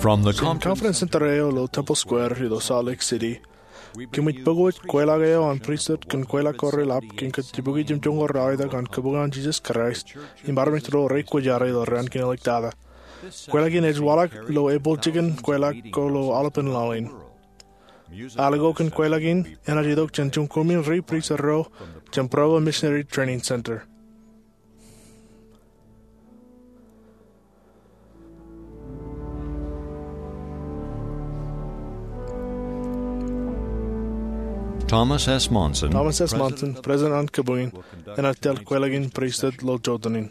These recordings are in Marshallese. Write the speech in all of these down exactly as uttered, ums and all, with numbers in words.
From the Jen conference conference center eo ilo Temple Square ilo Salt Lake City, kōmij pok wōj kweilọk eo an pristut kōn kweilọk ko reḷap kōn kōjjibuki jemjoñoul ralitōk an Kabuñ eo an Jesus Christ im armej ro rekwōjarjar ilo raan kein āliktata. Kweilọk in ej waḷọk ilo epūl jikin kweilọk ko ilo aolepān laḷ in. Ālikin kweilọk in enaaj itok jān juon koṃwin ri pristut ro jān Provo Missionary Training Center. Thomas S. Monson, Thomas S. Monson, President an Kabuñ in, enaaj tōl kweilọk in pristut ilo jotenin.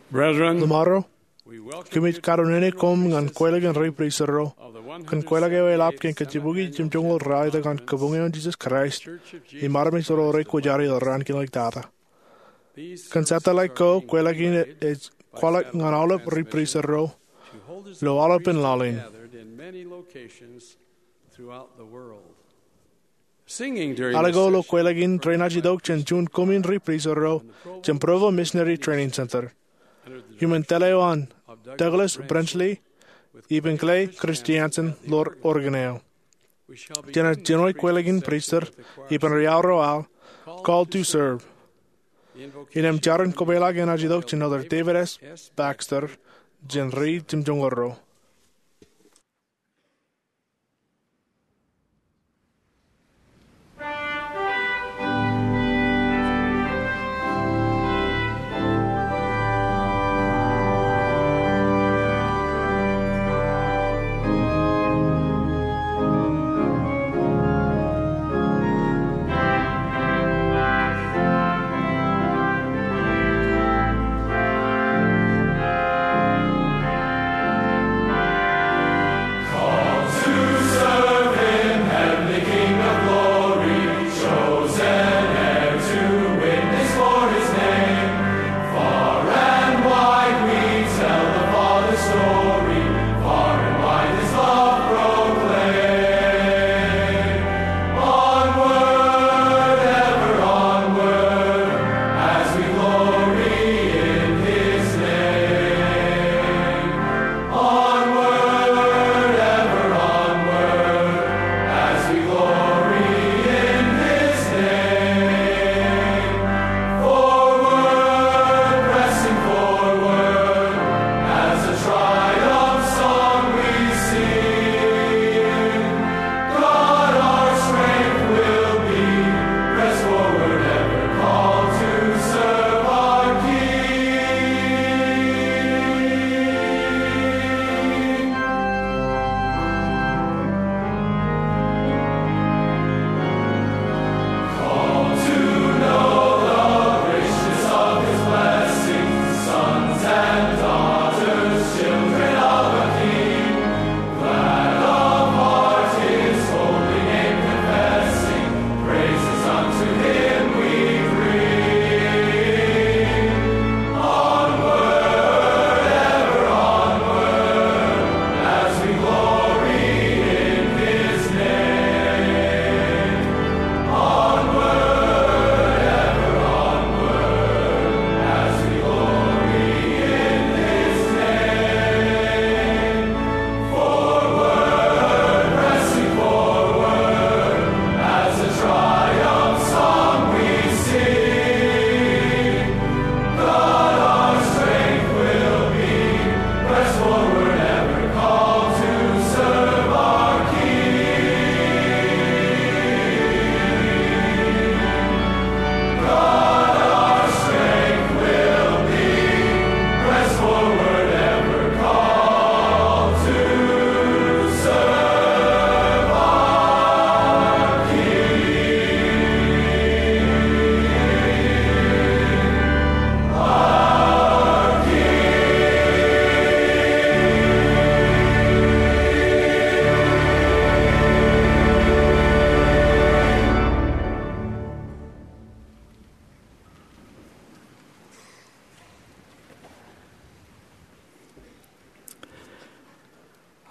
Brethren, Ḷōṃaro, kōmij karunnene koṃ ñan kweilọk in ri pristut ro kōn kweilọk eo eḷap kōn kōjjibuki jemjoñoul ralitōk an Kabuñ eo an Jesus Christ im armej ro rekwōjarjar ilo raan kein āliktata. Kōn satellite ko, kweilọk in ej kwaḷọk ñan aolep ri pristut ro ilo aolepān laḷ in. Ālikin kweilọk in renaaj itok jān juon koṃwin ri pristut ro jān Provo Missionary Training Center iuṃwin tōl eo an Douglas Brenchley ippān Clay Christensen ḷoor organ eo. Jenaaj jino kweilọk in pristut ippān ri aorro aḷ, Call to Serve. Innem jarin kopeḷḷọk enaaj itok jān Elder David S. Baxter jān ri jemjoñoul ro. Onward, ever onward, as we glory in his name. Forward, pressing forward, as a triumph song we sing. God our strength will be, press forward ever, called to serve our King. Called to know the richness of his blessing, sons and daughters, children of a King. Glad of heart his holy name confessing, praises unto him we bring. Onward, ever onward, as we glory in his name. Onward, ever onward, as we glory in his name. Forward, pressing forward, as a triumph song we sing. God our strength will be, press forward ever, called to serve our King. God our strength will be, press forward ever, called to serve our King. Our King.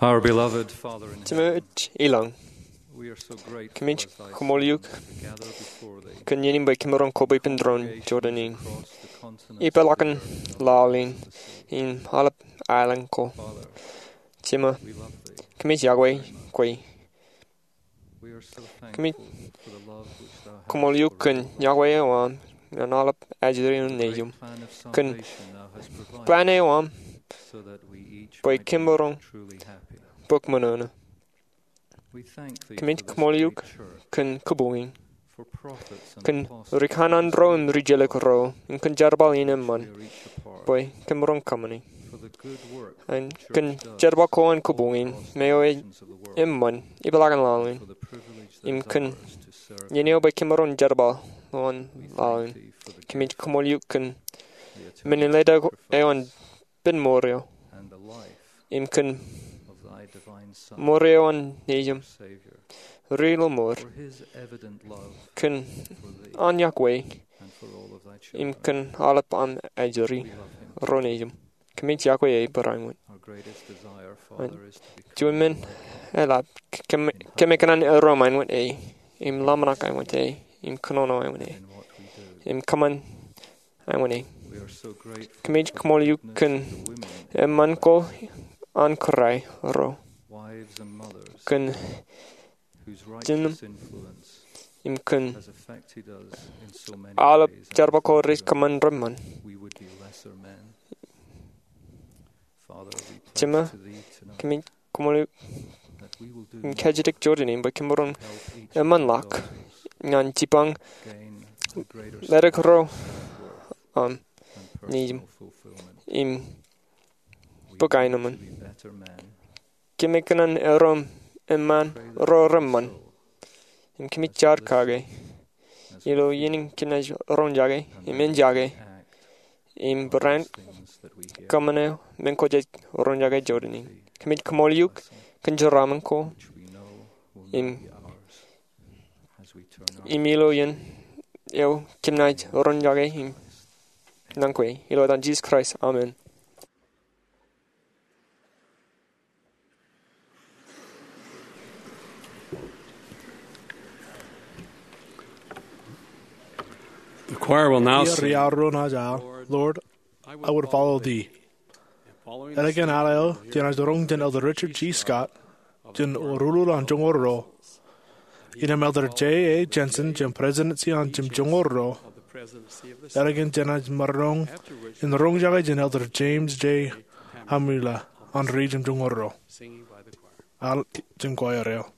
Our beloved Father in heaven. Jemān ilọk. Kōmij koṃṃool eok kōn iien in bwe kōmaroñ koba ippān doon Jordan in, ipeḷaakin laḷ in, im aolep aelōñ ko. Jema, kōmij yokwe kwe. Kōmij koṃṃool eok kōn yokwe eo aṃ ñan aolep ajri eo nejiṃ, kōn plan eo aṃ bwe kōmaroñ bōk ṃōṇōṇō. Kōmij koṃṃool eok kōn kōpoñ in, kōn ri kanaan ro im ri jelōk ro, im kōn jerbal in eṃṃan bwe kōmaroñ kōṃṃani, im kōn jerbal ko an kōpoñ in me eo eṃṃan ipeḷaakin laḷ in, im kōn iien eo bwe kōmaroñ jerbal ḷọk an laḷ in. Kōmij koṃṃool eok kōn men in letok eo an pen mour eo, im kōn mour eo an Nejiṃ ri ilo mour, kōn an yokwe, im kōn aolep aṃ ajri ro nejiṃ. Kōmij yokwe e barāinwōt. Juon men eḷap kōm, kōm kōṇaan erom āinwōt e, im ḷōmṇak āinwōt e, im kōnono āinwōt e, im kōṃṃan āinwōt e. Kōmij koṃṃool eok kōn eṃṃan ko an kōrā ro, kōn jinen, im kōn aolep jerbal ko rej kōṃṃan reṃṃan. Jema, kōmij koṃṃool eok im kajjitōk Jordan in bwe kōmaroñ eṃṃanḷọk ñan jipañ letok ro aṃ nejiṃ im bōk aenōṃṃan. Kōm kōṇaan erom eṃṃan ro reṃṃan, im kōmij jar kake ilo iien in kōm naaj roñjake im enjake im barāinwōt kōṃṃane men ko jej roñjake Jordan in. Kōmij koṃṃool eok kōn jeraaṃṃan ko im, im ilo iien eo kōm naaj roñjake im naan kwe. Ilo etan Jisōs Kraist, amen. The choir will now sing. Ri-aorro naaj al, Lord, I Would Follow Thee. Ālikin al eo jenaaj roñ jān Elder Richard G. Scott, jān Rūḷuḷ an Joñoul Ro, innām Elder Jay A. Jensen jān Prestudensi an Joñoul Ro, ālikin jenaaj maroñ in roñjake jān Elder James J. Hamulla an Ri jān Joñoul Ro. Al jān choir eo.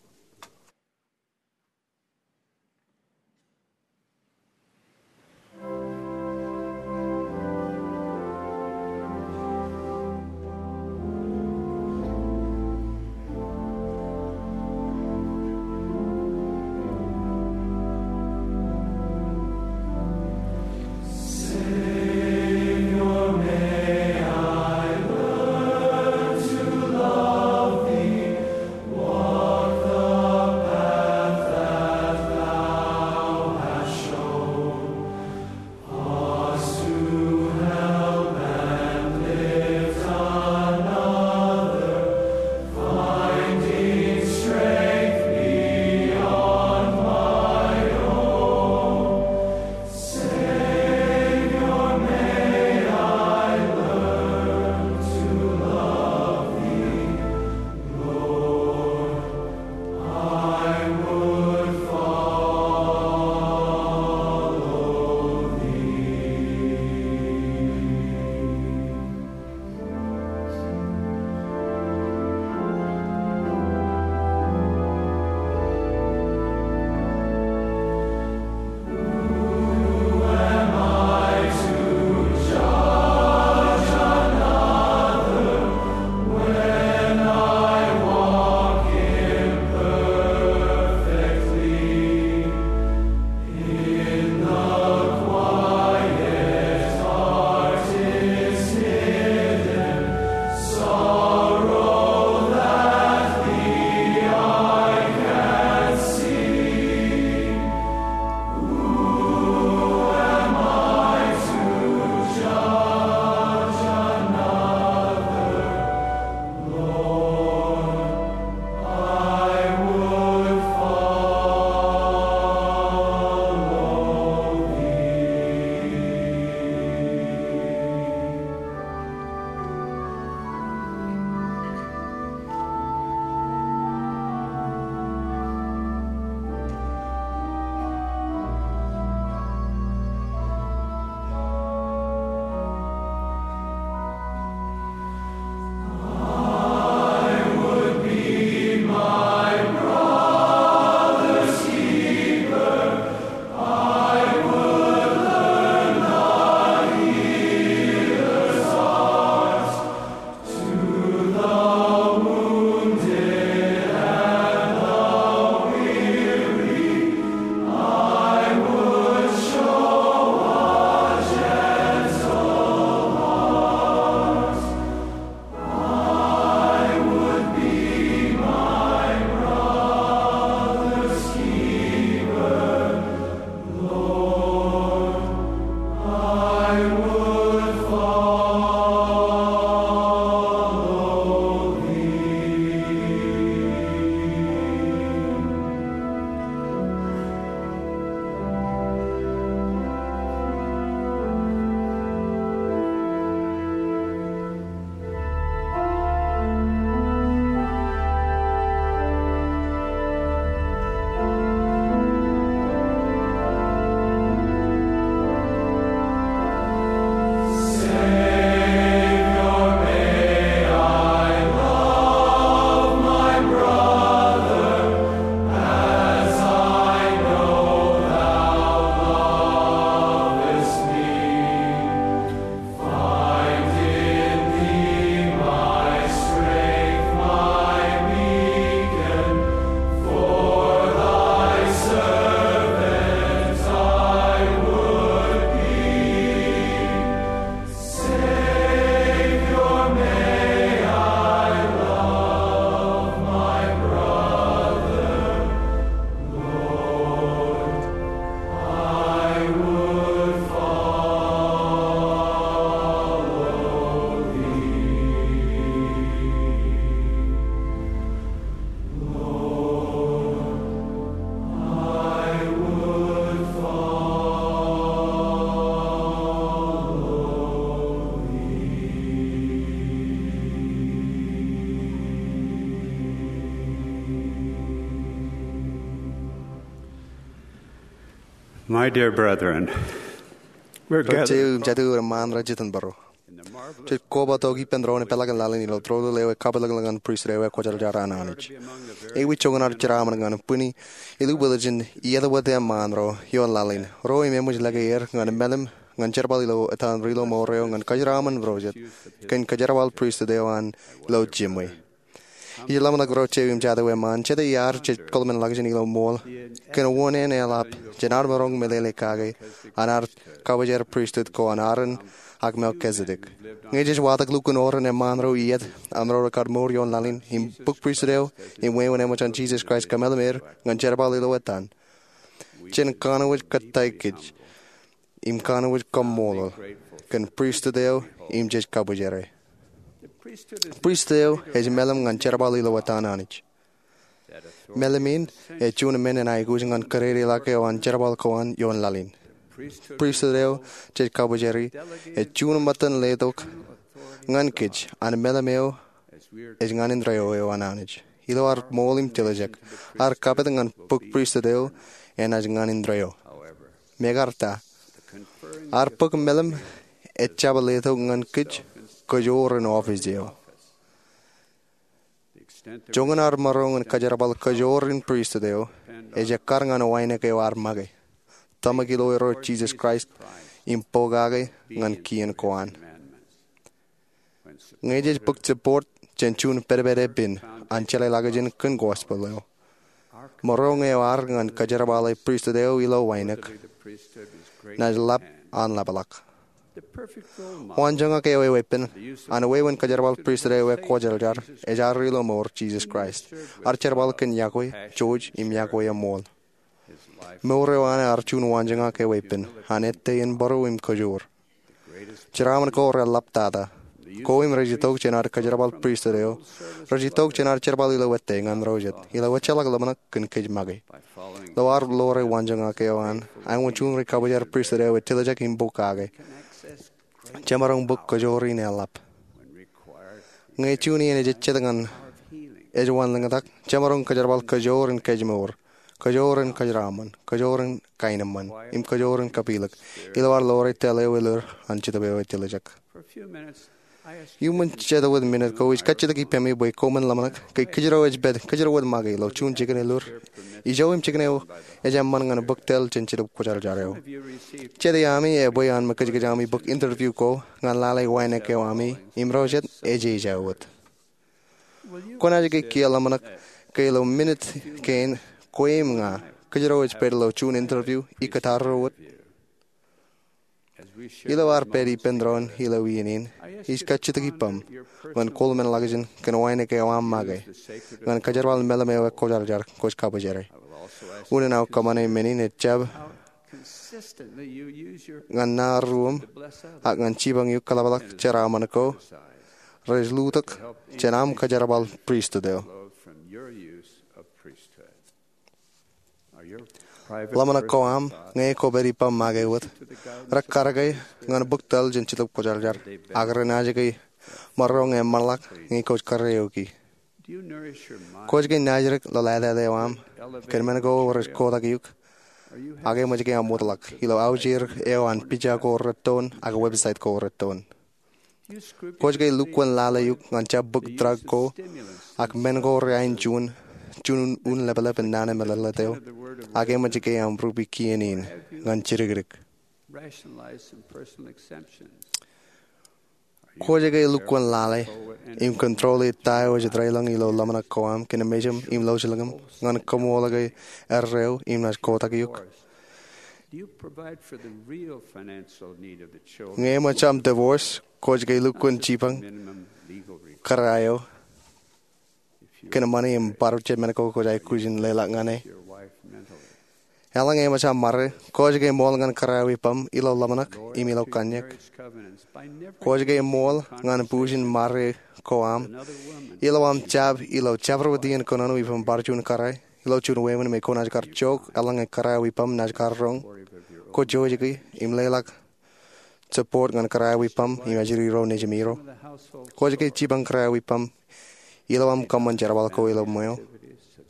My dear brethren, we're gathered Ro jeiū im jatū eo eṃṃaan rej jitōnbōro. Jej koba tok ippān doon eo peḷaakin laḷ in ilo tōl eo ekwōj ḷọk ñan pristut eo ekwōjarjar an Anij. Ewi joñan ad jeraaṃṃan ñan bwini ilubwilōjin iiet wōt eṃṃaan ro ioon laḷ in, ro im eṃōj lōke er ñan meḷeḷe ñan jerbal ilo etan ri-lọmọọr eo ñan kōjeraaṃṃan ro jet kōn kōjerbal pristut eo an ilo jiṃwe. Ij ḷōmṇak ro jeiū im jatū eṃṃaan, jete iar jej kōḷmānḷọkjeṇ ilo ṃool kōn wōn en eḷap jān ad maroñ meḷeḷe kake an ad kabwijer pristut ko an Aaron ak Melkisedek. Ñe jej watōk lukkuun oren eṃṃaan ro iiet an ro rekar mour ioon laḷ in im bōk pristut eo im wāween eṃōj an Jisōs Kraist kōmeḷeḷe er ñan jerbal ilo etan, jen kanooj kōttāik kōj im kanooj kaṃṃoolol kōn pristut eo im jej kabwijere. Pristut eo ej meḷeḷe ñan jerbal ilo etan Anij. Meḷeḷe in ej juon men in aikuj ñan kōdede ḷọk eo an jerbal ko an ioon laḷ in. Pristut eo jej kabwijeri ej juon ṃōttan letok ñan kōj an meḷeḷe eo ej ñan indeeo eo an Anij. Ilo ad ṃool im tiljek, ad kapit ñan bōk pristut eo enaaj ñan indeeo. Mekarta, ad bōk meḷeḷe ejjab letok ñan kōj kōjoor in office eo. Joñan ad maroñ in kōjerbal kōjoor in pristut eo ej ekkar ñan wānōk eo ad make, tōmak ilo Irooj Jisōs Kraist im pokake ñan kien ko an. Ñe jej bōk support jān juon pedped epen an jeḷāḷọkjeṇ kōn gospel eo, maroñ eo ad ñan kōjerbale pristut eo ilo wānōk naaj lap an ḷapḷọk. Waanjoñak eo eweeppān an wāween kōjerbal pristut eo ekwōjarjar ej ad ri-lọmọọr Jisōs Kraist, ad jerbal kōn iọkwe, jouj im iọkwe eṃool. Mour eo an ear juon waanjoñak eweeppān an ettā in būruō im kōjoor. Jeraaṃṃan ko reḷap tata. Ko im rej itok jān ad kōjerbal pristut eo, rej itok jān ad jerbal ilo ettā ñan ro jet, ilo ejjeḷọk ḷōmṇak kōn kōj make. Ilo ad ḷoore waanjoñak eo an, āinwōt juon ri kabwijer pristut eo ej tiljek im pokake, jemaroñ bōk kōjoor in eḷap. Ñe juon iien ej ejjet ñan ej wanlōñtak, jemaroñ kōjerbal kōjoor in kōjmour, kōjoor in kōjeraaṃṃan, kōjoor in kaenōṃṃan, im kōjoor in kapilōk ilo ad ḷoore tōl eo elōñ an Jetōb eo ej tiljek. Iuṃwin jet wōt minit ko, ij kajjitōk ippaṃ bwe koṃwin ḷōmṇak ke kōjro ej pād, kōjro wōt make ilo juon jikin elōñ, ijo im jikin eo ej eṃṃan ñan bōk tōl jān Jetōb Kwōjarjar eo. Jet iaami ebwe an mekōjkōj ami bōk interview ko ñan lale wānōk eo ami im ro jet ej ej wōt. Kwōnaaj ke kiiō ḷōmṇak ke ilo minit kein kwe im ña kōjro ej pād ilo juon interview ikōtaarro wōt? Ilo ad pād ippān doon ilo iien in, ij kajjitōk ippaṃ ñan koṃṃan ḷọkjeṇ kōn wānōk eo aṃ make ñan kōjerbal meḷeḷe eo ekwōjarjar kwōj kabwijere. Unin aō kōṃṃane men in ejjab ñan naan ruōṃ ak ñan jipañ eok kōḷapḷọk jeraaṃṃan ko rej lutōk jān aṃ kōjerbal pristut eo. Ḷōmṇak ko aṃ ñe kwōpād ippaṃ make wōt rekar ke ñan bōk tōl jān Jetōb Kwōjarjar, ak renaaj ke maroñ eṃṃanḷọk ñe kwōj kōrā eok ie. Kwōj ke naajdik ḷōḷātāt eo aṃ kōn men ko rej kotak eok, ak eṃōj ke aṃ wōtlọk ilo aujir eo an pija ko rettoon ak website ko rettoon? Kwōj ke lukkuun lale eok ñan jab bōk drug ko ak men ko reain juon, juon un lepḷep in naan eṃṃanḷọk eo, ak eṃōj ke aṃ rupe kien in ñan jidikdik? Kwōj ke lukkuun lale im control e ta eo ej deḷọñ ilo ḷōmṇak ko aṃ kōn mejān im lọjilñiṃ ñan kaṃṃoolol ke erreo im naaj kotak eok? Ñe eṃōj aṃ divorce, kwōj ke lukkuun jipañ kōrā eo kōn ṃani im bar jab men ko kwōj aikuj in leḷọk ñan e? Eḷaññe eṃōj aṃ ṃare, kwōj ke ṃool ñan kōrā eo ippaṃ ilo ḷōmṇak im ilo kanniōk? Kwōj ke ṃool ñan pujin ṃare ko aṃ ilo aṃ jab ilo jabdewōt iien kōnono ippaṃ bar juon kōrā ilo juon wāween me kwōnaaj kar jook eḷaññe kōrā eo ippaṃ naaj kar roñ? Kwōj jouj ke im leḷọk support ñan kōrā eo ippaṃ im ajri ro nejimiro? Kwōj ke jipañ kōrā eo ippaṃ ilo aṃ kōṃṃan jerbal ko ilo ṃweo?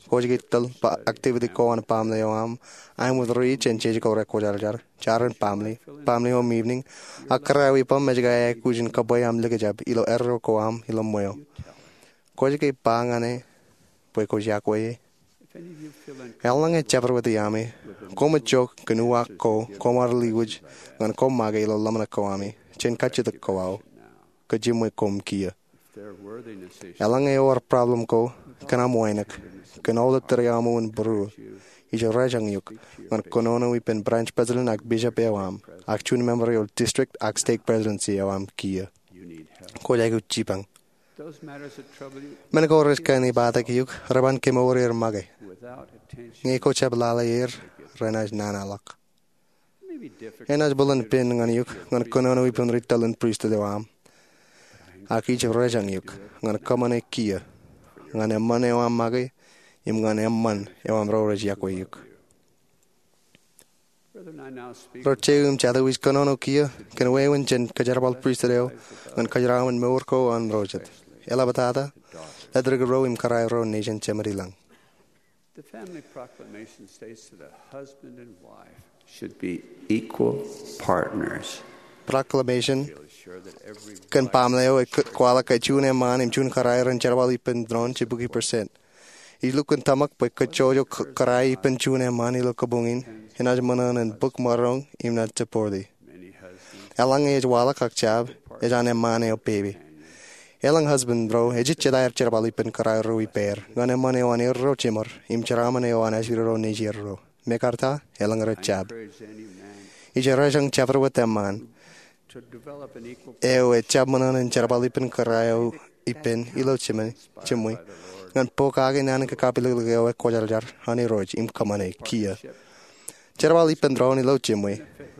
Kwōj ke tōl activity ko an baaṃle eo aṃ, aṃ wōt ri jān jeje ko rekwōjarjar, jar in baaṃle, baaṃle home evening, ak kōrā eo ippaṃ ej aikuj in kōbwe aṃ likjab ilo erro ko aṃ ilo ṃweo. Kwōj ke ba ñan e bwe kwōj iọkwe e? Eḷaññe ejjab wōt iaami, koṃij jook kōn uwaak ko koṃ ar liwōj ñan koṃ make ilo ḷōmṇak ko ami jān kajjitōk ko aō, kōj jiṃwe koṃ kiiō. Eḷaññe ewōr problem ko kōn aṃ wānōk, kōn aolep tōre aṃ wōn būruō, ij rejañ eok ñan kōnono ippān branch president ak bishop eo aṃ, ak juon member eo district ak stake presidency eo aṃ kiiō. Kwōj aikuj jipañ. Men ko rej kōṇaan eok, reban kemour er make. Ñe kwōj jab lale er, renaaj nana ḷọk. Enaaj bōlen pen ñan eok ñan kōnono ippān ri tōl in pristut eo aṃ, ak ij rejañ eok ñan kōṃṃane kiiō ñan eṃṃan eo aṃ make im ñan eṃṃan eo aṃ ro rej iọkwe eok. Ro je im jatū, ij kōnono kiiō kōn wāween jān kōjerbal pristut eo ñan kōjeraṃṃan mour ko an ro jet, eḷaptata ḷetik ro im kōrā ro nejin jemed ilañ. The family proclamation states that a husband and wife should be equal partners. Proclamation kōn baaṃle eo ej kwaḷọk ke juon eṃṃaan im juon kōrā ren jerbal ippān doon jibukwi percent. Ij lukkuun tōmak bwe kōjjojo kōrā ippān juon eṃṃaan ilo kabuñ in enaaj ṃōṇōṇō in bōk maroñ im naaj support e. Eḷaññe ej waḷọk ak jab, ej an eṃṃaan eo pepe. Elōñ husband ro ejejjet aer jerbal ippān kōrā ro ippāer ñan eṃṃan eo an erro jemed im jeraaṃṃan eo an ajri ro nejier ro. Mekarta, elōñ rej jab. Ij rejañ jabdewōt eṃṃaan eo ejjab ṃōṇōṇō in jerbal ippān kōrā eo ippān ilo jiṃwe ñan pokake naan in kakapilōklōk eo ekwōjarjar an Irooj im kōṃṃane kiiō. Jerbal ippān doon ilo jiṃwe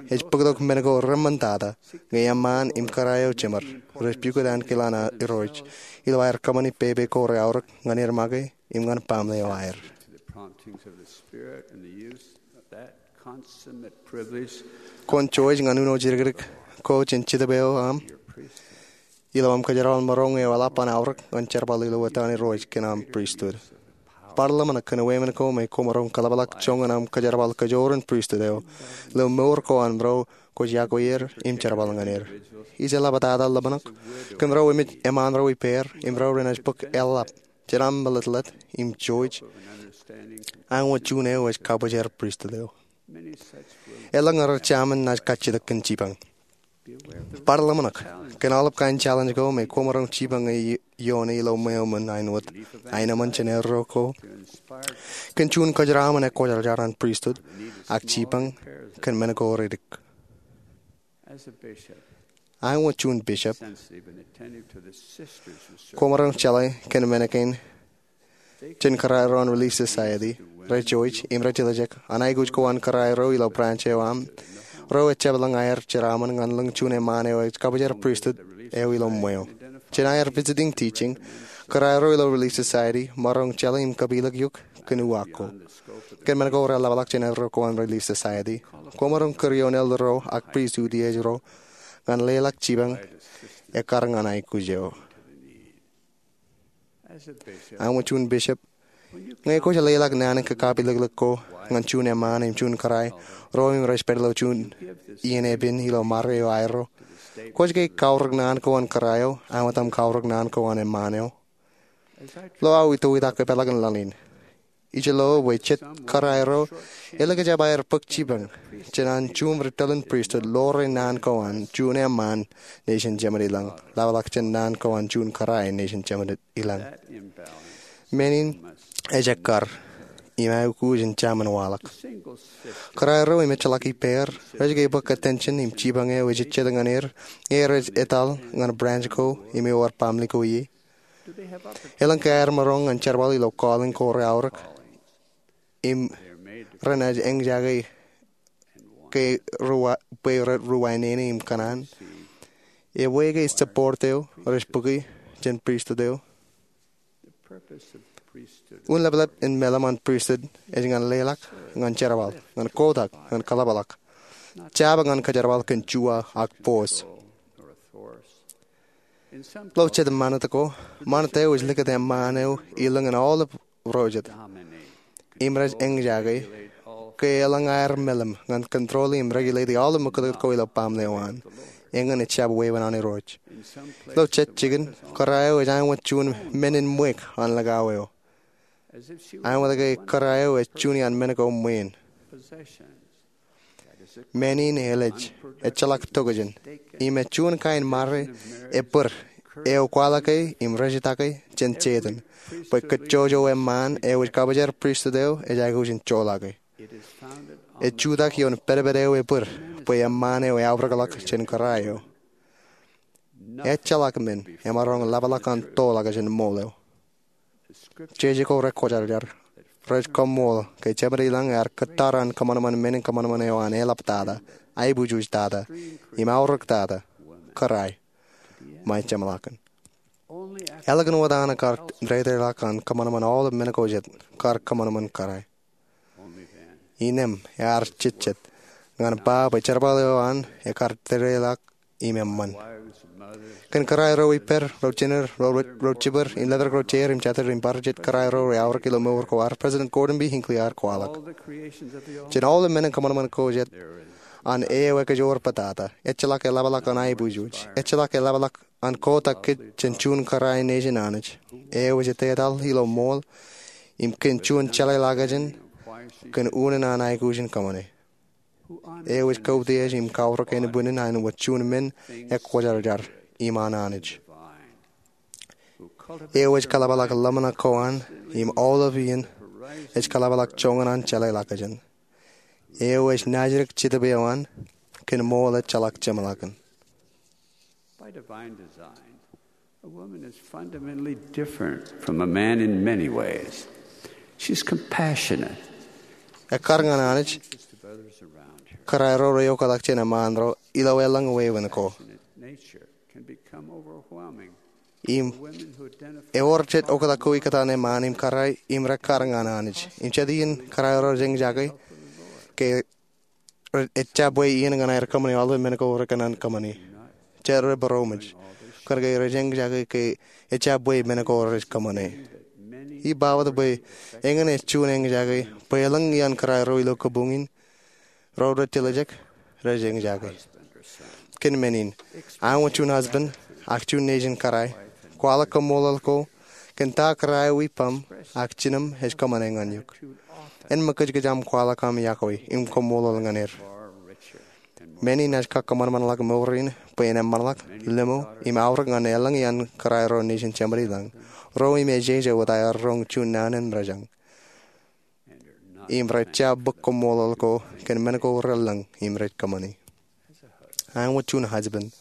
ej bōktok men ko reṃṃantata ñe eṃṃaan im kōrā eo jemed rej pukot ankilaan Irooj ilo aer kōṃṃani pepe ko reaorōk ñan er make im ñan baaṃle eo aer. Kwōn jouj ñan uno jidikdik ko jān Jetōb eo aṃ ilo aṃ kōjerbal maroñ eo eḷap an aorōk ñan jerbal ilo etan Irooj kōn aṃ pristut. Bar ḷōmṇak kōn wāween ko me kwōmaroñ kōḷapḷọk joñan aṃ kōjerbal kajoor in pristut eo ilo mour ko an ro kwōj iọkwe er im jerbal ñan er. Ij eḷaptata ḷōmṇak kōn ro emān ro ippāer im ro renaaj bōk eḷap jān aṃ meḷeḷe im jouj aṃ wōt juon eo ej kabōjrak pristut eo. Elōñ rej jaṃin naaj kajjitōk kōn jipañ. Bar ḷōmṇak kōn aolep kain challenge ko me kwōmaroñ jipañ ioone ilo ṃweo ṃōn āinwōt aenōṃṃan jān erro ko kōn juon kōjeraṃṃan ekwōjarjar an pristut ak jipañ kōn men ko reddik. Aṃ wōt juon bishop, kwōmaroñ jeḷā kōn men kein jān kōrā ro an Relief Society rej jouj im rej tiljek an aikuj ko an kōrā ro ilo branch eo aṃ ro ejjab lōñ aer jeraaṃṃan ñan lōñ juon eṃṃaan eo ej kabōjrak pristut eo ilo ṃweo. Jān aer visiting teaching, kōrā ro ilo Relief Society maroñ jeḷā im kapilōk eok kōn uwaak ko. Kōn men ko reḷapḷọk jān erro ko an Relief Society, kwōmaroñ kūr ioon elder ro ak pristut iej ro ñan leḷọk jipañ ekkar ñan aikuj eo. Aṃ wōt juon bishop, ñe kwōj leḷọk naan in kakapilōklōk ko ñan juon eṃṃaan im juon kōrā ro im rej pād ilo juon iien epen ilo mare eo aerro, kwōj ke kaorōk naan ko an kōrā eo āinwōt aṃ kaorōk naan ko an eṃṃaan eo? Ilo aō itoitak epeḷḷọk in laḷ in, ij lo bwe jet kōrā ro elikjab aer bōk jipañ jān an juon ri tōl in pristut ḷoore naan ko an juon eṃṃaan nejin jemed ilañ ḷapḷọk jān naan ko an juon kōrā nejin jemed ilañ. Men in ej ekkar im aikuj in jaṃin waḷọk. Kōrā ro im ejjeḷọk ippāer rej ke bōk attention im jipañ eo ej jet ñan er ñe rej etal ñan branch ko im ewōr baaṃle ko ie? Elōñ ke aer maroñ ñan jerbal ilo calling ko reaorōk im renaaj eñjake ke bwe rej ri wāween im kōṇaan? Ebwe ke support eo rej bōke jān pristut eo? Unin ḷapḷap in meḷeḷe an pristut ej ñan leḷọk, ñan jerbal, ñan kotak, ñan kaḷapḷọk, jab ñan kōjerbal kōn juwa ak bos. Ilo jet ṃanit ko, ṃanit eo ej likūt eṃṃaan eo ilōñ in aolep ro jet. im rej eñjake ke elōñ aer meḷeḷe ñan control im regulate aolep ṃōkūtkūt ko ilo baaṃle eo an. Eñin ejjab wāween an Irooj. Ilo jet jikin, kōrā eo ej āinwōt juon men in ṃweiuk an likao eo, āinwōt ke kōrā eo ej juon iaan men ko ṃwiin. Men in elej, ejjeḷọk tokjān, im ej juon kain ṃare ebōd eo kwaḷọke im rejjitake jān Setan bwe kōjjojo eṃṃaan eo ej kabujar pristut eo ej aikuj in joḷọke. Ej jutak ioon pedped eo ebōd bwe eṃṃaan eo eaorōkḷọk jān kōrā eo. Ejjeḷọk men emaroñ leḷọk an toḷọk jān ṃool eo. Jeje ko rekwōjarjar rej kaṃṃoolol ke Jemān ilañ ear kōttar an kōṃanṃan men in kōṃanṃan eo an eḷaptata, aibujuj tata, im aorōk tata, kōrā eo, ṃae jeṃḷọkin. Ālikin wōt an kar dedeḷọk an kōṃanṃan aolep men ko jet, kar kōṃanṃan kōrā eo. Innām ear jejjet ñan ba bwe jerbal eo an ekar dedeḷọk im eṃṃan. Kōn kōrā ro ippād, ro jined, ro jibwid, im letok ro jeid im jatid im bar jet kōrā ro reaorōk ilo mour ko ad, President Gordon B. Hinckley ear kwaḷọk, jān aolep men in kōṃanṃan ko jet an eo ekejoor bōtata, ejjeḷọk eḷapḷọk an aibujuj, ejjeḷọk eḷapḷọk an kotak kōj jān juon kōrā in nejin Anij eo ej etetal ilo ṃool im kōn juon jeḷāḷọkjeṇ kōn unin an aikuj in kōṃṃane, eo ej kautiej im kaorōk ānbwinnin āinwōt juon men ekwōjarjar im an Anij, eo ej kaḷapḷọk ḷōmṇak ko an im aolep iien ej kaḷapḷọk joñan an jeḷāḷọkjeṇ, eo ej naajdik Jetōb eo an kōn ṃool ejjeḷọk jeṃḷọkin. By divine design, a woman is fundamentally different from a man in many ways. She's compassionate. Ekkar ñan Anij, kōrā ro reoktak jān eṃṃaan ro ilo elōñ wāween ko. Nature can become overwhelming. Im ewōr jet oktak ko ikkōtaan eṃṃaan im kōrā im rekkar ñan Anij. Im jet iien kōrā ro rej eñjake ke ejjab bwe iien ñan aer kōṃṃane aolep men ko rekōṇaan kōṃṃane. Jet rej būroṃōj kōnke rej eñjake ke ejjab bwe men ko rej kōṃṃane. Ij ba wōt bwe eñin ej juon eñjake bwe elōñ iaan kōrā ro ilo kabuñ in ro rej tiljek, rej eñjake. Kōn men in, āinwōt juon husband ak juon nejin kōrā, kwaḷọk kaṃṃoolol ko kōn ta kōrā eo ippaṃ ak jinōm ej kōṃṃane ñan eok. En ṃōkajkōj aṃ kwaḷọk aṃ iakwe im kaṃṃoolol ñan er. Men in ej kab kōṃanṃanḷọk mour in bwe en eṃṃanḷọk, limo, im aorōk ñan elōñ iaan kōrā ro nejin Jemān ilañ, ro im ejeje wōt aer roñ juon naan in mejān. Im rej jab bōk kaṃṃoolol ko kōn men ko relōñ im rej kōṃṃane. Āinwōt juon husband,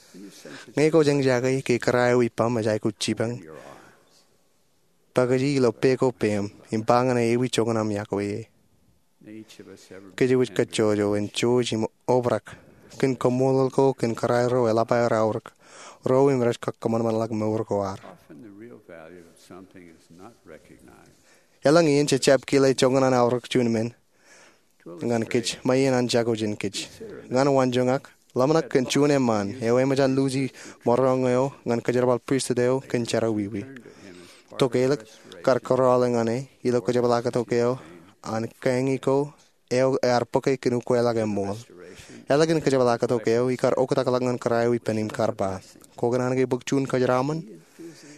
ñe kwōj eñjake ke kōrā eo ippaṃ ej aikuj jipañ, pakiji ilo pe ko peiṃ im ba ñan e ewi joñan aṃ iakwe e. Kōjwōj kōjjojo en jouj im obrak kōn kaṃṃoolol ko kōn kōrā ro eḷap aer aorōk, ro im rej kab kōṃanṃanḷọk mour ko ad. Elōñ iien jejjab kile joñan an aorōk juon men ñan kōj ṃae iien an jako jān kōj. Ñan waanjoñak, ḷōmṇak kōn juon eṃṃaan eo eṃōj an luuji maroñ eo ñan kōjerbal pristut eo kōn jerọwiwi. Tokālik kar kōrọọl ñan e ilo kōjepḷaaktok eo an kañi ko eo ear bōke kōn ukweḷọk eṃṃool. Ālikin kōjepḷaaktok eo, ikar oktakḷọk ñan kōrā eo ippān im kar ba, kwō kōṇaan ke bōk juon kōjeraṃōn?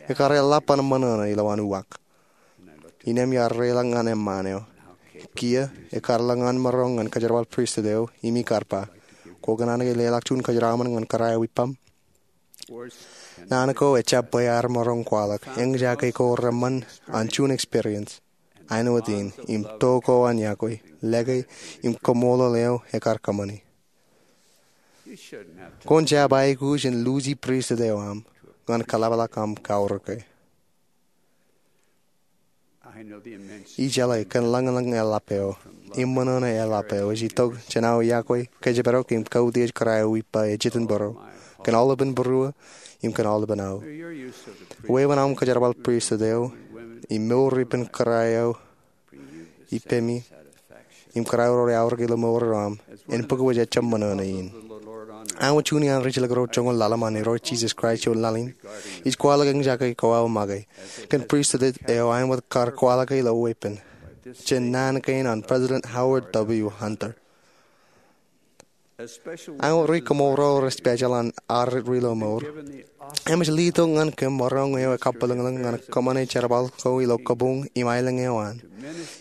Ekar eḷap an ṃōṇōṇō ilowaan uwaak. Innām iar reiḷọk ñan eṃṃaan eo, kiiō ekar lōñ an maroñ ñan kōjerbal pristut eo im ikar ba, kwō kōṇaan ke leḷọk juon kōjeraṃōn ñan kōrā eo ippaṃ? Naan ko ejjab bwe aer maroñ kwaḷọk, eñjake ko reṃṃan an juon experience āinwōt in im to ko an iakwe, lōke, im kaṃṃoolol eo ekar kōṃṃane. Kwōn jab aikuj in luuji pristut eo aṃ ñan kōḷapḷọk aṃ kaorōke. Ij jeḷā kōn ḷōñḷōñ eḷap eo im ṃōṇōṇō eḷap eo ej itok jān aō iakwe kōjparok im kautiej kōrā eo ippa ej itok būruō kōn aolepān būruō im kōn aolepān aō. Wāween aṃ kōjerbal pristut eo im mour ippān kōrā eo ippemi im kōrā ro reaorōk ilo mour eo aṃ en bōk wōj ejjab ṃōṇōṇō in. Āinwōt juon iaan ri jilkinḷọk joñoul ḷalem an Irooj Jisōs Kraist ioon laḷ in, ij kwaḷọk eñjake ko aō make kōn pristut eo āinwōt kar kwaḷọke ilo weeppān. jān naan kein an President Howard W. Hunter. Ak ri koṃro rej special an ad ri lo mour, eṃōj letok ñan kōm maroñ eo ekabwilōñlōñ ñan kōṃṃane jerbal ko ilo kabuñ im aelōñ eo an,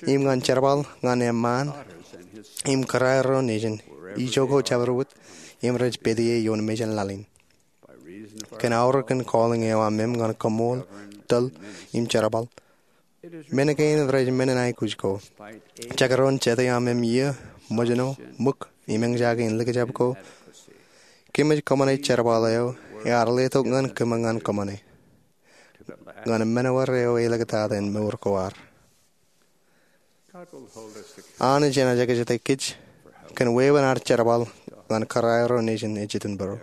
im ñan jerbal ñan eṃṃaan im kōrā ro nejin, ijo ko jabdewōt im rej pād ie ioon mejān laḷ in. Kōn aorōk in calling eo aṃ ñan koṃṃool, tōl, im jerbal, men kein rej men in aikuj ko. Jekdọọn jete aṃ iiō, ṃōjṇọ, ṃōk, im eñjake in likjab ko, kōmij kōṃṃane jerbal eo ear letok ñan kōm ñan kōṃṃane ñan men wōt eo eliktata in mour ko ad. Anij enaaj ekjete kōj kōn wāween ad jerbal ñan kōrā ro nejin ejitōnbōro.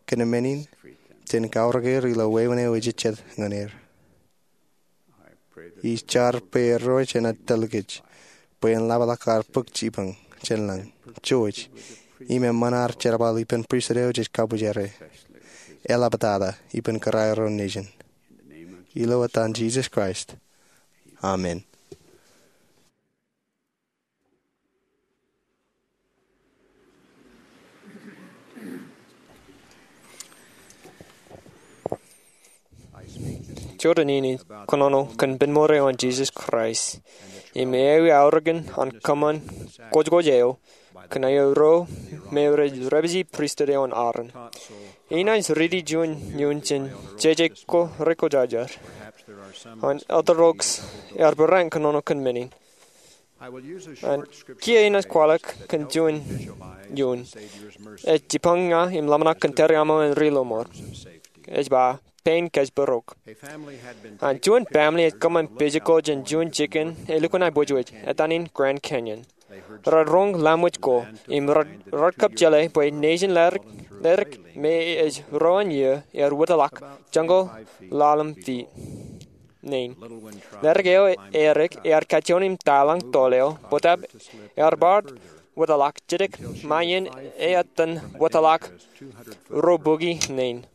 Kōn men in, jen kaorōk er ilo wāween eo ejejjet ñan er. Ij jar bwe Irooj enaaj tōl kōj bwe en ḷapḷọk ad bōk jipañ jān lañ, jouj, im eṃṃan ad jerbal ippān pristut eo jej kabwijere, eḷaptata ippān kōrā ro nejin. Ilo etan Jisōs Kraist, amen. Jota in ij kōnono kōn ippān mour eo an Jisōs Kraist, im ewi aorōkin an kōṃṃan kwōjkwōj eo kōn aer ro me rej repiji pristut eo an Aaron. Inaaj riiti juon iuun jān jeje ko rekwōjarjar. An Elder Oaks ear barāinwōt kōnono kōn men in. An kiiō inaaj kwaḷọk kōn juon iuun. Ej jipañ ña im ḷōmṇak kōn tariaṃo an ri lọmọọr. Ej ba, pein kōjparok. An juon family ej kōṃṃan physical jān juon jikin elukkuun aebwejbej, etan in Grand Canyon. Rej roñ lamwōj ko, im rej, rej kab jeḷā bwe nejin ledik, ledik me ej ruo iiō ear wōtlọk joñoul ḷalem feet nein. Ledik eo edik ear kajjioñ im taḷañ toḷ eo, bōtab ear bar wōtlọk jidik ṃae iien etan wōtlọk ruo bukwi nein.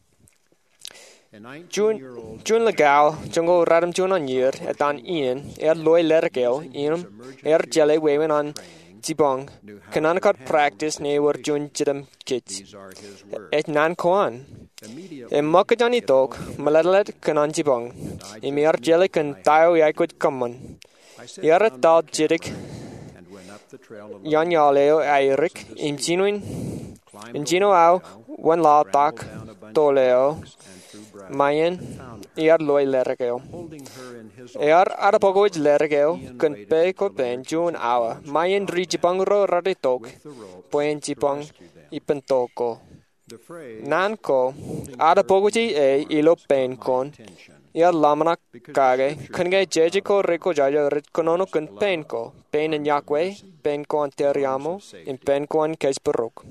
Juon, juon likao joñoul ratimjuon eoon iiō, etan Ian, ear loe ledik eo im ear jeḷā wāween an jipañ kōn an kar practice ñe ewōr juon jidim kij. Ej naan ko an. Eṃṃakūt jān itok, meletlet kōn an jipañ, im ear jeḷā kōn ta eo eaikuj kōṃṃan. Ear etal jidik iaan iaḷ eo aerik, im jinoin, im jino aō wōnlaḷtak toḷ eo ṃae iien ear loe ledik eo. Ear ad bōk wōj ledik eo kōn pā ko pein juon awa ṃae iien ri jipañ ro raar itok bwe en jipañ ippān toḷ ko. Naan ko, ad bōk wōj e ilo pein ko, ear ḷōmṇak kake kōn ke jeje ko rekwōjarjar rej kōnono kōn pein ko, pein in iọkwe, pein ko an tariaṃo, im pein ko an kōjparok.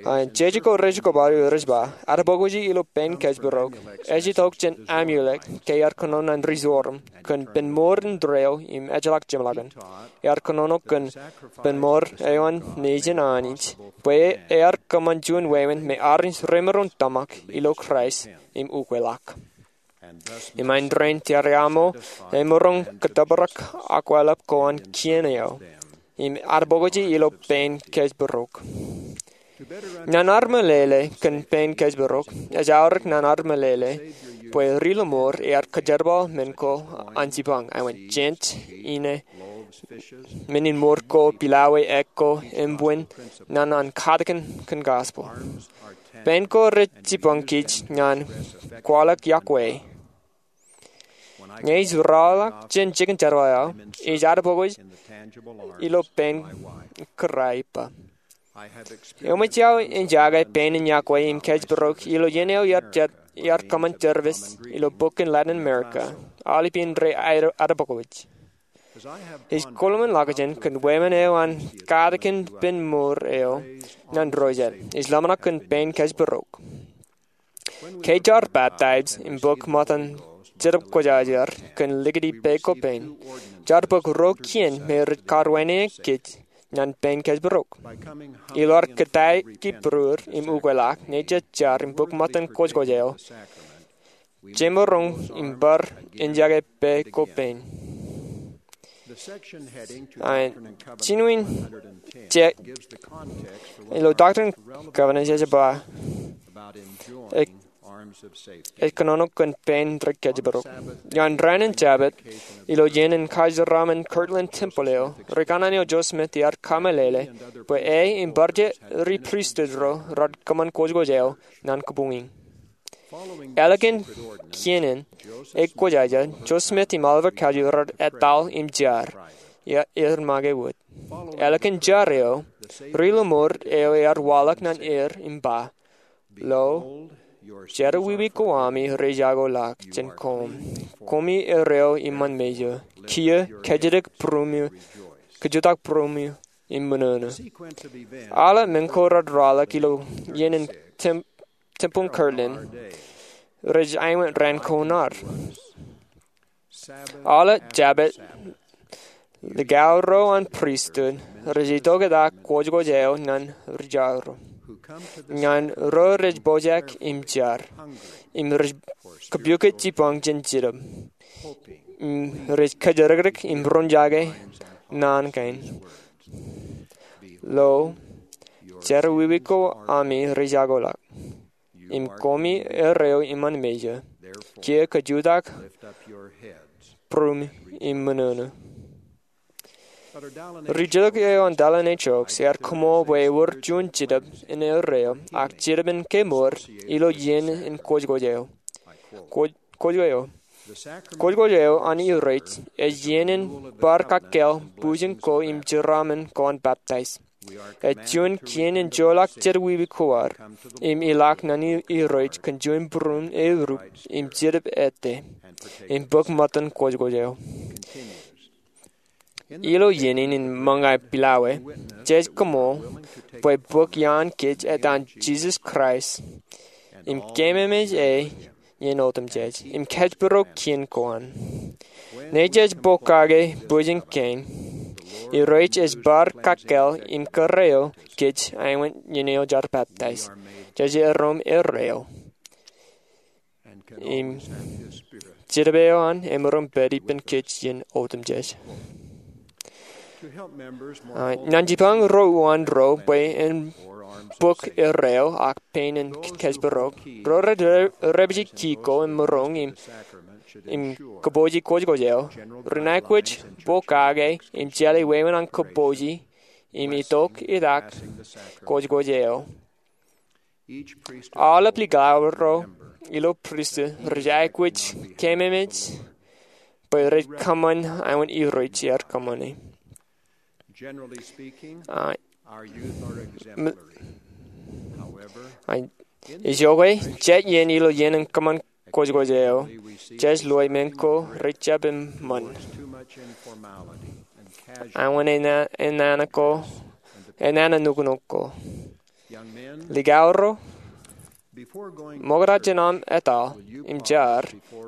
An jeje ko rej kōbaḷi rej ba, ad bōk wōj e ilo pein kōjparok, ej itok jān Amulek, ke ear kōnono ñan ri Zoram, kōn ippān mour indeeo im ejjeḷọk jeṃḷọkin. Ear kōnono kōn ippān mour eo an nejin Anij, bwe ear kōṃṃan juon wāween me armej remaroñ tōmak ilo Kraist im ukweḷọk. Im āindein tariaṃo emaroñ kōttōprak akwālep ko an kien eo, im ad bōk wōj e ilo pein kōjparok. Ñan ad meḷeḷe kōn pein kōjparok, ej aorōk ñan ad meḷeḷe bwe ri lọmọọr ear kōjerbal men ko an jipañ, aō jent, ine, men in mour ko, pilawe, ek ko, im bwin, ñan an katakin kōn gospel. Pein ko rej jipañ kij ñan kwaḷọk iọkwe. Ñe ij rọọlḷọk jān jikin jerbal eo, ij ad bōk wōj ilo pein kōrā ippa. Eṃōj aō eñjake pein in iọkwe im kōjparok ilo iien eo ear jet, ear kōṃṃan service ilo bok in Latin America, aolep iien rej ad bōk wōj. Ij kōḷmānḷọkjeṇ kōn wāween eo an katakin ippān mour eo ñan ro jet. Ij ḷōmṇak kōn pein kōjparok. Ke jaar baptize im bōk ṃōttan Jetōb Kwōjarjar kōn likūt pā ko pein, jaar bōk ruo kien me rej kar wānōk kij ñan pein kōjparok. Ilo ad kōttāik ki būruod im ukweḷọk, ñe jej jar im bōk ṃōttan kwōjkwōj eo, jemaroñ im bar eñjake pā ko pein. Jinuin jet ilo Doctrine and Covenants ej ba, ej kōnono kōn pein ri kōjparok. Ñan raan in Jabōt, ilo iien in kajeraṃṃan Kirtland Temple eo, ri kanaan eo Joseph Smith ear kameḷeḷe bwe e im bar jet ri pristut ro raar kōṃṃan kwōjkwōj eo ñan kabuñ in. Ālikin kien in, ekwōjaja, Joseph Smith im Oliver Cowdery raar etal im jar, er make wōt. Ālikin jar eo, ri lọmọọr eo ear waḷọk ñan er im ba, Lo, jerọwiwi ko ami rej jako ḷọk jān koṃ, koṃi erreo iṃaan mejān, kiiō kōjutōk būruṃwōj, kōjutōk būruṃwōj im ṃōṇōṇō. Aolep men ko raar waḷọk ilo iien in tem- Temple Kirtland rej āinwōt raan ko ṇaar. Aolep Jabōt, likao ro an pristut rej itok etal kwōjkwōj eo ñan ri jaro, ñan ro rej pojak im jar, im rej kōpukot jibboñ jān Jetōb, im rej kōjatdikdik im roñjake naan kein. Lo, jerọwiwi ko ami rej jako ḷọk, im koṃi erreo iṃaan mejān, kiiō kōjutōk būruṃwōj im ṃōṇōṇō. Ri jilkinḷọk eo an Dallin H. Oaks ear koṃṃool bwe ewōr juon jetōb in erreo, ak jetōb in kemour, ilo iien in kwōjkwōj eo. Kwōj- Kwōjkwōj eo. Kwōjkwōj eo an Irooj ej iien in bar kakkāāl bwijin ko im jeraaṃṃan ko an baptize. Ej juon kien in joḷọk jerọwiwi ko ad im ilọk ñan Irooj kōn juon būruon erup im jetōb ettā im bōk ṃōttan kwōjkwōj eo. Ilo iien in ṃōñā pilawā, jej koṃṃool bwe bōk iaan kōj etan Jisōs Kraist im keememej e iien otemjej im kōjparok kien ko an. Ñe jej pokake bwijin kein, Irooj ej bar kakkāāl im kōrā kōj āinwōt iien eo jaar baptize. Jej erom erreo im Jetōb eo an emaroñ pād ippān kōj iien otemjej. Ñan jibboñ ro uwaan ro bwe en bōk erreo ak pein in kōjparok, ro rej dāpiji ki ko im maroñ im kōpooji kwōjkwōj eo, ren aikuj pokake im jeḷā wāween an kōpooji im itok etal kwōjkwōj eo. Aolep likao ro ilo pristut rej aikuj keememej bwe rej kōṃṃan āinwōt Irooj ear kōṃṃane. Ijoke, jet iien ilo iien in kōṃṃan kwōjkwōj eo, jej loe men ko rej jab eṃṃan āinwōt enana ko, enana nuknuk ko. Likao ro, ṃokta jān aṃ etal im jar,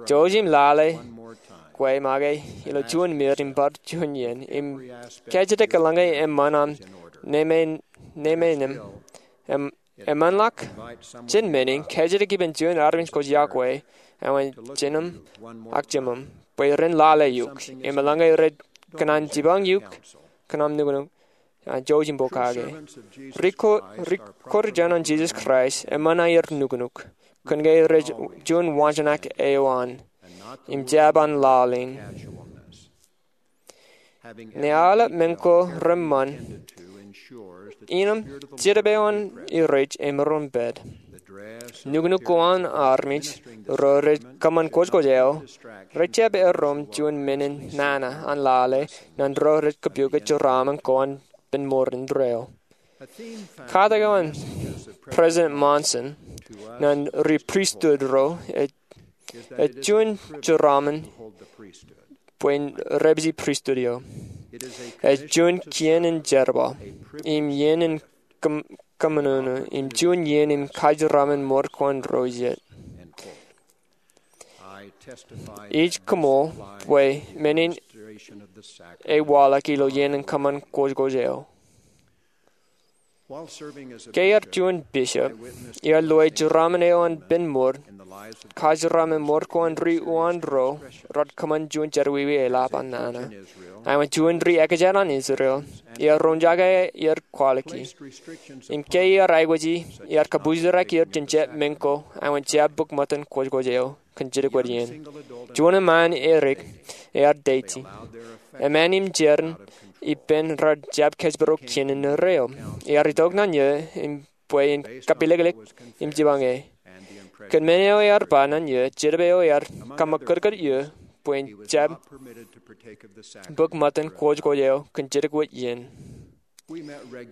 jouj im lale kwe make ilo juon mid im bar juon iien im kajjitōk eḷaññe eṃṃan aṃ neme, neme nem. Eṃṃan ḷọk jān men in, kajjitōk ippān juon armej kwōj yokwe, āinwōt jinem ak jemem, bwe ren lale eok im eḷaññe rej kōṇaan jibboñ eok, kōṇaan nuknuk, jouj im pokake. Ri ko- ri koṃṃool an Jisōs Kraist eṃṃan aer nuknuk kōn ke rej juon waanjoñak eo an im jab an lale in. Ñe aolep men ko reṃṃan, innām Jetōb eo an Irooj emaroñ pād. Nuknuk ko an armej ro rej kōṃṃan kwōjkwōj eo rej jab erom juon men in nana an lale ñan ro rej kōpukot jeraaṃṃan ko an pen mour indeeo. Katak eo an President Monson ñan ri pristut ro ej, ej juon jeraaṃṃan bwe en dāpiji pristut eo. Ej juon kien in jerbal im iien in kōm- kōṃṃan im juon iien in kajeraṃṃan mour ko an ro jet. Ij koṃṃool bwe men in ewaḷọk ilo iien in kōṃṃan kwōjkwōj eo. Ke iar juon bishop, iar loe jeraaṃṃan eo an pen mour kajeraṃṃan mour ko an ri uwaan ro raar kōṃṃan juon jerọwiwi eḷap an nana. Āinwōt juon ri ekjān an Israel, iar roñjake aer kwaḷọki. Im ke iar aikuji, iar kapujtirrak er jān jab meñ ko āinwōt jab bōk ṃōttan kwōjkwōj eo kōn jidik wōt iien. Juon eṃṃaan erik ear deiti. Eṃṃaan im jeran ippān raar jab kōjparok kien in erreo. Ear itok ñan eō im bwe en kapilōklōk im jipañe. Kōn men eo ear ba ñan eō, jetōb eo ear kaṃōkkōtkōt eō bwe en jab bōk ṃōttan kwōjkwōj eo kōn jidik wōt iien.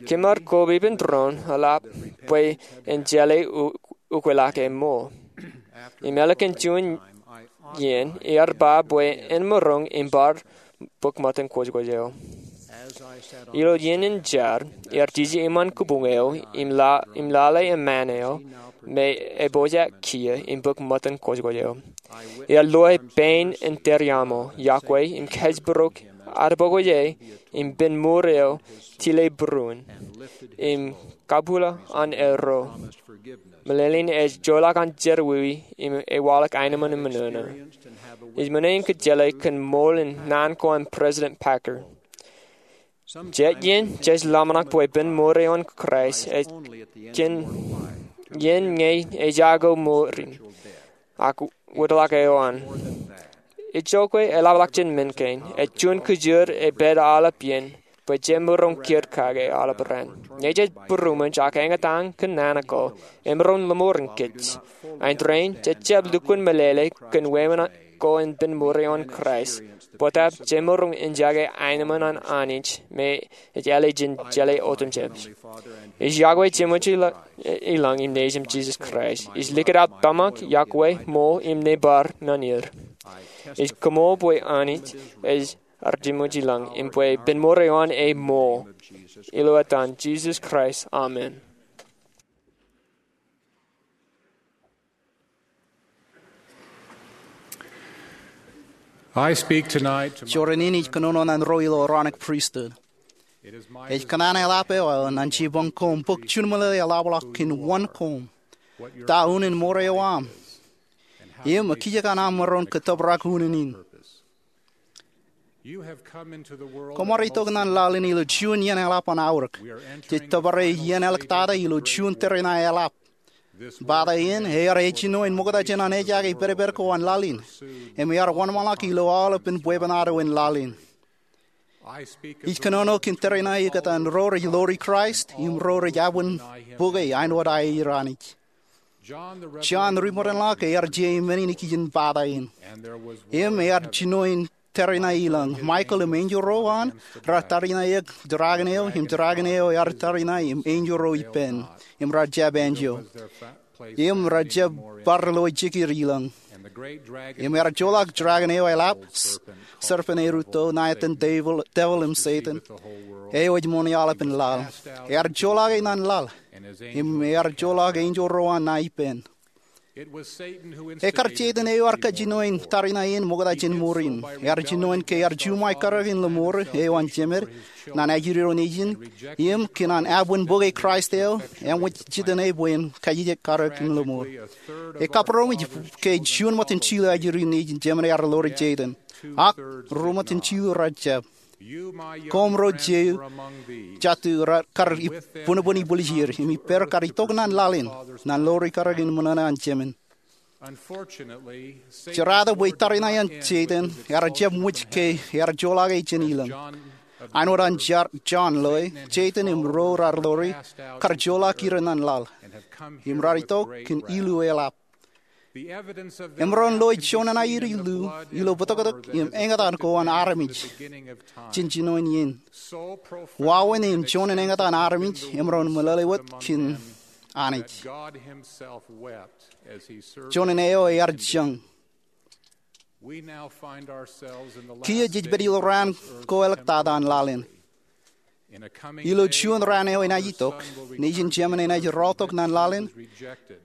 Kōmar koba ippān doon eḷap bwe en jeḷā u-, ukweḷọk e ṃool. Im ālikin juon iien ear ba bwe en maroñ im bar bōk ṃōttan kwōjkwōj eo. Ilo iien in jar, ear tiji iṃaan kōbuñ eo im la-, im lale eṃṃaan eo me epojak kiiō im bōk ṃōttan kwōjkwōj eo. Ear loe pein in tōre aṃo, iọkwe im kōjparok ad bōk wōje im pen mour eo tile būruon im kabwilōñ an erro. Meḷeḷein ej joḷọk an jerọwiwi im ewaḷọk aenōṃṃan in mōṇōṇō. Ij ṃōṇōṇō in kōjjeḷā kōn ṃool in naan ko an President Packer. Jet iien jej ḷōmṇak bwe pen mour eo an Kraist ej kōn iien ñe ejako mour in, ak wōtlọk eo an. Ejjeḷọk eḷapḷọk jān men kein, ej juon kōjoor ej pād aolep iien, bwe jemaroñ kiiō kake aolep raan. Ñe jej būroṃōj ak eñtaan kōn naan ko, emaroñ lōṃoor in kōj. Āindein, jej jab lukkuun meḷeḷe kōn wāween ko in pen mour eo an Kraist. Bōtaab jemaroñ in jake aenōṃṃan an Anij me ej āle jān jeḷā otemjej. Ij iọkwe Jemem ilañ im Nejūṃ Jisōs Kraist. Ij likūt aō tōmak, iọkwe, ṃool im nōbar ñan er. Ij koṃṃool bwe Anij ej ar Jemem ilañ im bwe pen mour eo an e ṃool. Ilo etan Jisōs Kraist, amen. I speak tonight to my Joorā in ij kōnono ñan ro ilo Aaronic Priesthood. Ej kōṇaan eḷap eo aō ñan jipañ koṃ bōk juon meḷeḷe eḷapḷọk kōn wōn koṃ, ta unin mour eo aṃ, im ekijjien aṃ maroñ ke tōprak unin in. Koṃ ar itok ñan laḷ in ilo juon iien eḷap an aorōk. Jej tōpare iien āliktata ilo juon tōre ṇae eḷap. Pata in ear ej jinoin ṃokta jān an ejake pedped ko an laḷ in, im ear wōnṃaanḷọk ilo aolepān bwebwenato in laḷ in. Ij kōnono kōn tōre ṇae ikōtaan ro rej ḷoori Kraist im ro rej abwin bōke āinwōt aer Anij. Jon Ripotenḷọk ear je men in ikijjien pata in. Im ear jinoin tōre ṇae ilañ. Michael im enjeḷ ro an raar tariṇae eok dragon eo, im dragon eo ear tariṇae im enjeḷ ro ippān, im raar jab enjeḷ. Im raar jab bar lo ijjekir ilañ. Im ear joḷọk dragon eo eḷap, s-, serpent eo rūtto, ṇa etan devil, devil im Setan, eo ej ṃoṇe aolepān laḷ. Ear joḷọk e ñan laḷ. Im ear joḷọk enjeḷ ro an ṇa ippān. Ekar Setan eo ear kajjinoin tariṇae in ṃokta jān ṃoor in. Ear jinoin ke ear juṃae karōk in lōṃoor eo an Jemed ñan ajri ro nejin, im kōn an abwin bōke Kraist eo, eṃōj jitōñ e bwe en kajjitōk karōk in lōṃoor. Ekabūroṃōj ke juon ṃōttan jilu ajri nejin Jemed ear ḷoori Setan. Ak ruōṃōttan jilu raar jab. Koṃ ro jeiū jatū raar kar ib-, bōnbōn ibwiljir, im ippāer kar itok ñan laḷ in, ñan ḷoori karōk in ṃōṇōṇō an Jemed. Jerata bwe tariṇae an Setan ear jab ṃōj ke ear joḷọk e jān ilañ. Āinwōt an Jar-, Jon loe, Setan im ro raar ḷoori kar joḷọk er ñan laḷ, im raar itok kōn ilu eḷap. Emaroñ loe juon ṇae ilo ilu, ilo bōtōktōk im eñtaan ko an armej jān jinoin iien. Wāween im juon in eñtaan armej emaroñ meḷeḷe wōt kōn Anij. Juon in eo ear jañ. Kiiō jej pād ilo raan ko āliktata an laḷ in. Ilo juon raan eo enaaj itok, nejin Jemed enaaj rọọltok ñan laḷ in,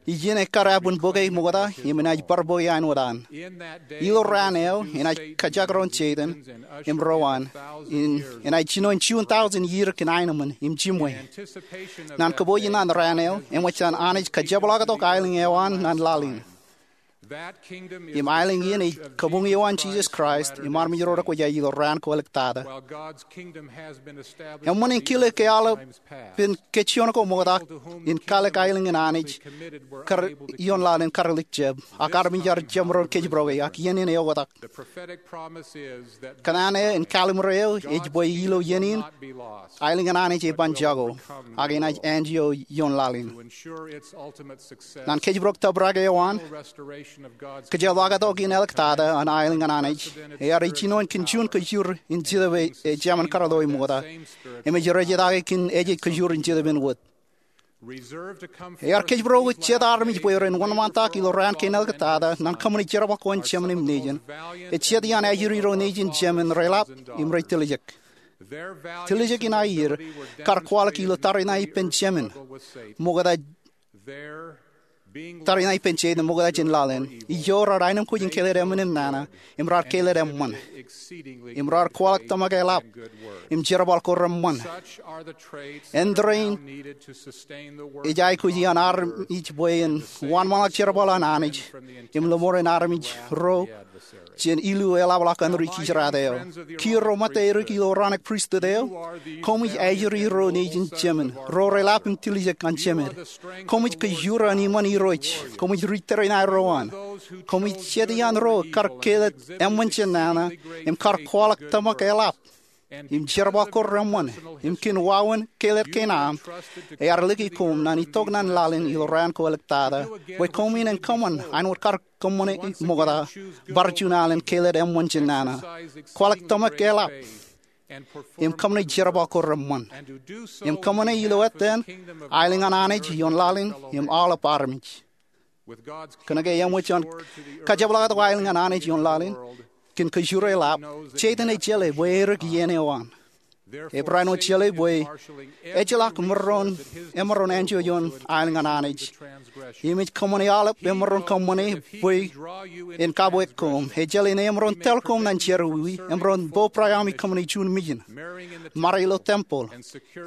ijin ekkar abwin bōke ṃokta, im enaaj bar bōke āinwōt an. Ilo raan eo enaaj kajekdọọn Setan im ro an, im enaaj jinoin juon tọujin iiō kōn aenōṃṃan im jiṃwe. Ñan kōpooj in an raan eo, eṃōj an Anij kajepḷaaktok aelōñ eo an ñan laḷ in. Im aelōñ in ej kabuñ eo an Jisōs Kraist im armej ro rekwōjarjar ilo raan ko āliktata. Eṃṃan in kile ke aolep pen kōjjuon ko ṃokta in kalikkar aelōñ in Anij kar ioon laḷ in kar lik jab, ak armej ear jab maroñ kōjparok e, ak iien in eoktak. Kōn an e in kalimur eo ej bwe ilo iien in, aelōñ in Anij eban jako, ak enaaj āinwōt ioon laḷ in. Ñan kōjparok tōprak eo an, kōjeḷā ḷọk tok in āliktata an aelōñ in Anij, ear jino kōn juon kōjur in Jetōb eo ejāmin kōrā ḷọk ṃokta, im ej rej etake kōn ejej kōjur in Jetōb in wōt. Ear kōjparok jet armej bwe ren wōnṃaantak ilo raan kein āliktata ñan kōṃṃane jerbal ko an Jemān im Nejin. Ej jet iaan ajri ro nejin Jemān reḷap im rej tiljek. Tiljek in aier kar kwaḷọk ilo tariṇae ippān Jemān ṃokta, tariṇae ippān Setan ṃokta jān laḷ in. Ijo raar aenōmkwōj in keled emān im nana, im raar keled eṃṃan, im raar kwaḷọk tōmak eḷap im jerbal ko reṃṃan. Āindein ej aikuj iaan armej bwe en wōnṃaanḷọk jerbal an Anij im lōṃoor in armej ro jān ilu eḷapḷọk āinwōt ri kijeraad eo. Kiiō ro ṃōtta edik ilo Aronik Pristut eo, koṃij ajri ro nejin Jemān, ro reḷap im tiljek an Jemān. Koṃij kōjur an iṃaan Irooj. Koṃij ri tariṇae ro an. Koṃij jet iaan ro kar keled eṃṃan jān nana im kar kwaḷọk tōmak eḷap im jerbal ko reṃṃan, im kōn wāween keled kein aṃ, ear lōke koṃ ñan itok ñan laḷ in ilo raan ko āliktata, bwe koṃwin en kōṃṃan āinwōt kar kōṃṃane ṃokta, bar juon alen keled eṃṃan jān nana, kwaḷọk tōmak eḷap, im kōṃṃane jerbal ko reṃṃan, im kōṃṃane ilo ettōn aelōñ an Anij ioon laḷ in im aolep armej. Kōnke eṃōj an kajepḷaaktok aelōñ an Anij ioon laḷ in kōn kōjur eḷap, Setan ej jeḷā bwe edik iien eo an. Ebarāinwōt jeḷā bwe ejjeḷọk ṃōrro emaroñ āinwōt ioon aelōñ an Anij, im ej kōṃṃane aolep emaroñ kōṃṃane bwe en kabweik koṃ. Ej jeḷā en emaroñ tōl koṃ ñan jerọwiwi, emaroñ bo būraemi kōṃṃane juon mission, ṃare ilo tempeḷ,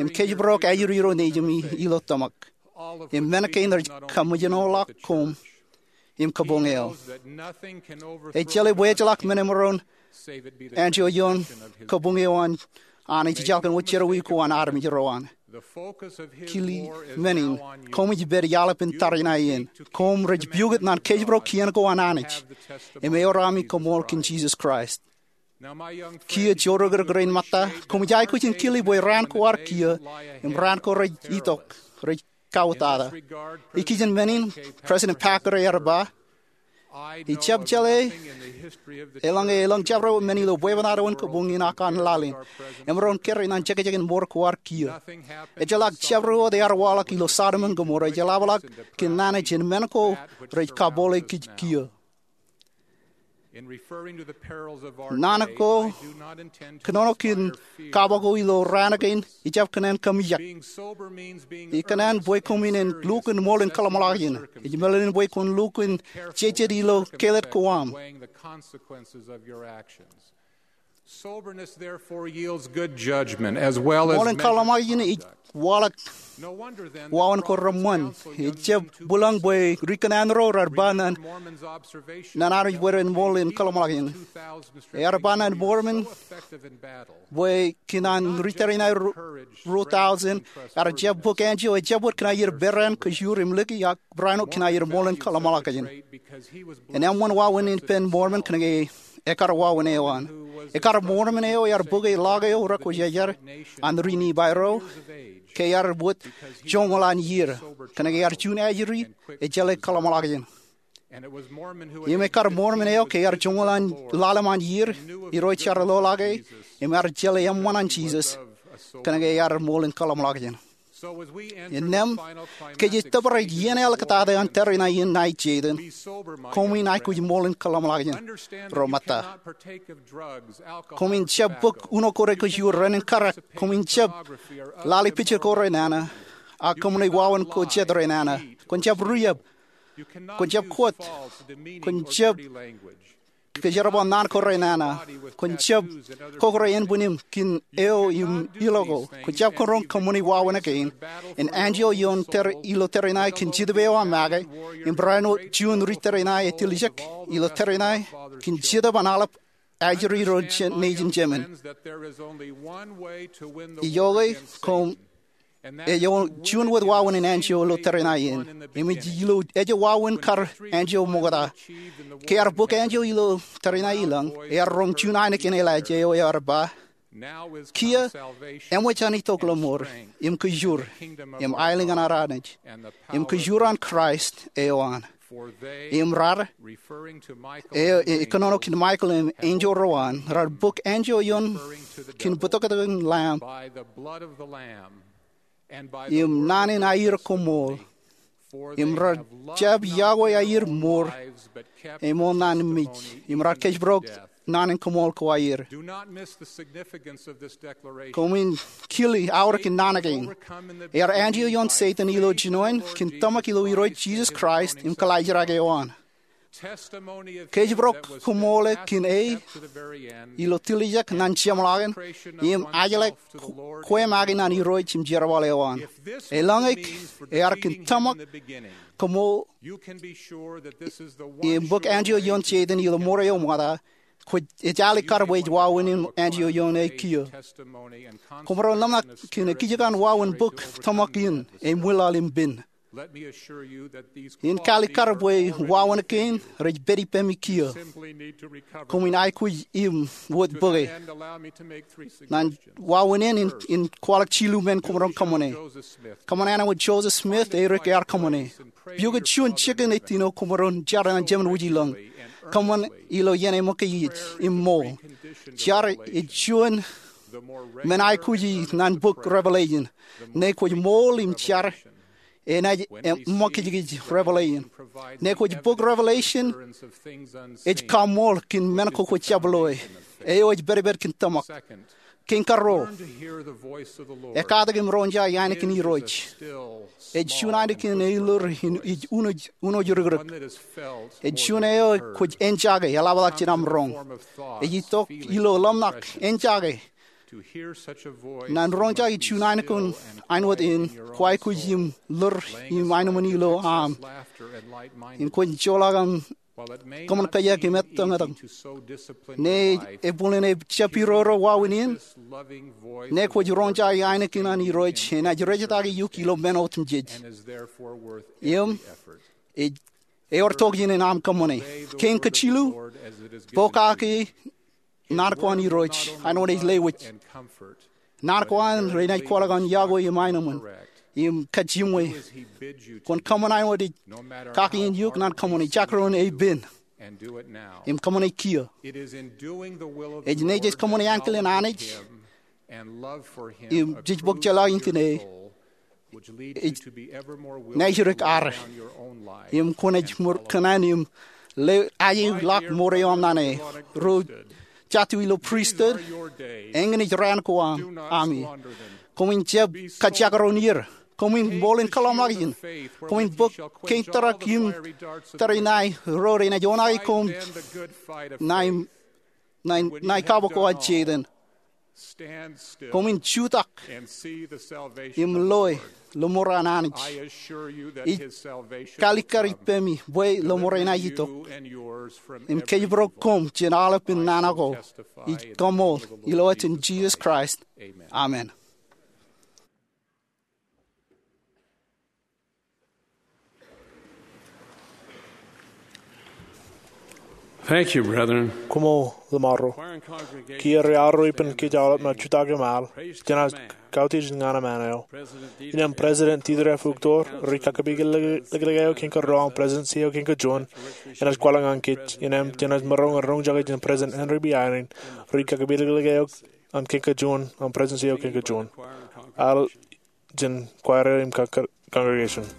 im kōjparok ajri ro nejimi ilo tōmak, im men kein rej kaṃōjṇoḷọk koṃ im kabuñ eo. Ej jeḷā bwe ejjeḷọk men emaroñ āinwōt ioon kabuñ eo an Anij ejjeḷọk kōn wōt jerọwiwi ko an armej ro an. Kile men in, koṃij pād iaḷ ippān tariṇae in. Koṃ rej piukūt ñan kōjparok kien ko an Anij im eor ami kaṃool kōn Jisōs Kraist. Kiiō joorōkrōk rein ṃōtta, koṃij aikuj in kile bwe raan ko ar kiiō im raan ko rej itok rej kautata. Ikijjien men in, President Packer ear ba, ij jab jeḷā eḷaññe elōñ jabdewōt men ilo bwebwenato in kabuñ in ak an laḷ in emaroñ kōrā ñan jekjekin mour ko ar kiiō. Ejjeḷọk jabdewōt ear waḷọk ilo Sodom im Gomorrah ej eḷapḷọk kōn nana jān men ko rej kabole kōj kiiō. Naan ko kōnono kōn kab ko ilo raan kein ijab kōṇaan kōmijak. Ikōṇaan bwe koṃwin en lukkuun ṃool in kōḷmānḷọkjeṇ. Ej meḷeḷein bwe kwōn lukkuun jejet ilo keled ko aṃ. Ṃool in kōḷmānḷọkjeṇ ej waḷọk wāween ko reṃṃan. Ejjab bwilōñ bwe ri kōṇaan ro raar ba ñan armej bwe ren ṃool in kōḷmānḷọkjeṇ. Ear ba ñan Mormon bwe kōn an ri tariṇae ruo taujin ear jab bōk āinwōt ejjab wōt kōn aer peran kōjur im lōke ak barāinwōt kōn aer ṃool in kōḷmānḷọkjeṇ. En eṃṃan wāween ippān Mormon kōnke ekar wāween eo an. Ekar Mormon eo ear bōke ḷọk eo rekwōjarjar an ri Nifai ro ke ear wōt joñoul an iiō kōnke ear juon ajri ej jeḷā kōḷmānḷọkjeṇ. Im ekar Mormon eo ke ear joñoul an ḷalem an iiō, Irooj ear lo ḷọk e im ear jeḷā eṃṃan an Jisōs kōnke ear ṃool in kōḷmānḷọkjeṇ. Innām, ke jej tōprak iien āliktata an tariṇae in ṇae Setan, koṃwin aikuj ṃool in kōḷmānḷọkjeṇ ro ṃōtta. Koṃwin jab bōk uno ko re kōjur, ren in karak. Koṃwin jab lale picture ko renana, ak koṃwin wāween ko jet renana. Kwōn jab riab. Kwōn jab kōt. Kwōn jab kōjerbal naan ko renana. Kwōn jab kokore ānbwin im kōn eo im ilo ko. Kwō jab kōnono kōṃṃani wāween kein. Im anjio ioon tōre, ilo tōre in aō kōn Jetōb eo aṃ make. Im barāinwōt juon ri tōre in aō ej tiljek ilo tōre in aō kōn Jetōb an aḷap ajri ro nejin jemān. Ijoke koṃ ej juon wōt wāween in anjio ilo tōre in aō in. Im ej ilo ej wāween kar anjio ṃokta. Ke ear bōk anjio ilo tōre in aō i lañ, ear roñ juon ainikien eḷaaj eo ear ba, kiiō eṃōj an itok lọmọọr, im kōjur, im aelōñ an ad Anij, im kōjur an Kraist eo an. Im raar, eo ej kōnono kōn Michael im enjeḷ ro an, raar bōk anjio ioon kōn bōtōktōk in Lamb im naan in aier koṃṃool. Im raar jab yokwe aier mour, eṃool naan in mej. Im raar kōjparok naan in koṃṃool ko aier. Koṃwin kile aorōk in naan kein. Ear anjio ioon Setan ilo jinoin kōn tōmak ilo Irooj Jisōs Kraist im kaḷajrak eo an. Kōjparok koṃṃool kōn e ilo tiljek ñan jeṃḷọkin im ajḷọk kwe make ñan Irooj im jerbal eo an. Eḷaññe ear kōn tōmak koṃṃool im bōk anjio ioon Setan ilo mour eo ṃokta, kwōj ejālik kar bwe ej wāween in anjio ioon e kiiō. Koṃ maroñ ḷōmṇak kōn ekijjeen wāween bōk tōmak in ej ṃwilaḷ im pen. In kalikkar bwe wāween kein rej pād ippemi kiiō. Koṃwin aikuj im wōt bōke. Ñan wāween in, in kwaḷọk jilu men koṃ maroñ kōṃṃane. Kōṃṃan āinwōt Joseph Smith e ri ear kōṃṃane. Pukot juon jikin ettino koṃ maroñ jar ñan Jemān Wūjilōñ. Kōṃṃan ilo iien eṃōkajij im ṃool. Jar ej juon men aikuji ñan bok Revelation. Ñe kwōj ṃool im jar enaaj eṃōkajkij Revelation. Ñe kwōj bok Revelation ej kaṃṃool kōn men ko kwōj jab loe. Eo ej pedped kōn tōmak. Kein karuo, ekkatak im roñjake ainikien Irooj. Ej juon ainikien eilor in ej unooj, unooj rikrik. Ej juon eo kwōj enjake eḷapḷọk jān aṃ roñ. Ej itok ilo ḷōmṇak enjake. Ñan roñjake juon ainikien āinwōt in, kwōj aikuj im ḷoor im aenōṃṃan ilo aṃ. Im kwōn joḷọk aṃ kōṃṃan kōjak im ettōñtōñ. Ñe ebwilen ejab iroro wāween in, ñe kwōj roñjake ainikien an Irooj, enaaj rejetake eok ilo men otemjej. Im ej ewōr tokjān in aṃ kōṃṃane. Kein kajilu, pokake naan ko an Irooj, āinwōt ej lewōj. Naan ko an renaaj kwaḷọk an yokwe im aenōṃṃan im kajjimwe. Kwōn kōṃṃan āinwōt ej kake in eok ñan kōṃṃane, jekdọọn e pen. Im kōṃṃane kiiō. Ej ñe jej kōṃṃane ankilen Anij im jej bōk jeḷā in kōn e, ej naaj dik ad. Im kwōnaaj ṃōr kōṇaan im le ajeḷọk mour eo aṃ ñan e. Ro jatū ilo priesthood, eñin ej raan ko aṃ, ami. Koṃwin jab kajekdọọn er. Koṃwin ṃool in kōḷmānḷọkjeṇ. Koṃwin bōk kein tōrak im tōre in aō ro renaaj oṇaake koṃ ñan, ñan, ñan kabbokbok eo an Setan. Koṃwin jutak im loe lọmọọr an Anij. Ij kalikkar ippemi bwe lọmọọr eṇ ej itok. Im kōjparok koṃ jān aolepān nana ko. Ij kaṃool ilo etan Jisōs Kraist. Amen. Thank you, brethren. Koṃṃool ḷōṃaro. Kiiō ri arro ippān kōj aolep ṇa jutak im al jān ad kautiej ñan aṃ eo. Innem President Dieter F. Uchtdorf, ri kakapikiliklik eo kein karuo an Presidency eo kein kajuon, enaaj kwaḷọk ñan kōj. Innem jenaaj maroñ in roñjake jān President Henry B. Eyring, ri kakapikiliklik eo an kein kajuon an Presidency eo kein kajuon. Al jān choir im congregation.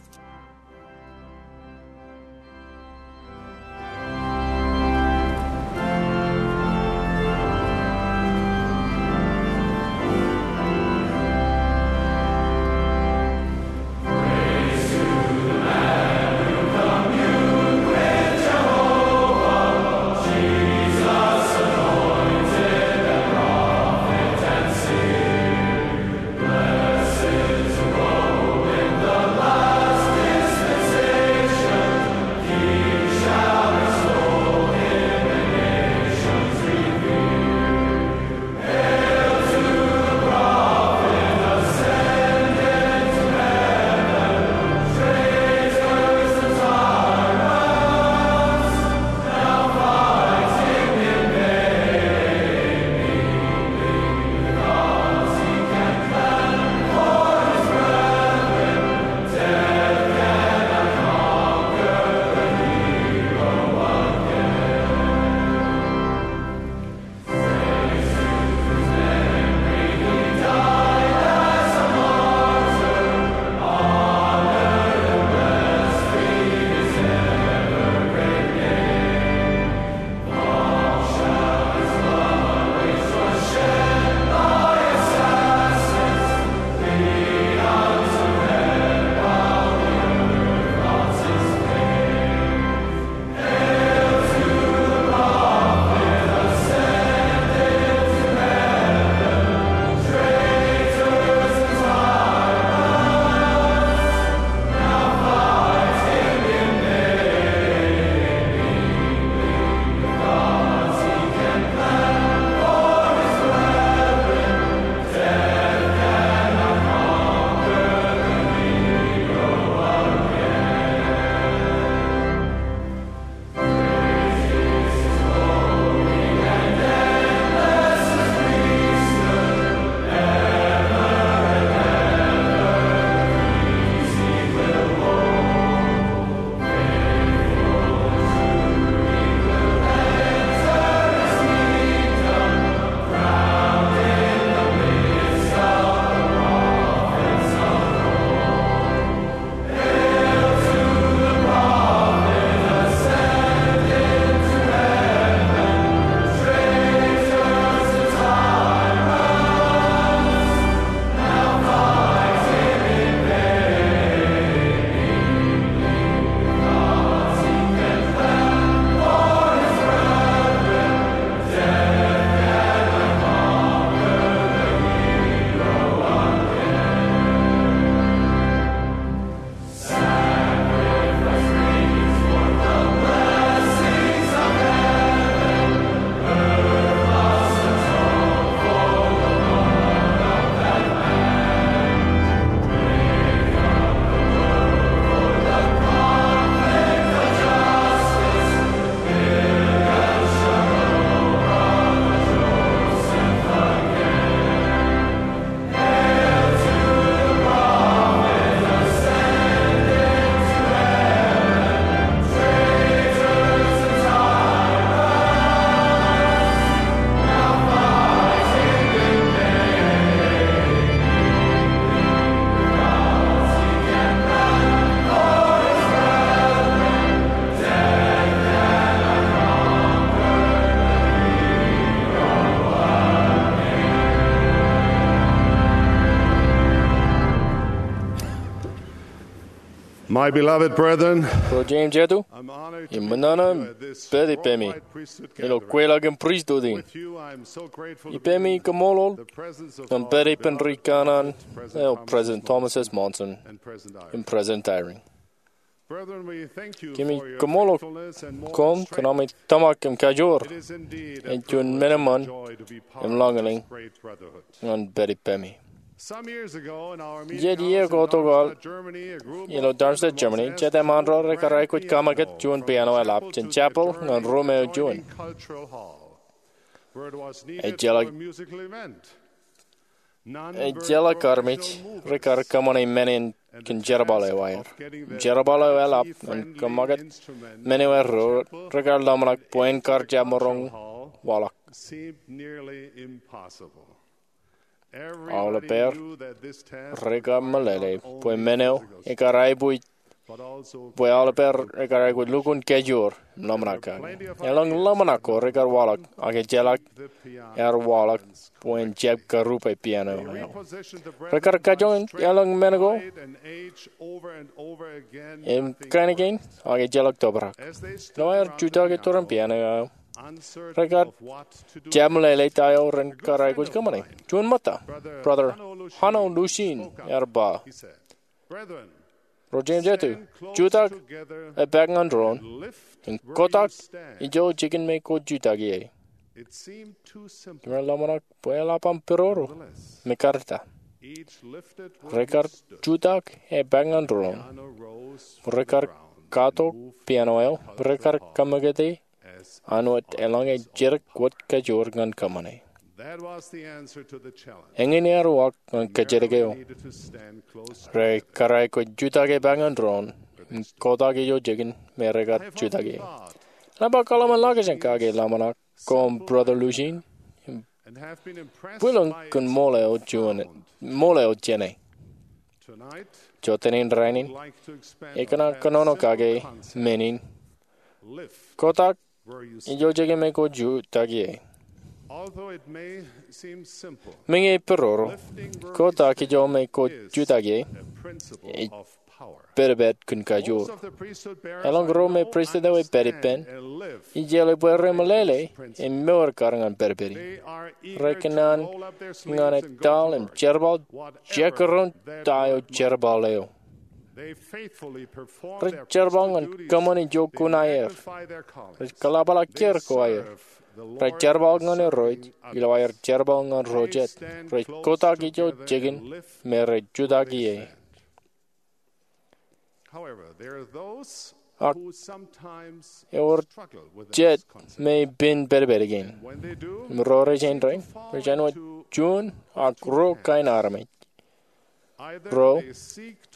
My beloved brethren, ro jeiū im jatū, im ṃōṇōṇō im pād ippemi ilo kweilọk in pristut in. Ippemi koṃṃool ñan pād ippān ri kanaan eo President Thomas S. Monson im President Eyring. Kōmij koṃṃool koṃ kōn ami tōmak im kajoor. Ej juon men eṃṃan im lọñlọñ ñan pād ippemi. Jet iiō ko tok aḷ ilo Darmstadt, Germany, jete ṃaanro rekar aikuj kaṃakūt juon piano eḷap jān chapel ñan ruum eo juon. Ejjeḷọk Ejjeḷọk armej rekar kōṃṃane men in kōn jerbal eo aer. Jerbal eo eḷap ñan kaṃakūt men eo aer, rekar ḷōmṇak bwe en kar jab maroñ waḷọk. Aolepeer rekar meḷeḷe bwe men eo ekar aiboojoj bwe aolepeer rekar aikuj lukkuun kajoor im ḷōmṇak kake. Elōñ ḷōmṇak ko rekar waḷọk, ak ejjeḷọk ear waḷọk bwe en jab karupe piano eo. Rekar kajoñan elōñ men ko im kain kein, ak ejjeḷọk tōprak. Ilo aer jutak iturin piano eo, rekar jab meḷeḷe ta eo rekar aikuj kōṃṃane. Juon ṃōtta, Brother Hanno Lushin ear ba, Ro jeiū im jatū, jutak epaak ñan doon im kotak ijo jikin me kwōj jutak ie. Kōm ḷōmṇak bwe eḷap aṃ piroro im ekkar ta. Rekar jutak epaak ñan doon, rekar katok piano eo, rekar kaṃakūte an wōt eḷaññe jidik wōt kajoor ñan kōṃṃane. Eñin ear walk ñan kōjatdikdik eo. Rekar aikuj jutak epaak ñan doon im kotak ijo jikin me rekar jutak ie. Ij ba kōḷmānḷọkjeṇ kake ḷōmṇak koṃ, Brother Lushin, im bwilōñ kōn ṃool eo jāne. Jọteen in rainin, ikōṇaan kōnono kake men in, kotak ijo jikin me kwōj jutak ie. Meñe ej piroro, kotak ijo me kwōj jutak ie ej pedped kōn kajoor. Elōñ ro me pristut eo ej pād ippān, ijjeḷā bwe remeḷeḷe im mour kar ñan pedped in. Rekōṇaan ñan etal im jerbal jekdọọn ta eo jerbal eo. Rej jerbal ñan kōṃṃan ijo kuṇaer. Rej kōḷapḷọk kiiō ko aer. Rej jerbal ñan Irooj ilo aer jerbal ñan ro jet. Rej kotak ijo jikin me rej jutak ie. Ak ewōr jet me pen pedped kein. Im ro rej āindein, rej āinwōt juon ak ruo kain armej. Ro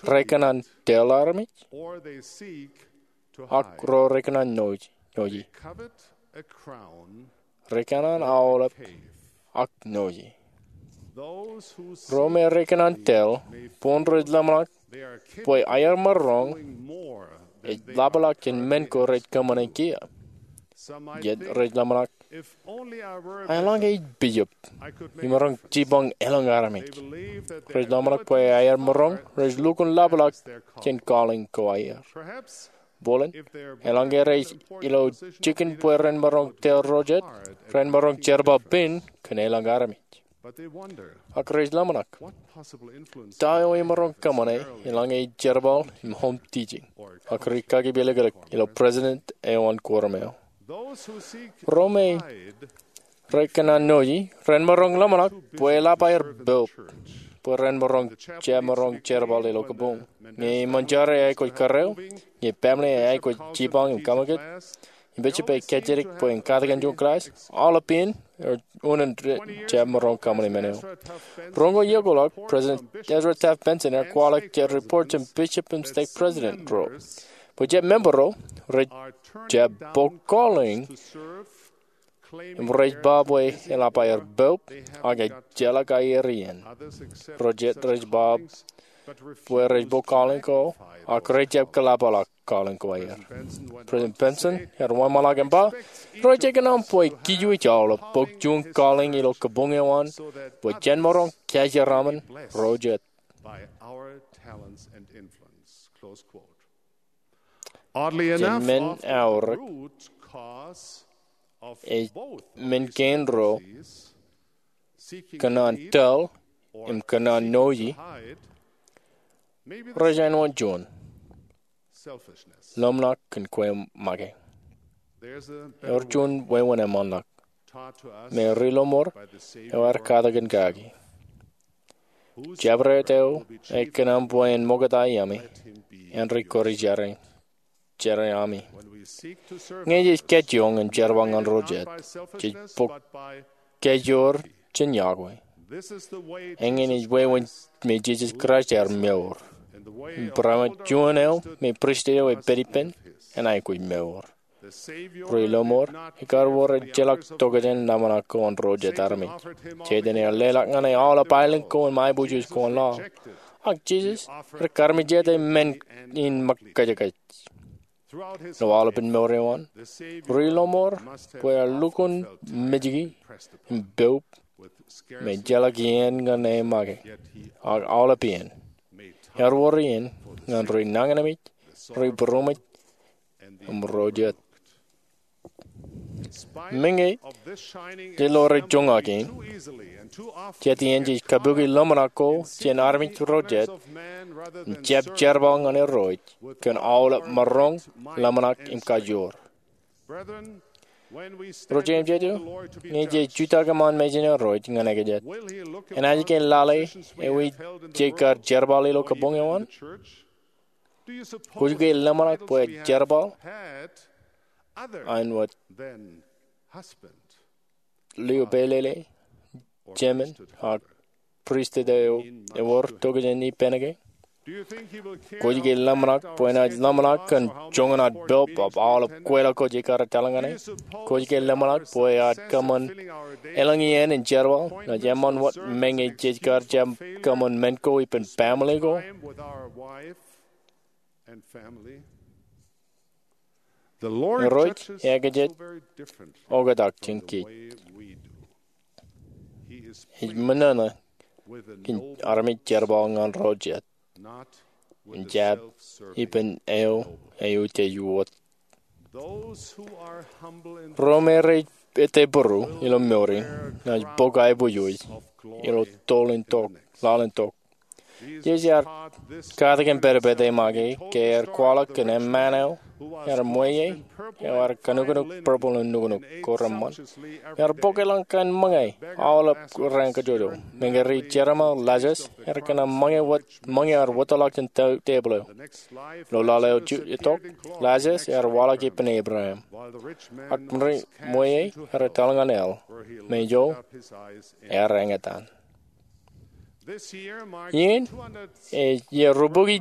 rekōṇaan tōl armej, ak ro rekōṇaan nōji. Rekōṇaan aolep ak nōji. Ro me rekōṇaan tōl, boñ rej ḷōmṇak bwe aer maroñ ej ḷapḷọk jān men ko rej kōṃṃane kiiō. Jet rej ḷōmṇak, eḷaññe ij bishop, imaroñ jipañ elōñ armej. Rej ḷōmṇak bwe aer maroñ rej lukkuun ḷapḷọk jān calling ko aer. Bōlen, eḷaññe rej ilo jikin bwe ren maroñ tōl ro jet, ren maroñ jerbal pen kōn elōñ armej. Ak rej ḷōmṇak, ta eo imaroñ kōṃṃane eḷaññe ij jerbal im home teaching ak rikaki pilikdik ilo president eo an quorum eo. Ro me rekōṇaan nōji ren maroñ ḷōmṇak bwe eḷap aer poub bwe ren maroñ jab maroñ jerbal ilo kabuñ. Ñe eṃōj jar eaikuj karreo, ñe family eaikuj jipañ im kaṃakūt, im bishop ej kajjitōk bwe en katakin juon class, aolep iien, unin rej jab maroñ kōṃṃane men eo. Roñoul iiō ko ḷọk, President Ezra Taft Benson ear kwaḷọk jet report jān bishop im stake president ro bwe jet member ro rej jab bōk calling im rej ba bwe eḷap aer poub ak ejjeḷọk aer iien. Ro jet rej ba bwe rej bōk calling ko ak rej jab kōḷapḷọk calling ko aer. President Benson ear wōnṃaanḷọk im ba, rej kōṇaan bwe kij wōj aolep bōk juon calling ilo kabuñ eo an bwe jen maroñ kōjeraaṃṃan ro jet. Jān men aorōk, ej men kein ro, kōṇaan tōl im kōṇaan nōyi, rej āinwōt juon ḷōmṇak kōn kwe make. Ewōr juon wāween eṃṃanḷọk. Im ri lọmọọr eo ear katak in kaki, jabdewōt eo ekōṇaan bwe en ṃokta iaami, āindein kōrā jeraaṃ, jeraaṃ ami. Ñe jej kajjioñ im jerbal ñan ro jet, jej bōk kajoor jān yokwe. Eñin ej wāween me Jisōs Kraist ear mour, im būrāṃōj juon eo me pristut eo ej pād ippān en aikuj mour. Ri lọmọọr, ekar wōr ejjeḷọk tokjān ḷōmṇak ko an ro jet armej. Setan ear leḷọk ñan e aolep aelōñ ko im aiboojoj ko an laḷ. Ak Jisōs ear karmejete men in ṃōk kōjkōj. Ilo aolepān mour eo an, ri lọmọọr bwe ear lukkuun mejki im poub im ejjeḷọk iien ñan e make. Ak aolep iien, ear wōr iien ñan ri nañinmej, ri būroṃōj, im ro jet. Meñe jej lo rejoñak in, jet iien jej kabuki ḷōmṇak ko jān armej ro jet im jab jerbal ñan Irooj kōn aolep maroñ, ḷōmṇak im kajoor. Ro jeiū im jeiū, ñe jej jutak eṃṃan mejān Irooj ñan ekajet, enaaj ke lale ewi jej kar jerbal ilo kabuñ eo an? Kwōj ke ḷōmṇak bwe ej jerbal āinwōt lio pālele, jemān, ak pristut eo ewōr tokjān ippān ke? Kwōj ke ḷōmṇak bwe enaaj ḷōmṇak kōn joñan ad poub ak aolep kweilọk ko jej kar etal ñan e? Kwōj ke ḷōmṇak bwe eaar kōṃṃan elōñ iien in jerbal, naaj eṃṃan wōt meñe jej kar jab kōṃṃan men ko ippān baaṃle ko? Irooj ekajet oktak jān kōj. Ej ṃōṇōṇō kōn armej jerbal ñan ro jet im jab ippān eo eutiej wōt. Ro me rej ettepūru ilo mour in naaj bōk aiboojoj ilo toḷ in tok, laḷ in tok. Jisōs ear katak im pedped e make ke ear kwaḷọk kōn eṃṃaan eo ear ṃweiie, eo ear kanukunuk purple im nuknuk ko reṃṃan. Ear bōk elōñ kain ṃōñā aolep raan kajjojo. Meñe ri jeraaṃṃan Lazarus ear kōṇaan ṃōñā wōt, ṃōñā ear wōtlọk jān tebōḷ eo. Ilo laḷ eo itok, Lazarus ear waḷọk ippān Abraham. Ak ri ṃweiie ear etal ñan hell, me ijo ear eñtaan. Iien ej iiō rubukwi,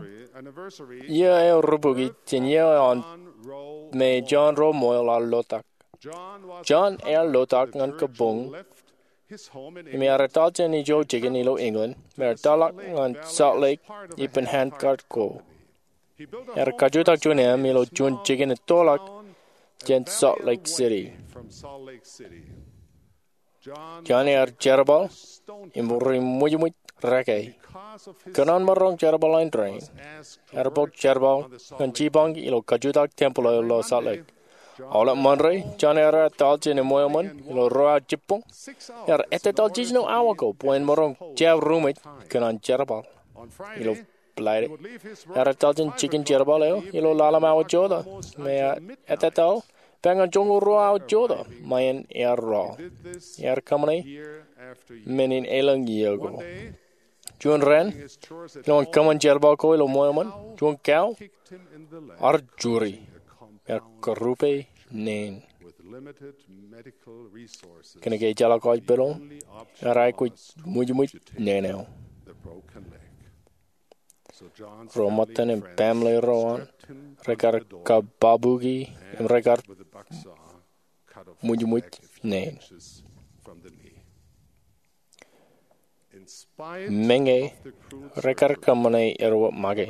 iiō eo rubukwi jān iiō eo an me John Rowe Moyle ear lotak. John ear lotak ñan kabuñ im ear etal jān ijo jikin ilo England im ear tōmak ñan Salt Lake ippān handcart ko. Ear kajutak juon eṃ ilo juon jikin ettoḷọk jān Salt Lake City. John ear jerbal im ri ṃwijṃwij reke. Kōn an maroñ jerbal eo an, ear bōk jerbal ñan jipañ ilo kajutak tempel eo ilo Salt Lake. Aolep Ṃande, John ear etal jān eṃṃan ilo ruo awa jibboñ. Ear ettetaḷ jiljino awa ko bwe en maroñ jab ruṃwij kōn an jerbal. Ilo Friday, ear etal jān jikin jerbal eo ilo ḷalem awa jota, im ear ettetaḷ bwe ñan joñoul ruo awa jota ṃae in ear rool. Ear kōṃṃane men in elōñ iiō ko. Juon raan, ilo an kōṃṃan jerbal ko ilo ṃweo eṃṃan, juon kau ear juri, ear karupe neen. Kōnke ejjeḷọk hospital, ear aikuj ṃwijṃwij neen eo. Ro ṃōttan im baaṃle ro an rekar kababuki im rekar ṃwijṃwij neen. Meñe rekar kōṃṃane erro make,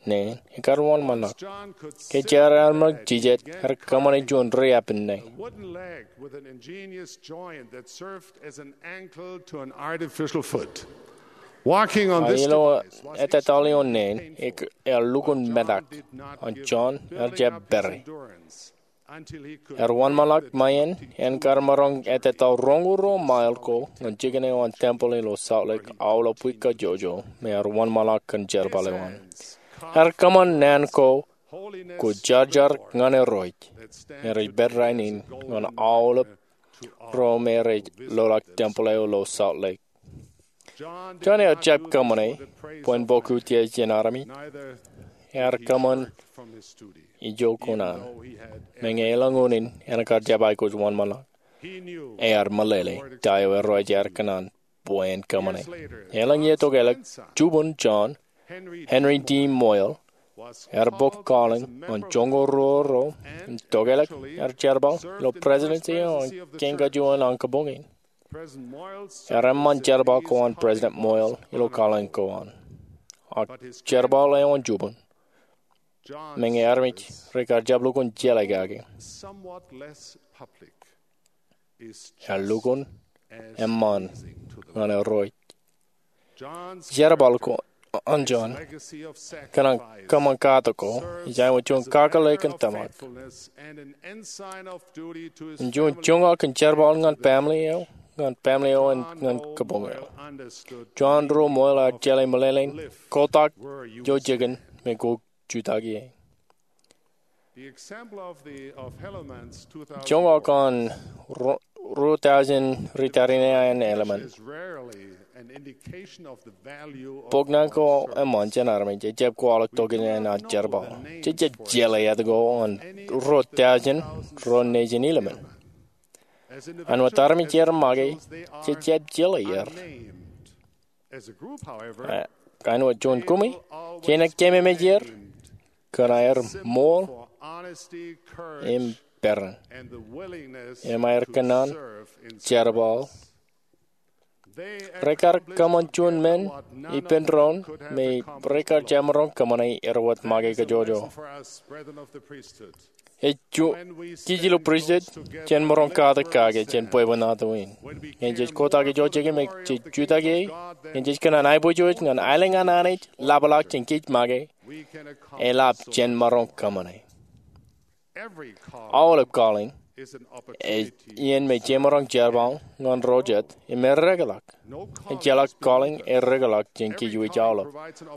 neen ekar wōnṃaanḷọk. Ke jar ear ṃōk jijet, ear kōṃṃane juon ri-eppān neen. Ilo ettōtaḷ ioon neen, ear lukkuun metak an John ear jab pere. Ear wōnṃaanḷọk ṃae in en kar maroñ ettōtaḷ roñoul ruo mile ko ñan jikin eo an tempel ilo Salt Lake aolep wiik kajjojo me ear wōnṃaanḷọk kōn jerbal eo an. Ear kōṃṃan naan ko kwōjarjar ñan Irooj, ear ej pād rainin ñan aolep ro me rej loḷọk tempel eo ilo Salt Lake. John ear jab kōṃṃane bwe en bōk utiej jān armej. Ear kōṃṃan ijo kuṇaan, meñe elōñ unin en kar jab aikuj wōnṃaanḷọk. Ear meḷeḷe ta eo Irooj ear kōṇaan bwe en kōṃṃane. Elōñ iiō tokālik, jubun John, Henry D. Moyle, ear bōk calling ñan joñoul ruo ro im tokālik ear jerbal ilo presidency eo an kein kajuon an kabuñ in. Ear eṃṃan jerbal ko an President Moyle ilo calling ko an. Ak jerbal eo an jubun, meñe armej rekar jab lukkuun jeḷā kake, ear lukkuun eṃṃan ñan Irooj. Jerbal ko an John kōn an kōṃṃan katak ko ej āinwōt juon kakōḷḷe kōn tōmak im juon joñak in jerbal ñan family eo, ñan family eo, im ñan kabuñ eo. John ro Moyle ear jeḷā meḷeḷein kotak ijo jikin me kwōj jutak ie. Joñak an ruo taujin ri tariṇae an Helaman bok naan ko eṃṃan jān armej ejab kwaḷọk tokjān an jerbal. Jej jab jeḷā etke an ruo taujin ro nejin Helaman. Āinwōt armej er make, jej jab jeḷā er. Ak āinwōt juon kumi, jenaaj keememej er kōn aer ṃool im peran im aer kōṇaan jerbal. Rekar kōṃṃan juon men ippān doon me rekar jab maroñ kōṃṃane erwōt make kajjojo. Ej juon, kij ilo pristut, jen maroñ katak kake jān bwebwenato in. Ñe jej kotak ijo jikin me jej jutak ie, ñe jej kōṇaan aiboojoj ñan aelōñ an Anij ḷapḷọk jān kij make, eḷap jen maroñ kōṃṃane. Aolep calling ej iien me jemaroñ jerbal ñan ro jet im erreḷọk. Ejjeḷọk calling erreḷọk jān kij wōj aolep.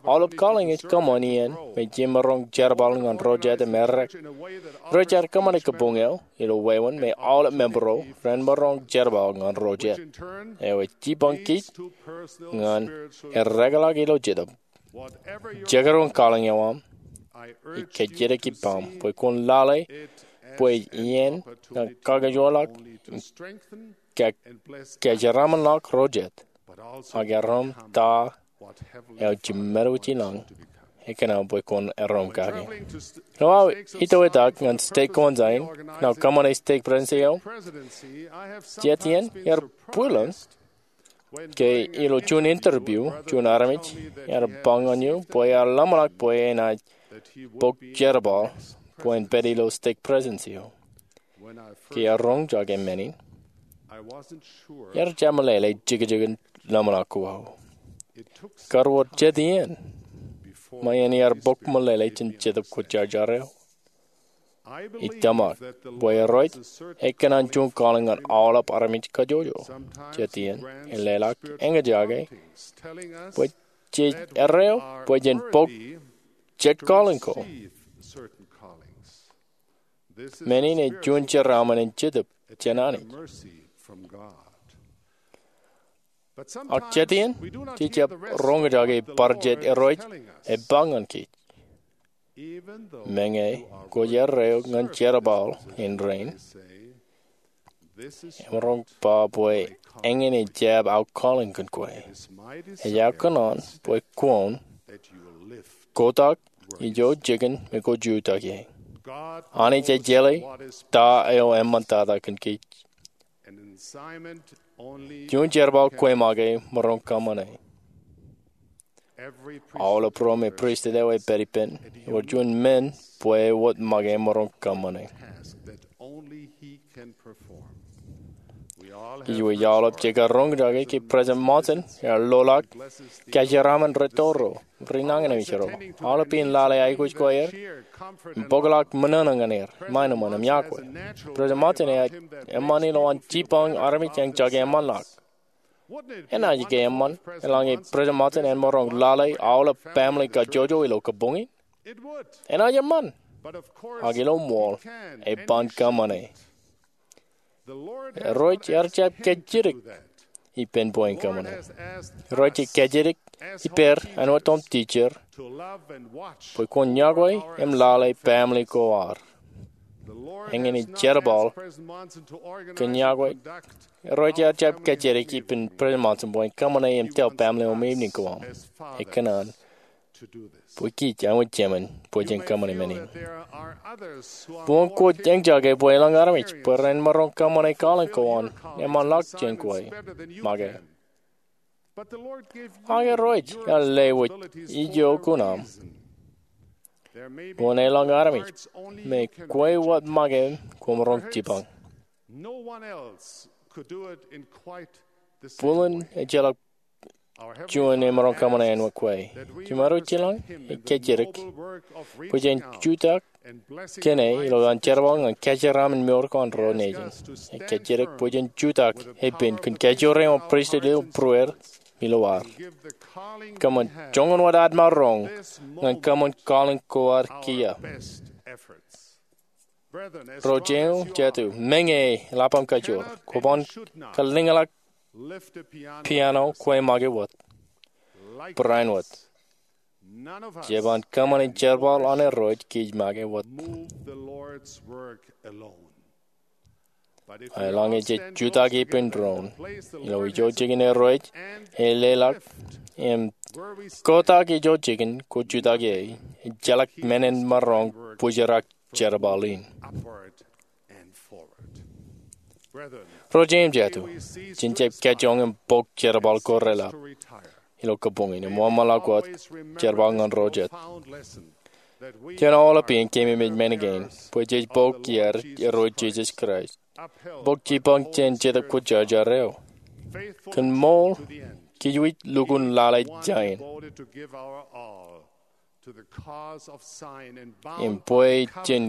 Aolep calling ej kōṃṃan iien me jemaroñ jerbal ñan ro jet im erreḷọk. Rej kōṃṃane kabuñ eo ilo wāween me aolep member ro ren maroñ jerbal ñan ro jet. Eo ej jipañ kij ñan erreḷọk ilo Jetōb. Jekdọọn calling eo aṃ, ij kajjitōk ippaṃ bwe kwōn lale bwe ej iien ñan kakajoorḷọk im kajeraṃṃanḷọk ro jet, ak erom ta eo jiṃṃadwōj ilañ ekōṇaan bwe kwōn erom kake. Ilo aō itoitak ñan stek ko an Zion, ñan kōṃṃane stek presidency eo, jet iien ear bwilōñ ke ilo juon interview juon armej ear ba ñan eō bwe ear ḷōmṇak bwe enaaj bōk jerbal bwe en pād ilo stek presidency eo. Ke ear roñjake men in, ear jab meḷeḷe jekjekin ḷōmṇak ko aō. Kar wōr jet iien ṃae in ear bōk meḷeḷe jān Jetōb Kwōjarjar eo. Ij tōmak bwe Irooj ekōṇaan juon calling ñan aolep armej kajjojo. Jet iien en leḷọk eñjake bwe jej erreo bwe jen bōk jet calling ko. Men in ej juon jeraaṃṃan in Jetōb jān Anij. Ak jet iien, jej jab roñjake bar jet Irooj ej ba ñan kij. Meñe kwōj erreo ñan jerbal in rein, emaroñ ba bwe eñin ej jab aō calling kōn kwe. Ej aō kōṇaan bwe kwōn kotak ijo jikin me kwōj jutak ie. Anij ej jeḷā ta eo eṃṃantata kōn kij. Juon jerbal kwe make maroñ kōṃṃane. Aolep ro me pristut eo ej pād ippān ewōr juon men bwe wōt make maroñ kōṃṃane. Ij wōj aolep jekar roñjake ke President Monson ear ḷoḷọk kōjeraaṃṃan rūtto ro, ri nañinmej ro, aolep in lale aikuj ko aer im bōkḷọk ṃōṇōṇō ñan er, ṃae eṃṃan im yokwe. President Monson ear eṃṃan ilo an jipañ armej eñjake eṃṃanḷọk. Enaaj ke eṃṃan eḷaññe President Monson en maroñ lale aolep family kajjojo ilo kōbōñin? Enaaj eṃṃan. Ak ilo ṃool, eban kōṃṃane. Irooj ear jab kajjitōk ippān bwe en kōṃṃane. Irooj ej kajjitōk ippāer āinwōt tok teacher bwe kwōn yokwe im lale family ko ad. Eñin in jerbal kōn yokwe. Irooj ear jab kajjitōk ippān President Monson bwe en kōṃṃane im tōl family eo im evening ko aṃ. Ekōṇaan bwe kij āinwōt jemān bwe jen kōṃṃane men in. Bwe kwōj eñjake bwe elōñ armej bwe ren maroñ kōṃṃane calling ko an eṃṃanḷọk jān kwe make. Ak Irooj ear lewōj ijo kuṇaaṃ bwe en elōñ armej me kwe wōt make koṃ roñ jipañ. Bōlen ejjeḷọk juon emaroñ kōṃṃane āinwōt kwe. Jemād eo ej jelōñ, ej kajjitōk bwe jen jutak kōn e ilo an jerbal ñan kōjeraaṃṃan mour ko an ro nejin. Ej kajjitōk bwe jen jutak epen kōn kajoor eo an pristut eo būrueir ilo ad. Kōṃṃan joñan wōt ad maroñ ñan kōṃṃan calling ko ad kiiō. Ro jeiū jatū, meñe eḷap aṃ kajoor, kwōban kalliñḷọk piano kwe make wōt. Barāinwōt, jeban kōṃṃane jerbal an Irooj kij make wōt. Eḷaññe jej jutak ippān doon ilo ijo jikin Irooj ej leḷọk im kotak ijo jikin kwōj jutak ie, ejjeḷọk men en maroñ bōjrak jerbal in. Ro jeiū im jatū, jen jab kajjioñ im bōk jerbal ko reḷap ilo kōbōñin im eṃṃanḷọk wōt jerbal ñan ro jet. Jen aolep iien keememej men kein bwe jej bōk iaad Irooj Jisōs Kraist, bōk jipañ jān Jetōb Kwōjarjar eo. Kōn ṃool, kij wōj lukkuun lale jāān im bwe jen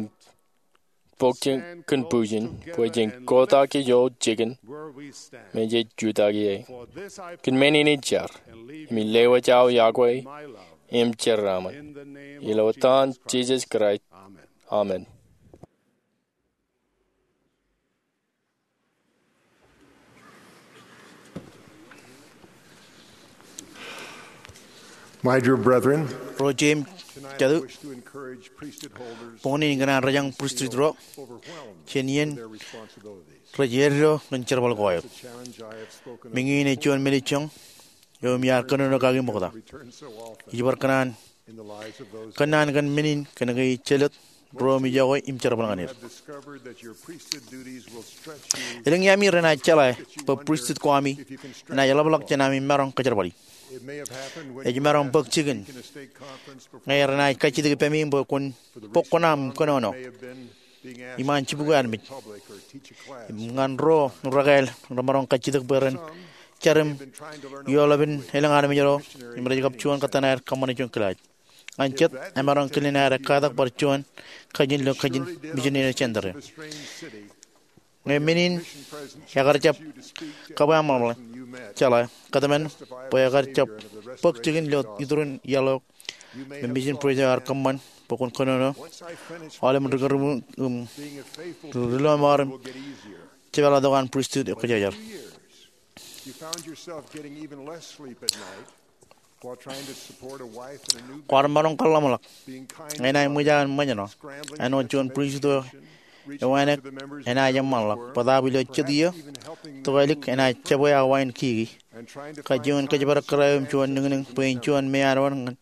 bōk jān kōn bujen bwe jen kotak ijo jikin me jej jutak ie. Kōn men in ij jar im ij lewōj aō yokwe im jeraaṃṃan ilo etan Jisōs Kraist, amen. My dear brethren, ro jeiū im jatū, boñin in kōṇaan rej jañ pristut ro jān iien rej eddo ñan jerbal ko aer. Meñe in ej juon men eo ij jañ eo im iar kōnono kaki ṃokta. Ij bar kōnnaan, kōnnaan kōn men in kōnke ij jelōt ro im ij yokwe im jerbal ñan er. Elōñ iaami renaaj jeḷā bwe pristut ko ami enaaj ḷapḷọk jān ami maroñ kōjerbali. Ej maroñ bōk jikin ñe renaaj kajjitōk ippemi bwe kwōn bōk kuṇaṃ im kōnono iṃaan jibukwi armej im ñan ro rekāāl remaroñ kajjitōk bwe ren jar im eoḷapin elōñ armej ro im rej kab juon kōttan aer kōṃṃane juon kilaaj. Ñan jet, emaroñ kilen aer ekkatak bar juon kajin ilo kajin mijin eo jen tōre. Ñe men in ekar jab kab aṃ ḷapḷọk, jeḷā kōtmān bwe ekar jab bōk jikin ilo iturin iaḷ eo me Mission President eo ear kōṃṃan bwe kwōn kōnono aolep ri-kōrā im ri-lọmọọr im jepeḷḷọk tok an pristut eo kwōjarjar. Kwaar maroñ kōḷḷamḷọk ñe enaaj ṃōj aō ṃōjṇọ āinwōt juon pristut eo ewānōk enaaj eṃṃanḷọk bōtaab ilo jet iiō tokālik enaaj jebwe awa in kiki. Kajjioñ in kōjparok kōrā eo im juon niñniñ bwe in juon meanwōn ñan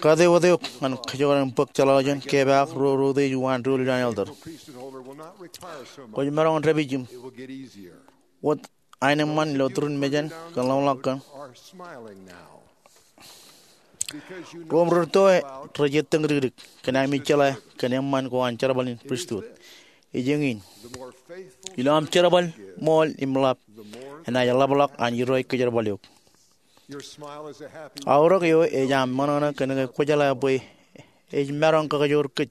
kate wōt eok ñan kōjkan in bōk jeḷāḷọkjeṇ, kepaak, ro reutiej uwaan doulul an elder. Kwōj maroñ dāpij im wōt aenōṃṃan ilo turin mejān kōn ḷōmṇak kōn ro im rūtto rej ettōñ dikdik kōn ami jeḷā kōn eṃṃan ko an jerbal in pristut. Ej eñin. Ilo aṃ jerbal ṃool im ḷap, enaaj ḷapḷọk an Irooj kōjerbal eok. Aorōk eo ej aṃ ṃōṇōṇō kōn ke kwōjeḷā bwe ej maroñ kakajoor kōj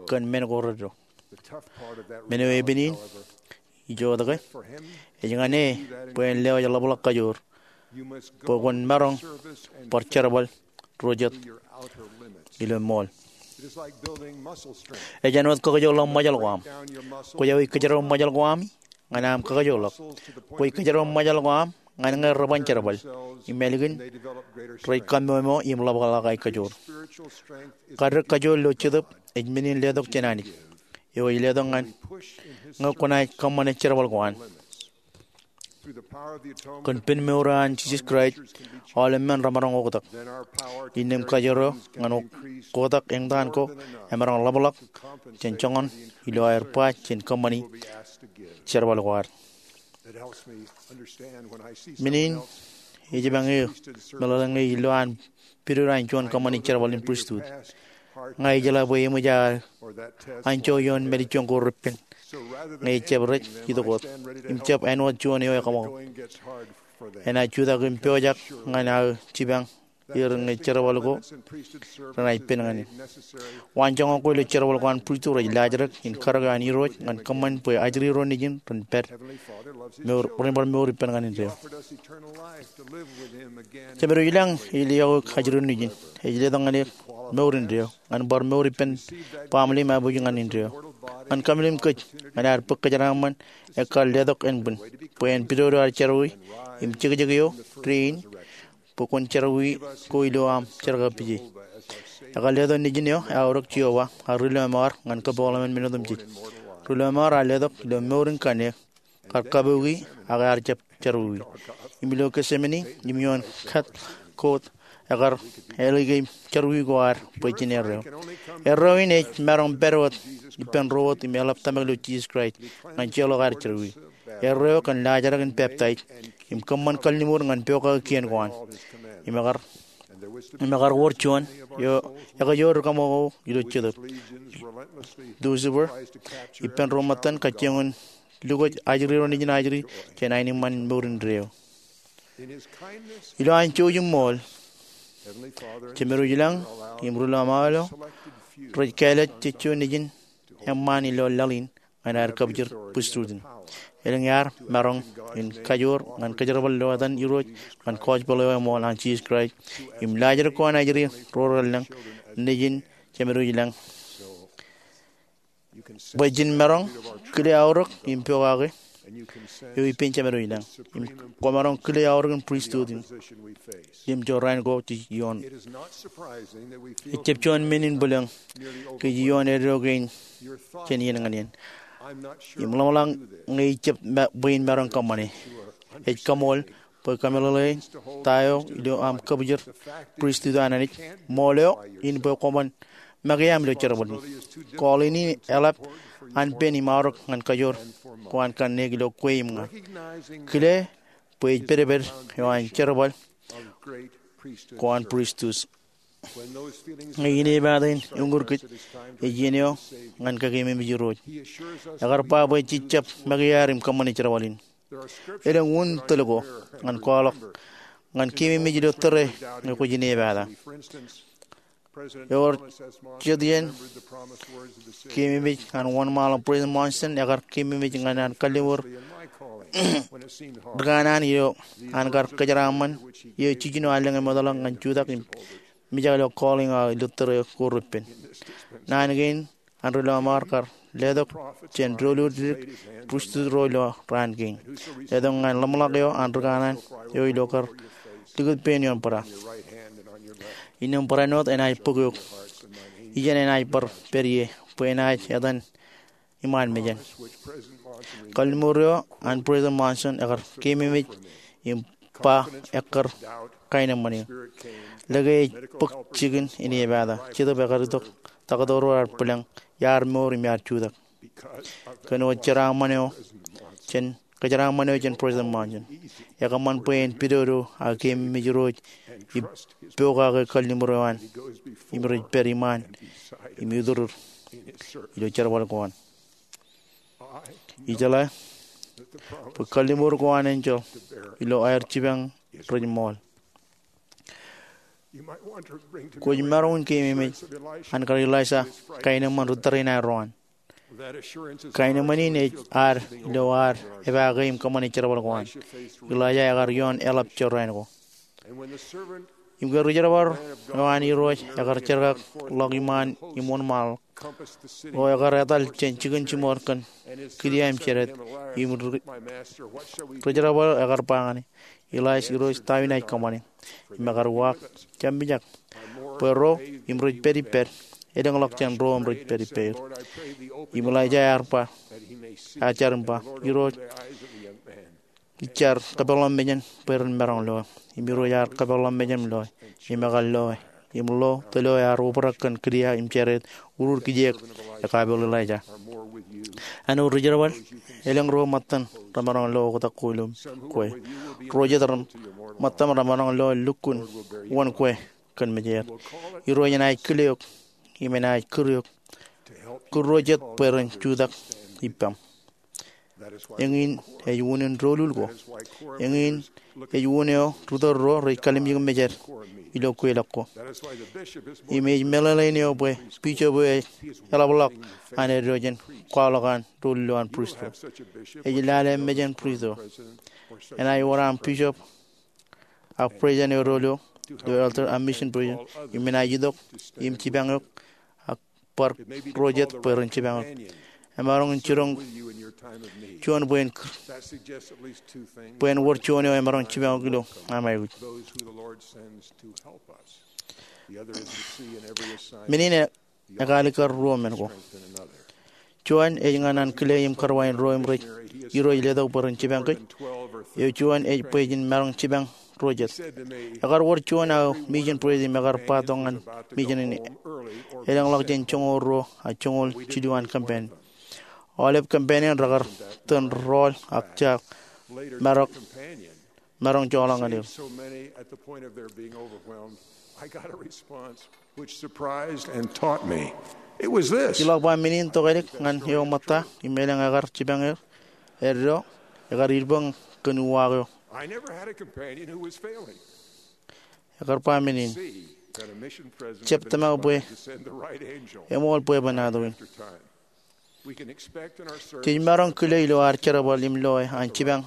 kōn men ko reddo. Men eo epen in, ijoke, ej ñan e bwe en lewōj ḷapḷọk kajoor, bwe kwōn maroñ bar jerbal ro jet ilo ṃool. Ej āinwōt kakajoorḷọk ṃōjal ko aṃ. Kwōj aikuj kōjeraṃ ṃōjal ko aṃ ñan aṃ kakajoorḷọk. Kwōj kōjeraṃ ṃōjal ko aṃ ñan ñe reban jerbal im ālikin rej kaṃṃoolol im ḷapḷọk aō kajoor. Kaddek kajoor ilo Jetōb ej men in letok jān Anij, eo ej letok ñan ñe kwōnaaj kōṃṃane jerbal ko an. Kōn pen mour eo an Jisōs Kraist, aolep men remaroñ oktak. Innām kajoor eo ñan oktak eñtaan ko emaroñ ḷapḷọk jān joñan ilo aer ba jān kōṃṃani jerbal ko ad. Men in ej ba ñe meḷeḷe ñe ilo an pidodo an juon kōṃṃani jerbal in pristut, ña ijeḷā bwe eṃōj aō anjọ ioon mālejjoñ ko repen ñe ejjab rej itok wōt im jab āinwōt juon eo ekaṃakūt. Enaaj jutak im pojak ñan aō jipañ er ñe jerbal ko renaaj pen ñan e. Waanjoñak ko ilo jerbal ko an pristut rej laajrak in karōk eo an Irooj ñan kōṃṃan bwe ajri ro nejin ren pād, ren bar mour ippān ñan indeeo. Jemedwōj ilañ ej leḷọk ajri ro nejin. Ej letok ñan eok mour indeeo ñan bar mour ippān baaṃle im abuj ñan indeeo. Ñan kaṃṃoolol kōj ñan ad bōk kōjeraaṃṃan ekkar letok ānbwin bwe en pidodo ad jerọwiwi im jekjek eo dein bwe kwōn jerọwiwi ko ilo aṃ jerkakpeje. Ekar letok nejin eo aorōk Jeova, ad ri lọmọọr ñan kōpeḷḷọk men otemjej. Ri lọmọọr ad letok ilo mour in kanniōk, kar kabuki ak ear jab jerọwiwi. Im ilo Getsemane im ioon kat koot, ekar ālōke jerọwiwi ko ad bwe jen erreo. Erreo in ej maroñ pād wōt ippān ro wōt im eḷap tōmak ilo Jisōs Kraist ñan jeorḷọk aer jerọwiwi. Erreo kōn laajrak in peptaij im kōṃṃan kalliṃur ñan pokake kien ko an. Im ekar, im ekar wōr juon eo ekajoor ri kaṃakūt ilo Jetōb, Lucifer, ippān ro ṃōttan kajjioñ in lukwōj ajri ro nejin ajri jān aenōṃṃan mour indeeo. Ilo an jouj im ṃool, Jemedwōj ilañ im ri lọmọọr eo rej kāālōt jejjo nejin eṃṃaan ilo laḷ in ñan aer kabjir pristut in. Elōñ ear maroñ in kajoor ñan kōjerbal ilo etan Irooj ñan gospel eo eṃool an Jisōs Kraist im laajrak ko an ajri ro relōñ nejin Jemedwōj ilañ. Bwe jen maroñ kile aorōk in pokake eo ippān Jemedwōj ilañ, im kwōmaroñ kile aorōk in pristut in im jorrāān ko jej ioon. Ejjab juon men in bwilōñ kōj ioon eddo kein jān iien ñan iien. Im ḷōmṇak ñe ijjab bwe in maroñ kōṃṃane. Ej kaṃool bwe kōmeḷeḷein ta eo ilo aṃ kabjir pristut an Anij, ṃool eo in bwe kwōban make aṃ ilo jerbal in. Call in eḷap an pen im aorōk ñan kajoor ko an kanniōk ilo kwe im ña. Kile bwe ej pedped eo an jerbal ko an pristut. Ñe inepata in uññūr kōj, ej iien eo ñan kakeememej Irooj. Ekar ba bwe jej jab make aer im kōṃṃane jerbal in. Elōñ un tōl ko ñan kwaḷọk ñan keememej ilo tōre ñe kwōj inepata. Ewōr jet iien keememej an wōnṃaanḷọk President Monson ekar keememej ñan an kalliṃur ri kanaan eo an kar kōjeraaṃṃan eo jiljino an lōñ eṃootḷọk ñan jutak im mijak ilo calling eo ilo tōre ko repen. Naan kein an ri lọmọọr kar letok jān doulul dik pristut ro ilo raan kein. Letok ñan ḷōmṇak eo an ri kanaan eo ilo kar likūt pein ioon bōra. Innām barāinwōt enaaj bōk eok. Ijeṇ enaaj bar pād ie bwe enaaj etan iṃaan mejān. Kalliṃur eo an President Monson ekar keememej im ba ekkar kaenōṃṃan eō. Lōke ej bōk jikin inepata. Jetōb ekar itok taktō ro ear bwilōñ, iar mour im iar jutak. Kōn wōt jeraaṃṃan eo jān, kōjeraaṃṃan eo jān President Monson, ekōṃṃan bwe en pidodo ak keememej Irooj im pokake kalliṃur eo an im rej pād iṃaan im iturir ilo jerbal ko an. Ijeḷā bwe kalliṃur ko an enjeḷ ilo aer jipañ rej ṃool. Kwōj maroñ in keememej an kar Elaija kaenōṃṃan ri tōrein aerro an. Kaenōṃṃan in ej ad ilo ad epaake im kōṃṃane jerbal ko an. Elaija ekar ioon eḷap jorrāān ko. Im ke ri jerbal eo an Irooj ekar jerkakḷọk iṃaan im wōnṃaanḷọk, eo ekar etal jān jikin jimor kōn kidia im jered, im ri jerbal eo ekar ba ñan e, Elaija, Irooj, ta eo inaaj kōṃṃane? Im ekar uwaak, Jab mijak. Bwe ro im rej pād ippād elōñḷọk jān ro im rej pād ippāer. Im Elaija ear ba, ear jar im ba, Irooj, ij jar kōpeḷḷọk mejān bwe ren maroñ loe. Im Irooj ear kōpeḷḷọk mejān im loe. Im ekar loe. Im lo tōl eo ear obrak kōn kidia im jered, urur kijeek ekapel Elaija. Āinwōt ri jerbal, elōñ ro ṃōttan remaroñ lo oktak ko ilo kwe. Ro jet ṃōttan remaroñ lo lukkuun wōn kwe kōn mejeer. Irooj enaaj kile eok im enaaj kūr eok, kūr ro jet bwe ren jutak ippaṃ. Eñin ej unin doulul ko. Eñin ej un eo ri tōl ro rej kalimjek mejed ilo kweilọk ko. Im ej meḷeḷein eo bwe bishop eo ej eḷapḷọk an eddo jān kwaḷọk an doulul eo an pristut. Ej lale mejān pristut. Enaaj wōr aṃ bishop ak president eo doulul ilo elder ak mission president im enaaj itok im jipañ eok ak bar ro jet bwe ren jipañ eok. Emaroñ in jiroñ juon bwe en kūr, bwe en wōr juon eo emaroñ jipañ eok ilo aṃ aikuj. Men in ekalikkar ruo men ko. Juon ej ñan an kile im karwain ro im rej Irooj letok bwe ren jipañ kōj. Eo juon ej bwe jen maroñ jipañ ro jet. Ekar wōr juon aō mission president im ekar ba tok ñan mission in, elōñḷọk jān joñoul ruo ak joñoul jilu an campaign. Aolep campaign in rekar tōn rọọl ak jaak marok maroñ joḷọk ñan er. Ij ḷọk ba men in tokālik ñan eo ṃōtta im elōñ ekar jipañ er, eddo, ekar ilboñ kōn uwaak eo. Ekar ba men in, jab tōmak bwe eṃool bwebwenato in. Jej maroñ kile ilo ad jerbal im loe an jipañ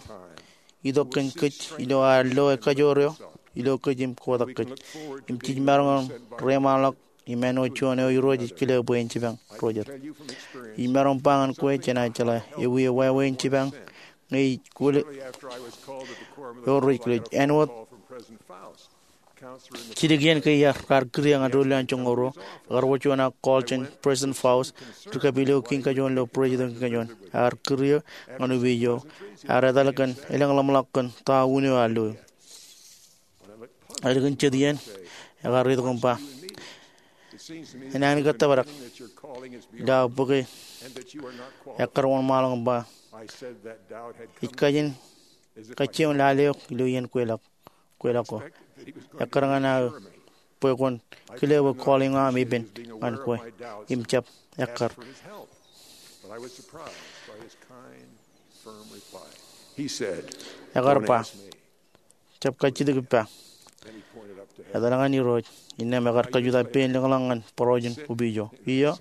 itok kōn kōj ilo ad loe kajoor eo ilo kōj im kotak kōj. Im jej maroñ in reiṃaanḷọk im āinwōt juon eo Irooj ej kile bwe en jipañ ro jet. Ij maroñ ba ñan kwe jenaaj jeḷā ewi eo wāween jipañ ñe ij kwōle eo rej kile āinwōt jidik iien ke iar kūr eō ñan doulul an joñoul ruo, ekar wōr juon aō call jān President Faust, ri kapilōk kiiñ kajoor ilo President kiiñ kajoor. Ear kūr eō ñan opiij eo, ear etal kōn elōñḷọk kōn ta un eo ear lo eō. Ālikin jet iien, ekar itok im ba, Enañin ke tōprak ilo aō bōke ekkar wōnṃaanḷọk im ba, ij kajin kajjioñ lale eok ilo iien kweilọk kweilọk ko. Ekkar ñan aō bwe kwōn kile bwe calling eo aṃ epen ñan kwe im jab ekkar. Ekar ba, jab kajjitōk ippa. Etal ñan Irooj, innām ekar kajutak pein lōñḷọk ñan bōrọjin opiij eo. Iiō,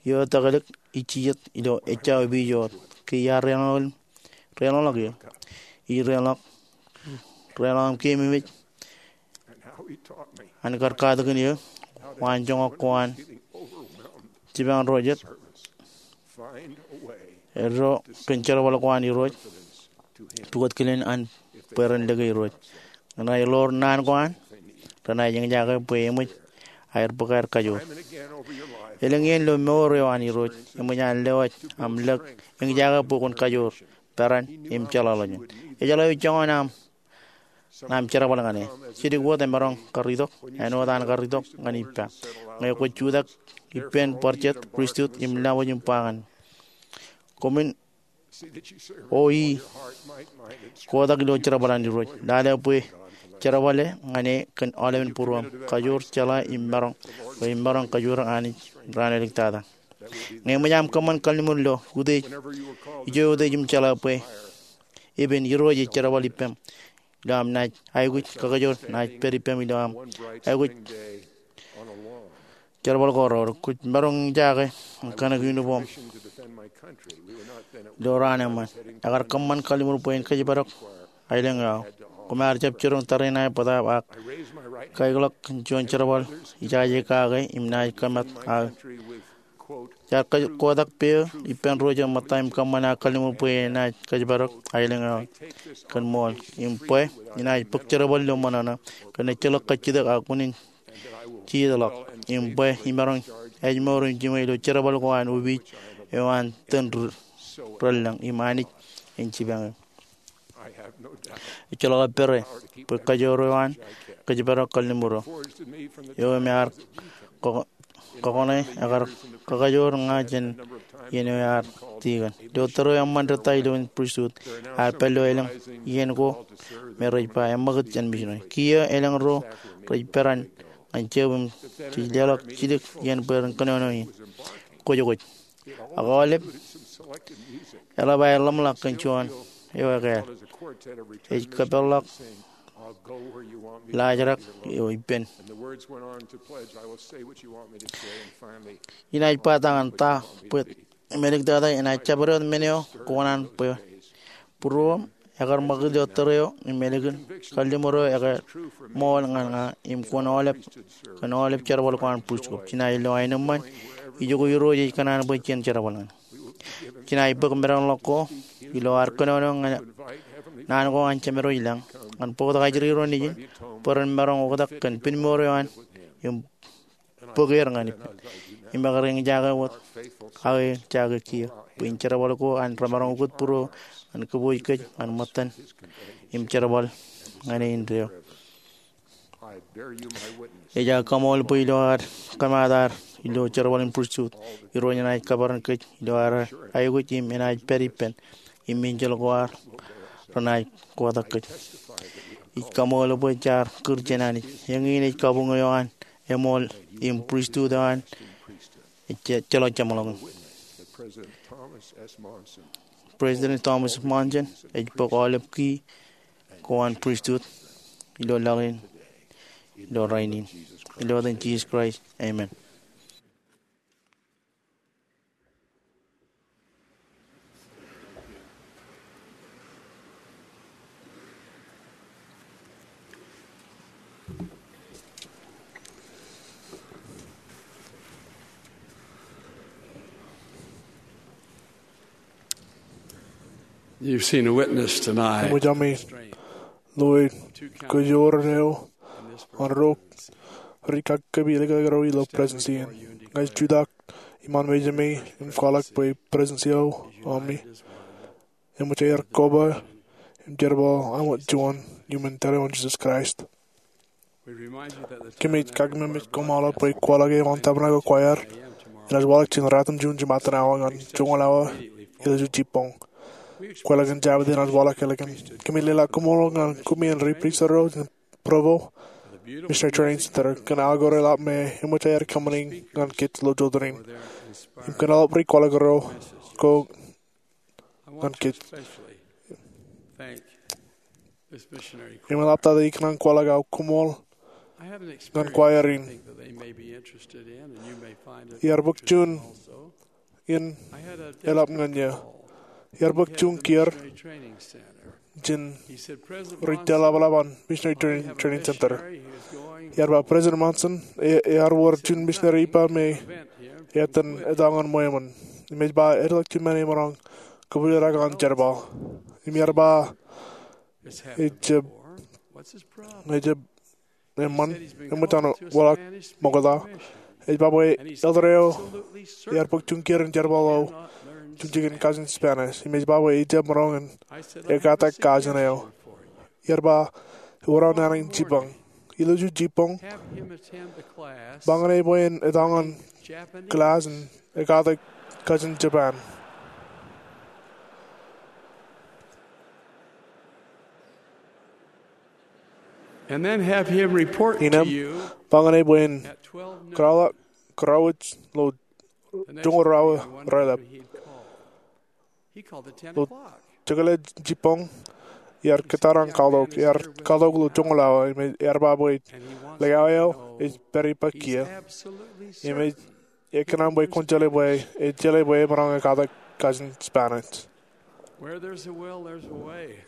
eo tōkālik ij jijet ilo ejja opiij eo. Ke iar relōñḷọk, relōñḷọk eō. Ij relōñḷọk, relōñḷọk im keememej an kar katakin eō waanjoñak ko an jipañ ro jet, eddo kōn jerbal ko an Irooj, pukot kilen an bwe ren lōke Irooj. Ñe rej ḷoor naan ko an, renaaj eñjake bwe eṃōj aer bōk aer kajoor. Elōñ iien ilo mour eo an Irooj, eṃōj an lewōj aṃ lōk eñjake bwe kwōn kajoor, peran im jeḷāḷọkjeṇ. Ejeḷā eo joñan aṃ, aṃ jerbal ñan e. Jidik wōt emaroñ kar itok, āinwōt an kar itok ñan ippa. Ñe kwōj jutak ippān bar jet, pristut im laṃōj im ba ñan koṃwin, O ij kotak ilo jerbal an Irooj. Lale bwe jerbale ñan e kōn aolepen būruōṃ. Kajoor, jeḷā im maroñ, bwe emaroñ kajoor Anij raan āliktata. Ñe eṃōj aṃ kōṃṃan kalliṃur ilo utiej, ijo utiej im jeḷā bwe epen Irooj ej jerbal ippem ilo aṃ naaj aikuj kakajoor, naaj pād ippem ilo aṃ aikuj jerbal ko reoor, kwōj maroñ in jake im kōṇak uniform ilo raan eṃṃan. Ekar kōṃṃan kalliṃur bwe en kōjparok aelōñ eo aō. Koṃ ar jab jiroñ tariṇae bōtaab ak kaeḷọk kōn juon jerbal ijaje kake im naaj kōmat aō. Jaar kotak peiō ippān ro rej ṃōtta im kōṃṃan aō kalliṃur bwe enaaj kōjparok aelōñ eo aō kōn ṃool im bwe enaaj bōk jerbal ilo ṃōṇōṇō kōn ejjeḷọk kajjitōk ak unin jijet ḷọk, im bwe imaroñ ājmour im jiṃwe ilo jerbal ko an opiij eo an tōn relōñ im Anij en jipañ eō. Ejjeḷọk epere bwe kajoor eo an kōjparok kalliṃur eo, eo im ear kōkōṇe, ekar kakajoor ña jān iien eo ear tikōn. Ilo tōre eo eṃṃan ri-ta ilo pristut, ear pād ilo elōñ iien ko me rej ba eṃṃakūt jān missionary. Kiiō elōñ ro rej peran ñan Jab im jej leḷọk jidik iien bwe ren kōnono in. Kwōj kwōj. Ak aolep eḷap aer ḷōmṇak kōn juon eo ekāāl. Ej kōpeḷḷọk laajrak eo ippān. Inaaj ba ta ñan ta bwe emāliktata enaaj jabdewōt men eo kōṇaan bwe būruōṃ ekar ṃakūt ilo tōre eo im ālikin kalliṃur eo ekar ṃool ñan ña im kwōn aolep kōn aolep jerbal ko an pristut ko. Jenaaj lo aenōṃṃan ijoko Irooj ej kōṇaan bwe jen jerbal ñan. Jenaaj bōk medaḷ ḷọk ko ilo ad kōnono ñan naan ko an Jemedwōj ilañ ñan bōktok ajri ro nejin bwe ren maroñ oktak kōn pinmour eo an im bōk er ñan ippān. Im ekar eñjake wōt aō jake kiiō bwe in jerbal ko an remaroñ ukōt būruō ñan kōpooj kōj ñan ṃōttan im jerbal ñan e indeeo. Ej aō kaṃool bwe ilo ad kōmaat ad ilo jerbal in pristut, Irooj enaaj kōperan kōj ilo ad aikuj im enaaj pād ippān im enjeḷ ko ad renaaj kotak kōj. Ij kaṃool bwe jaar kūr jān Anij. Eñin ej kabuñ eo an eṃool im pristut eo an ejjeḷọk jeṃḷọkin. President Thomas Monson ej bōk aolep key ko an pristut ilo laḷ in ilo rainin. Ilo etan Jisōs Kraist, amen. You've seen a witness tonight. Eṃōj ami loe kajoor eo an ro ri kaki kōmij likūtḷọk er ilo presensi in. Ña ij jutak iṃaan mejāmi im kwaḷọk bwe presensi eo ami eṃōj aer koba im jerbal aṃ juon iuṃwin tōre eo an Jisōs Kraist. Kōmij kakememej koṃṃool bwe kwaḷọk eo an Tabernacle Choir enaaj waḷọk jān ratimjuon jemātan awa ñan joñoul awa ilo jibboñ. Kwaḷọk in Jabōt enaaj waḷọk ālikin. Kōmij leḷọk koṃṃool ñan koṃṃool ri pristut ro in Provo Missionary Training Center kōn aō kōrā eḷap me eṃōj aer kōṃṃani ñan kōj ilo jota in im kōn aolep ri kwaḷọk ro ko ñan kōj. Im eḷaptata ikōṇaan kwaḷọk aō koṃṃool ñan choir in. Iar bōk juon in eḷap ñan eō. Iar bōk juon kiiō jān ri-tōl ḷapḷap an Missionary Training, Training Center. Iar ba President Monson, e, ear wōr juon misineri ippā me etan etaṃ ñan ṃweo eṃṃan. Im ej ba eḷak juon men emaroñ kōpooje ḷọk an jerbal. Im iar ba ejab, ejab eṃṃan, eṃōj an waḷọk ṃokta. Ej ba bwe elder eo ear bōk juon kiiō in jerbal eo, juon jikin kajin Spanish. Im ej ba bwe ejab maroñ in ekātak kajin eo. Iar ba, ewōr aō naan in jibboñ. Ilo juon jibboñ, ba ñan e bwe en etaṃ ñan kilaaj in ekātak kajin Japan. And then have him report to you. Inem, ba ñan e bwe en kōrọọlḷọk, kōrọọlḷọk ilo joñoul ruo awa raelep. Ilo jekōḷā jibboñ, iar kōttar an kwaḷọk, iar kwaḷọk ilo joñoul awa, im ear ba bwe likao eo ej pād ippād kiiō. Im ej kōṇaan bwe kwōn jeḷā bwe, ej jeḷā bwe emaroñ ekatak kajin Spanish.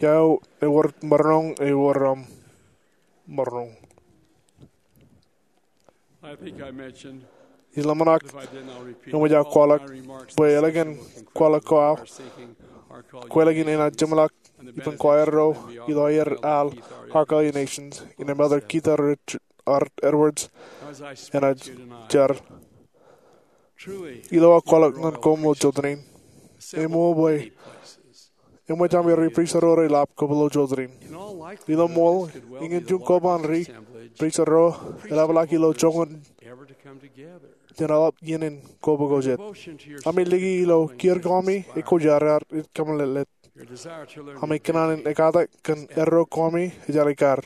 Iọkwe, ewōr maroñ, ewōr, um, maroñ. Ij ḷōmṇak, eṃōj aō kwaḷọk, bwe eḷaññe kwaḷọk ko aō, kweilọk in enaaj jeṃḷọk ippān choir ro ilo aer al Our Godly Nations, innem Elder Keith R. Edwards enaaj jar. Ilo aō kwaḷọk ñan koṃ ilo jota in, eṃōj bwe eṃōj ami ri-pristut ro reḷap kab ilo jota in. Ilo ṃool, eñin juon koba an ri-pristut ro eḷapḷọk ilo joñan jān aolep iien in koba ko jet. Ami liki ilo kiiō ko ami ej kwōjarjar im kōmeḷeḷe. Ami kōṇaan in ekatak kōn erro ko ami ej alikkar.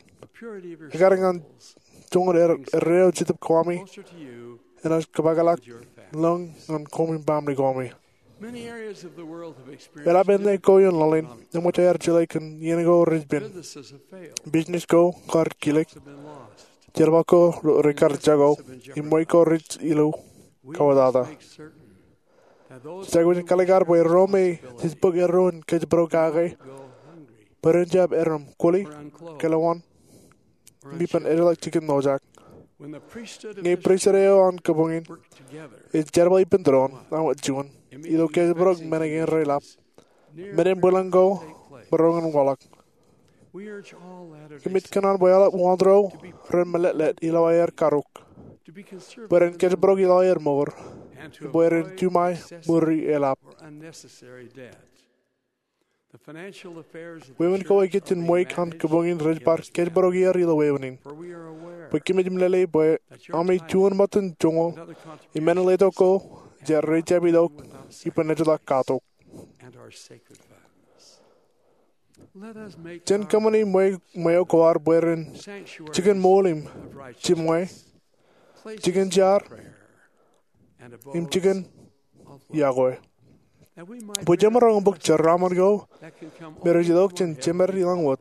Ekkar ñan joñan er-, erreo jetōb ko ami enaaj kōpakḷọk lōñ ñan koṃ im baaṃle ko ami. Eḷap āne ko ioon laḷ in eṃōj aer jeḷā kōn iien ko rej pen. Business ko kar kilōk. Jerbal ko rekar jako. Im ṃweiuk ko rej ilo kawōtata. Jej aikuj in kalikkar bwe ro me jej bōk erro in kōjparok kake, bwe ren jab erom kwōli, kōḷḷaḷḷaḷ, im ippān ejjeḷọk jikin ḷojak. Ñe pristut eo an kōbuñ in ej jerbal ippān doon, awa juon, ilo kōjparok men kein reḷap, men in bwilōñ ko maroñ in waḷọk. Kōmij kōṇaan bwe aolep wōn ro ren meḷeḷe ilo aer karuk, bwe ren kōjparok ilo aer mour, bwe ren juṃae ṃuri eḷap. Wāween ko ikijjien ṃweiuk an kōbuñ in rej bar kōjparok er ilo wāween in. Bwe kōmij meḷeḷe bwe ami juon ṃōttan joñoul im men in letok ko rej jab itok ippān ejjeḷọk katok. Jen kōṃṃani ṃweo ko ad bwe ren jikin ṃool im jiṃwe, jikin jar, im jikin iọkwe. Bwe jemaroñ bōk jeraaṃṃan ko me rej itok jān jemed ilañ wōt,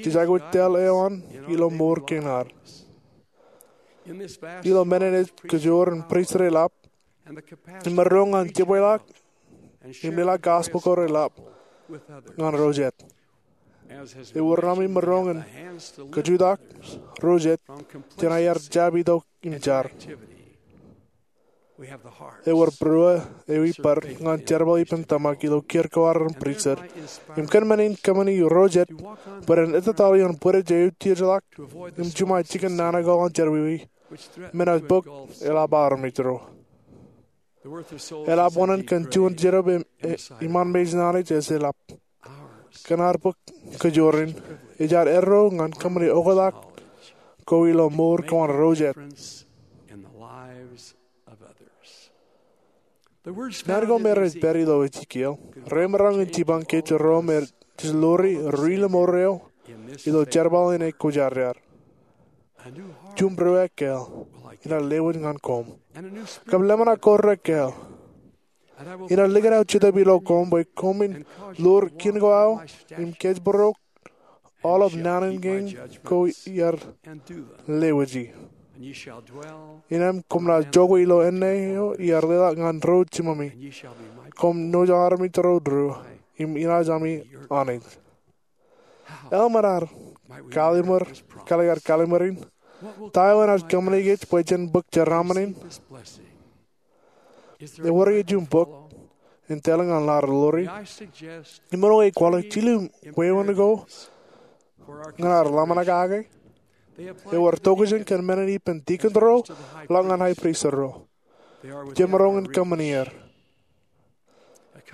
jej aikuj tōl eo an ilo mour kein ad. Ilo men in ej kajoor in pristut reḷap, im maroñ ñan jepweḷọk im leḷọk gospel ko reḷap ñan ro jet. Ewōr ami maroñ in kajutak ro jet jān aer jab itok im jar. Ewōr būruō eo ippād ñan jerbal ippān tōmak ilo kiiō ko ad ren pristut, im kōn men in kōṃṃani ro jet bwe ren ettōtaḷ ioon bwidej eo tijeḷọk im juṃae jikin nana ko an jerọwiwi, men ej bōk eḷap armej ro. Eḷap wōṇāān kōn juon jitōb im, e, iṃaan mejān Anij ej eḷap. Kōn ad bōk kajoor in, ej ad erro ñan kōṃṃani oktak ko ilo mour ko an ro jet. Naan ko me rej pād ilo Ezekiel remaroñ in jipañ kōj ro me jej ḷoori ri-lọmọọr eo ilo jerbal in ekwōjarjar. Juon būruō ekkāāl inaaj lewōj ñan koṃ, kab ḷōmṇak ko ekkāāl. Inaaj likūt aō Jetōb ilo koṃ bwe koṃwin ḷoor kien ko aō im kōjparok aolep naan in kein ko iar lewōji. Innem koṃ naaj jokwe ilo āne eo iar leḷọk ñan ro jiṃami. Koṃ naaj armej ro Irooj, im inaaj ami Anij. Eḷap men ad kalikkar, kalikkar kallim̧ur in? Ta eo enaaj kōṃṃani kōj bwe jen bōk jeraaṃṃan in? Ewōr juon bok in tōl ñan ad ḷoori? Imaroñ in kwaḷọk jilu wāween ko ñan ad ḷōmṇak kake. Ewōr tokjān kōn men in ippān dikon ro ḷọk ñan high priest ro. Jemaroñ in kōṃṃani er.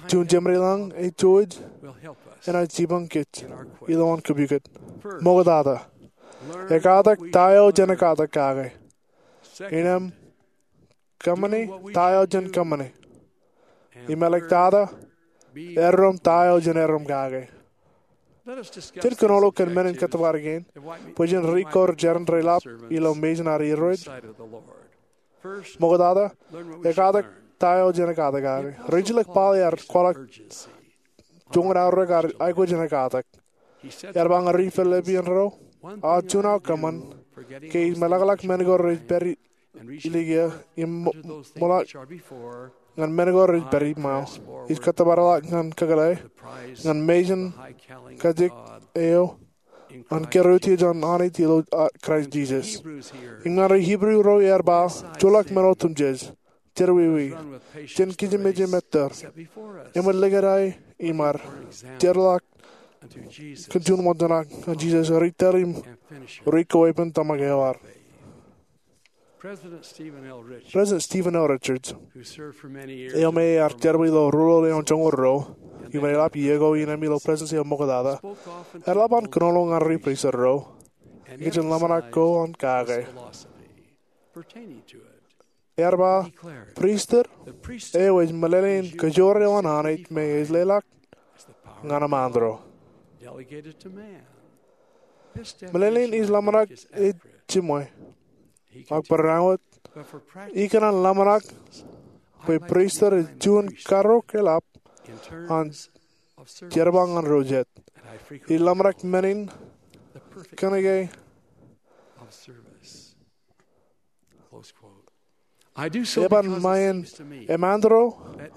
Juon jemād ilañ ej jouj enaaj jipañ kōj ilowaan kōpukot. Ṃoktata, ekatak ta eo jen ekatak kake. Innem, kōṃṃani ta eo jen kōṃṃani. Im ḷọktata, errom ta eo jen errom kake. Jen kōnono kōn men in kōttōpar kein bwe jen ri-kor jeran reḷap ilo mejān ad Irooj. Ṃoktata, ekatak ta eo jenaaj katak kake. Rijilōk Paul ear kwaḷọk joñan aorōk aikuj jenaaj katak. Ear ba ñan ri-Filippian ro, aō juon aō kōṃṃan, ke ij meḷọkḷọk men ko rej pād ilikiiō im ṃōḷaak ñan men ko rej pād iṃaō. Ij kōttōpar ḷọk ñan kōkōḷḷe ñan mejān kajjik eo an kōrā utiej an Anij ilo Kraist Jisōs. Im ñan ri-Hibru ro ear ba, joḷọk men otemjej, jerọwiwi, jen kijemeje mettōr, eṃōj likūt aō iṃaad, jeorḷọk kōn juon ṃōjṇak ñan Jisōs ri-tōl im ri-kōweepen tōmak eo ad. President Stephen L. Richards, eo me ear jerbal ilo ruo ḷọk eoon joñoul ruo, im eḷap iiō ko innem ilo Prestudensi eo ṃoktata, ear eḷap an kōnono ñan ri-pristut ro ikijjien ḷōmṇak ko an kake. Ear ba, pristut eo ej meḷeḷein kajoor eo an Anij me ej leḷọk ñan eṃanto. Meḷeḷein ij ḷōmṇak ej jiṃwe. Ak barāinwōt, ikōṇaan ḷōmṇak bwe pristut ej juon karreoik eḷap an jerbal ñan ro jet. Ij ḷōmṇak men in kōnke eban ṃae in eṃanto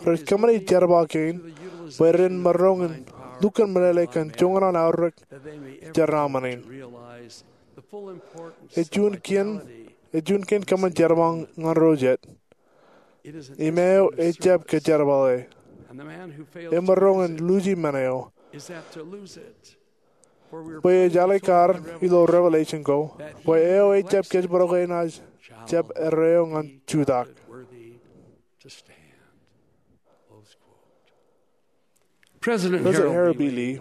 rej kōṃṃani jerbal kein bwe ren maroñ in lukkuun meḷeḷe kōn joñan an aorōk jeraaṃṃan in. Ej juon kein, ej juon kein kōṃṃan jerbal ñan ro jet. Im eo ejjab kōjerbale emaroñ in luuji men eo. Bwe ej alikkar ilo Revelation ko, bwe eo ejjab kōjparok enaaj jab erreo ñan jutak. President Harold B. Lee,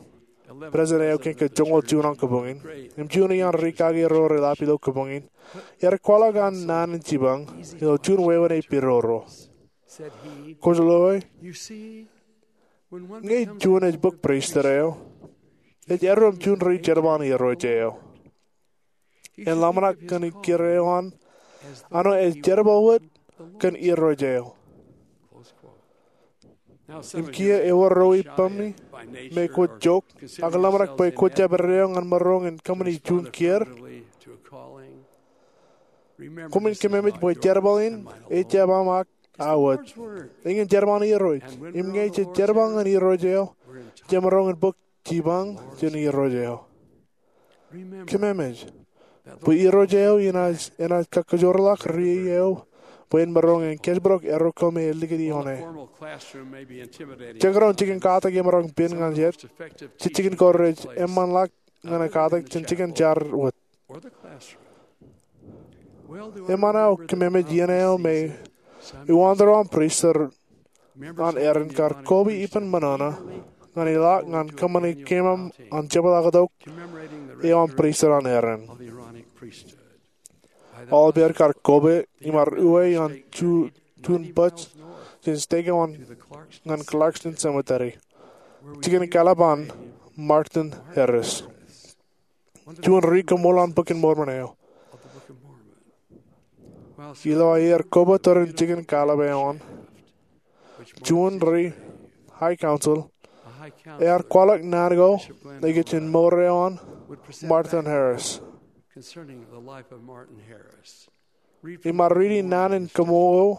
president eo kein ke joñoul juon an kōpoñ in, im juon iaan rikaki ro reḷap ilo kōpoñ in, ear kwaḷọk an naan in jipañ ilo juon wāween epiroro. Kwōj loe, ñe juon ej bōk pristut eo, ej erreo im juon ri-jerbal an Irooj eo. En ḷōmṇak kōn ikkure eo an, anō ej jerbal wōt kōn Irooj eo. Im kiiō ewōr ro ippaṃ me kwōj jok, ak ḷōmṇak bwe kwō jab erreo ñan maroñ in kōṃṃani juon kiiō. Koṃwin kōmemej bwe jerbal in ejjab aṃ ak aō wōt. Eñin jerbal an Irooj. Im ñe jej jerbal ñan Irooj eo, jemaroñ in bōk jipañ jān Irooj eo. Kōmemej bwe Irooj eo enaaj, enaaj kakajoorḷọk ri eo bwe en maroñ in kōjparok erreo ko me ej likūt ioone. Jekdọọn jikin katak emaroñ pen ñan jet, jej jikin ko rej eṃṃanḷọk ñan katak jān jikin jar wōt. Eṃṃan aō kōmemej iien eo me uwaantō an pristut an Aaron kar koba ippān ṃōṇōṇō ñan ilọk ñan kōṃṃani kememej an jepḷaaktok eo an pristut an Aaron. Aolep er kar koba im ar uwe ioon juon bōj jān stake eo an ñan Clarkston Cemetery, jikin kaḷap an Martin Harris, juon ri-koṃṃool an Bok in Mormon eo. Ilo aer koba tōre in jikin kaḷap eo an, juon ri-High Council ear kwaḷọk naan ko ikijjien mour eo an Martin Harris. Im ar riiti naan in koṃṃool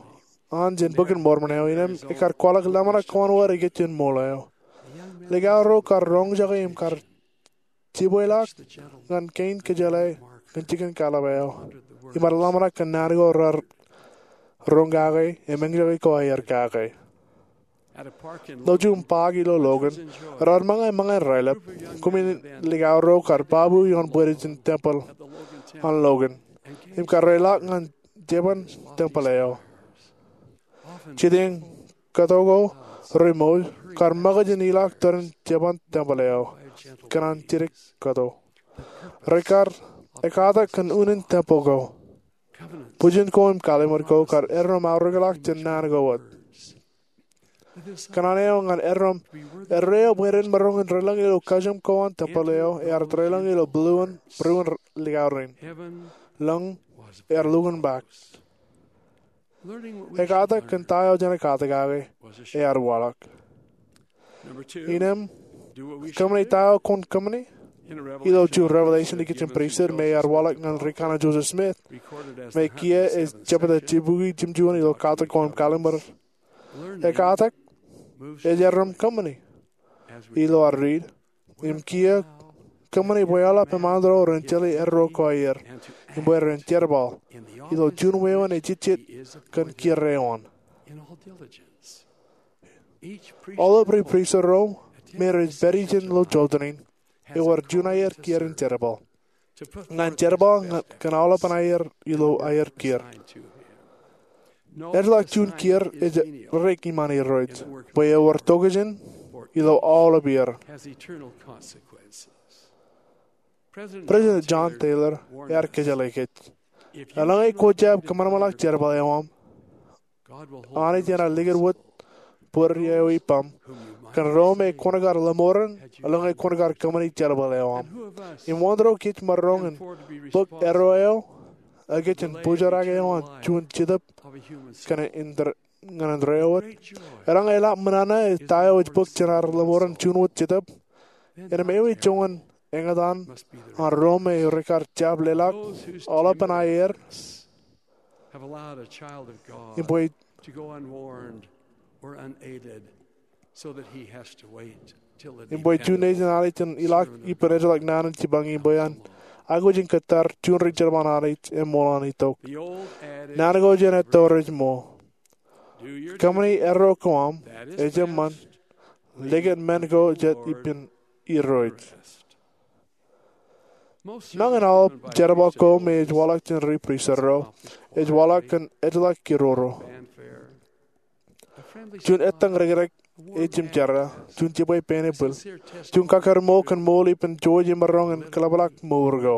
an jān Bok in Mormon eo, innām ekar kwaḷọk ḷōmṇak ko an wōt ikijjien ṃool eo. Likao ro kar roñjake im kar jibweḷọk ñan kein kōjeḷā ñan jikin kaḷap eo. Im ar ḷōmṇak kōn naan ko raar roñ kake im eñjake ko aer kake. Ilo juon paak ilo Logan, raar ṃōñā ṃōñā in raelep. Koṃwin likao ro kar babu ioon bwidej in tempel an Logan im kar reḷọk ñan jeban tempel eo. Jitōñ kōto ko reṃool kar ṃōkaj in ilọk tōre in jeban tempel eo kōn an jidik kōto. Rekar ekkatak kōn unin tempel ko. Bwijin ko im kallimur ko kar erreo im aorōkḷọk jān naan ko wōt. Kōṇaan eo ñan erreo im erreo bwe ren maroñ in relōñ ilo kajjioñ ko an tempel eo ear relōñ ilo būruon likao rein. Lōñ ear lukkuun ṃōk. Ekatak kōn ta eo jen ekatak kake ear waḷọk. Innem, kōṃṃani ta eo kwōn kōṃṃani. Ilo juon Revelation ikijjien pristut me ear waḷọk ñan ri-Kanaan Joseph Smith, me kiiō ej jepta jibukwi jimjuon ilo katak ko im kallim̧ur, ekatak ej errem kōṃṃani. Ilo ad riit, im kiiō kōṃṃani bwe aolep eṃṃan ro ren jeḷā erro ko aer, im bwe ren jerbal ilo juon wāween ejejjet kōn kiiō eo an. Aolep ri-pristut ro me rej pād ijin ilo jota in ewōr juon aier kiiō in jerbal. Ñan jerbal ñan kōn aolepān aier ilo aier kiiō. Ejjeḷọk juon kiiō ej rej iṃaan Irooj, bwe ewōr tokjān ilo aolep iiō. President John Taylor ear kōjeḷā kōj, eḷaññe kwō jab kōṃanṃanḷọk jerbal eo aṃ, Anij enaaj likūt wōt bōd eo ippam kōn ro me kwōn kar ḷōṃoren eḷaññe kwōn kar kōṃṃani jerbal eo aṃ. Im wōn ro kōj maroñ in bōk erro eo ekōjin bōjrak eo an juon jetōb ñan indeeo wōt? Eḷaññe eḷap ṃōṇōṇō ta eo ej bōk jān ad ḷōṃoren juon wōt jetōb, innem eo ej joñan eñtaan an ro me rekar jab leḷọk aolepān aier im bwe im bwe juon nejin Anij en ilọk ippān ejjeḷọk naan in jipañ im bwe en aikuj in kōttar juon ri-jerbal an Anij eṃool an itok. Naan ko jān etto rej ṃool: Kōṃṃani erro ko aṃ ej eṃṃan, likūt men ko jet ippān Irooj. Nañin aolep jerbal ko me ej waḷọk jān ri-pristut ro ej waḷọk kōn ejjeḷọk kiiō ro. Juon ettōñ rikdik ej jimjerā, juon jibwe pen epāl, juon kakaṃṃool kōn ṃool ippān jouj im maroñ in kōḷapḷọk mour ko,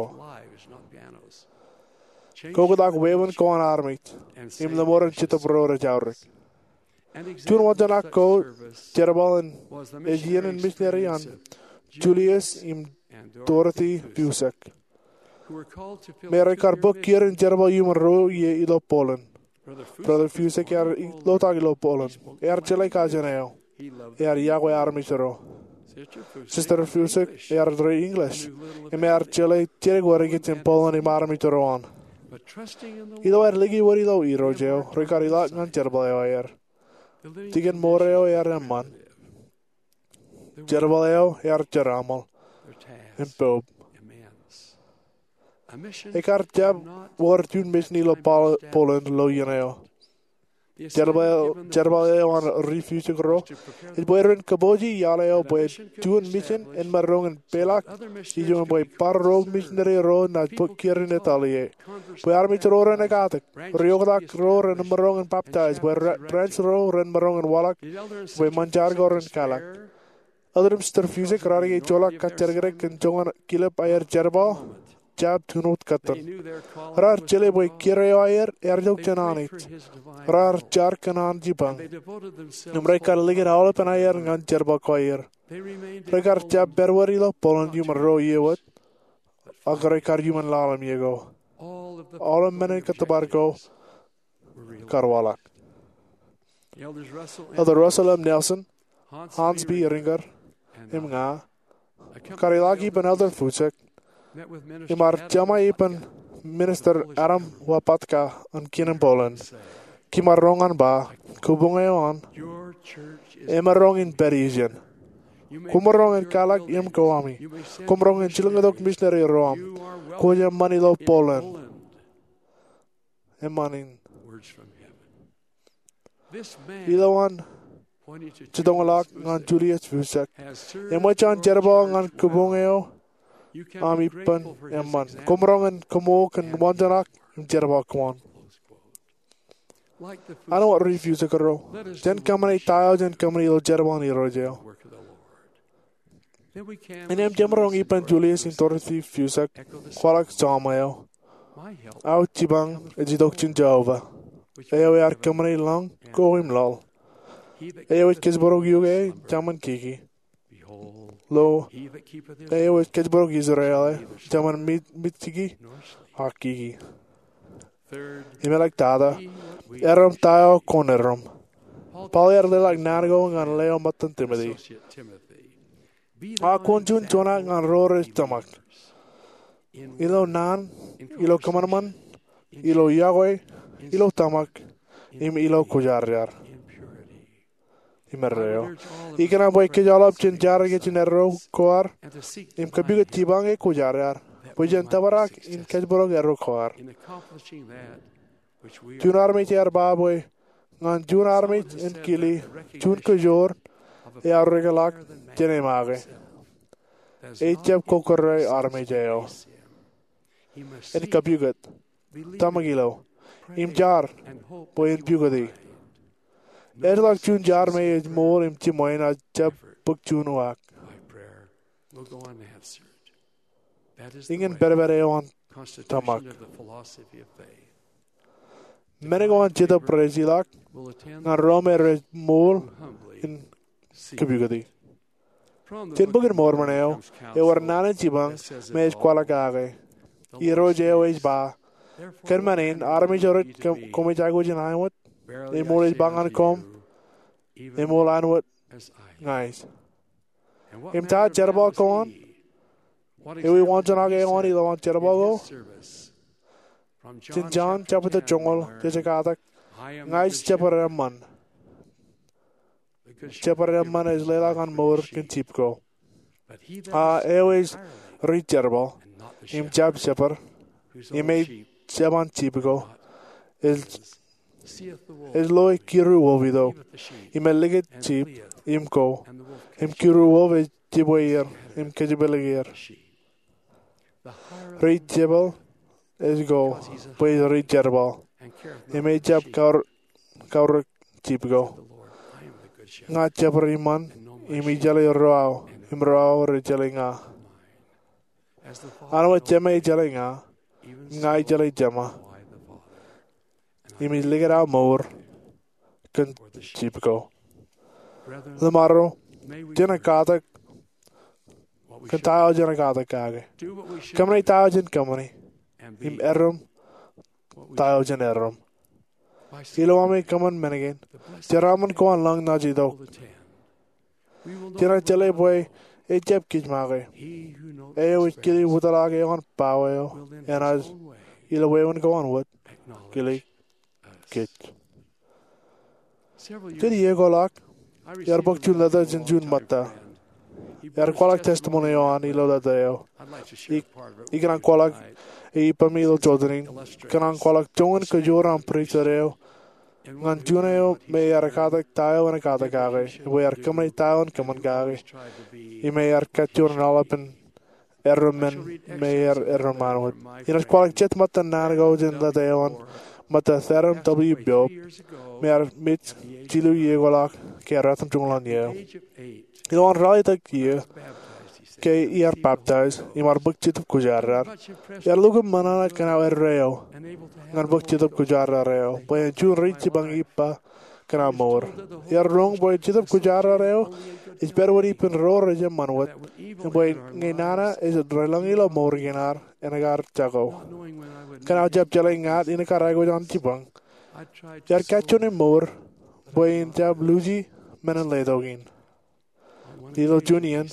kobatok wāween ko an armej, im ḷōṃoren jetōb ro rej aorōk. Juon waanjoñak ko jerbal in ej iien in misineri an Julius im Dorothy Fussek, me rekar bōk kiiō in jerbal iuṃwin ro ie ilo Poland. Brother Fussek ear lotak ilo Poland. Ear jeḷā kajin eo. Ear iakwe armej ro. Sister Fussek ear ri English im ear jeḷā jidik wōt ikijjien Poland im armej ro an. Ilo aer liki wōt ilo Irooj eo, rekar ilọk ñan jerbal eo aer. Jikin mour eo ear eṃṃan. Jerbal eo ear jeraaṃṃan im poub. Ekar jab wōr juon misin ilo Pol-, Poland ilo iien eo. Jerbal, jerbal eo an ri Fussek ro ej bwe ren kōpooji iaḷ eo bwe juon misin en maroñ in peḷḷọk ijo im bwe bar ro misineri ro naaj bōk kiiō in etale ie, bwe armej ro ren ekatak, ri-oktak ro ren maroñ in baptaij, bwe re-, branch ro ren maroñ in waḷọk, bwe ṃōn jar ko ren kaḷọk. Elder im Sister Fussek raar ijoḷọk kajjidikdik kōn joñan kilep aer jerbal, jab juon wōt kōttan. Raar jeḷā bwe kiiō eo aer ear itok jān Anij. Raar jar kōn an jipañ im rekar likūt aolepān aier ñan jerbal ko aer. Rekar jab pād wōt ilo Poland iuṃwin ro ie wōt, ak rekar iuṃwin lale im iiō ko. Aolep men in kōttōpar ko kar waḷọk. Elder Russell M. Nelson, Hans B. Ehringer, im ña kar ilọk ippān Elder Fussek im ar jeṃḷọk ippān Minister Adam Łopata an kien in Poland. Kiiō maroñ in ba, kabuñ eo an emaroñ in pād ijin. Kwōmaroñ in kaḷọk im ko ami. Kwōmaroñ in jilkintok misineri ro aṃ. Kwōj eṃṃan ilo Poland. Eṃṃan in. Ilowaan jitōñḷọk ñan Julius Fussek, eṃōj an jerbal ñan kabuñ eo aṃ ippān eṃṃan. Kwōmaroñ in koṃṃool kōn waanjoñak im jerbal ko an. Āinwōt ri Fussek ro, jen kōṃṃani ta eo jen kōṃṃani ilo jerbal an Irooj eo. Innem jemaroñ ippān Julius im Dorothy Fussek kwaḷọk Sam eo: Aō jipañ ej itok jān Jeova, eo ear kōṃṃani lañ ko im laḷ. Eo ej kōjparok eok e, jemaroñ kiki. Lo, eo ej kōjparok Israel e, jemaroñ mit-, mitiki ak kiki. Im āliktata, Erom ta eo kwōn erom. Paul ear leḷọk naan ko ñan leo ṃōttan Timote. A kwōn juon juon ñan ro rej tōmak. Ilo naan, ilo kōṃanṃan, ilo yokwe, ilo tōmak, im ilo kwōjarjar. Im erreo. Ikōṇaan bwe kōj aolep jen jar ñe jen erro ko ad, im kapukot jipañ e kwōjarjar, bwe jen tōprak in kōjparok erro ko ad. Juon armej ear ba bwe ñan juon armej en kile juon kōjoor eaorōkḷọk jān e make, ejjab kokkure armej eo. En kapukot, tōmak ilo, im jar, bwe en pukoti. Ejjeḷọk juon jar me ej ṃool im jiṃwe ṇe jab bōk juon uwaak. Iñin pedped eo an tōmak. Men ko an Jetōb rej ilọk ñan ro me rej ṃool im kapukoti. Jān Bok in Mormon eo, ewōr naan in jipañ me ej kwaḷọk kake. Irooj eo ej ba, kōn men in, armej eo rej koṃij aikuj in aiwōt, eṃool ej ba ñan koṃ, eṃool aiwōt ña ij. Im ta jerbal ko an? Ewi waanjoñak eo an ilowaan jerbal ko? Jān Jon jebta joñoul, jej katak, ña ij jepar eṃṃan. Jepar eṃṃan ej leḷọk an mour kōn jip ko. A eo ej ri-jerbal, im jab jepar, im ej jab an jip ko, ej, ej loe kiru wolf itok, im ej likūt jip, im ko, im kiru wolf ej jibwe er, im kōjepelōk er. Ri-jerbal ej ko, bwe ej ri-jerbal, im ejjab kaur-, kaurōk jip ko. Ña jepar iṃaan, im ij jeḷā ro aō, im ro aō rej jeḷā ña. An wōt Jema ej jeḷā ña, im ña ij jeḷā Jema. Im ij likūt aō mour kōn jip ko. Ḷōṃaro, jen katak kōn ta eo jen katak kake. Kōṃṃane ta eo jen kōṃṃane. Im erom ta eo jen erom. Ilo ami kōṃṃan men kein, jeraaṃṃan ko an lañ ṇa ej itok. Jenaaj jeḷā bwe ejjab kōj make. Eo ej kile wōtlọk eo an bao eo enaaj, ilo wāween ko an wōt, kile kōj. Jān iiō ko ḷọk, iar bōk juon lōta jān juon ṃōtta. Iar kwaḷọk testimony eo an ilo lōta eo. Ik-, ikōṇaan kwaḷọk e ippemi ilo jota in. Kōṇaan kwaḷọk joñan kōjoor an priesthood eo ñan juon eo me ear katak ta eo en katak kake, im bwe ear kōṃṃane ta eo en kōṃṃan kake, im ear kajjoor in aolepān erro men me ear erro ṃaan wōt. Inaaj kwaḷọk jet ṃōttan naan ko jān lōta eo an ṃōtta Theron W. Biop, me ear mej jilu iiō ko ḷọk ke ear ratimjuonñoul an iiō. Ilowaan ralitōk iiō ke iar baptize, im ar bōk Jetōb Kwōjarjar. Iar lukkuun ṃōṇōṇō kōn aō erreo ñan bōk Jetōb Kwōjarjar eo, bwe en juon ri-jipañ ippa kōn aō mour. Iar roñ bwe Jetōb Kwōjarjar eo ej pād wōt ippān ro rej eṃṃan wōt, im bwe ñe nana ej relōñ ilo mour kein ad, en kar jako. Kōn aō jab jeḷā ña in kar aikuj an jipañ, iar kajjoor in mour bwe in jab luuji men in letok in. Ilo juon iien,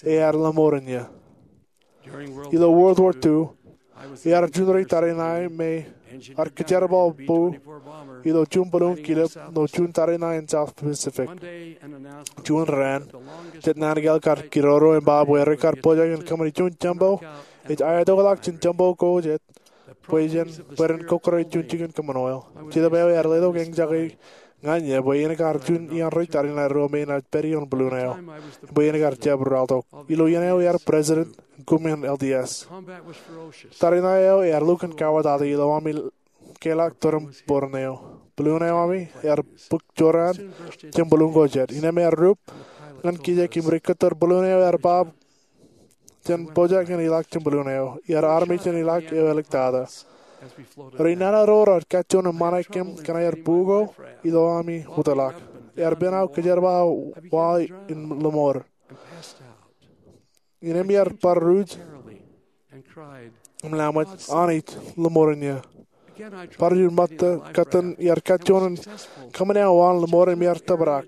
ear lọmọọren ie. Ilo World War Two, iar juon ri-tariṇae me ear kōjerbal bu ilo juon bōlōñ kilep ilo juon tariṇae in South Pacific. Juon raan, jet naan kāāl kar kidodo im ba bwe rekar pojak in kōṃṃani juon tempeḷ ej aetokḷọk jān tempeḷ ko jet, bwe jen, bwe ren kokkure juon jikin kōṃṃan oil. Jetōb eo ear letok eñjake ñan ie bwe in kar juon iaan ri-tariṇae ruo me enaaj pād ioon balloon eo, bwe in kar jab rọọltok. Ilo iien eo ear president in koṃṃan L D S. Tariṇae eo ear lukkuun kawōtata ilo ami keḷọk tōre im bōran eo. Balloon eo ami ear bōk jorrāān jān balloon ko jet. Innām ear rup ñan kijek im ri-kōttar balloon eo ear ba jān pojak in ilọk jān balloon eo. Iar armej in ilọk eo āliktata. Ri-nana ro raar kajjoor in ṃanakōm kōn aer bu ko ilo ami wōtlọk. Ear pen aō kōjerbal wa in lọmọọr. Innām iar bar ruj im laṃōj, Anij, lọmọọren ie. Bar juon ṃōttan kōttan iar kajjoñan kōṃṃane awa an lōṃoor im iar tōprak.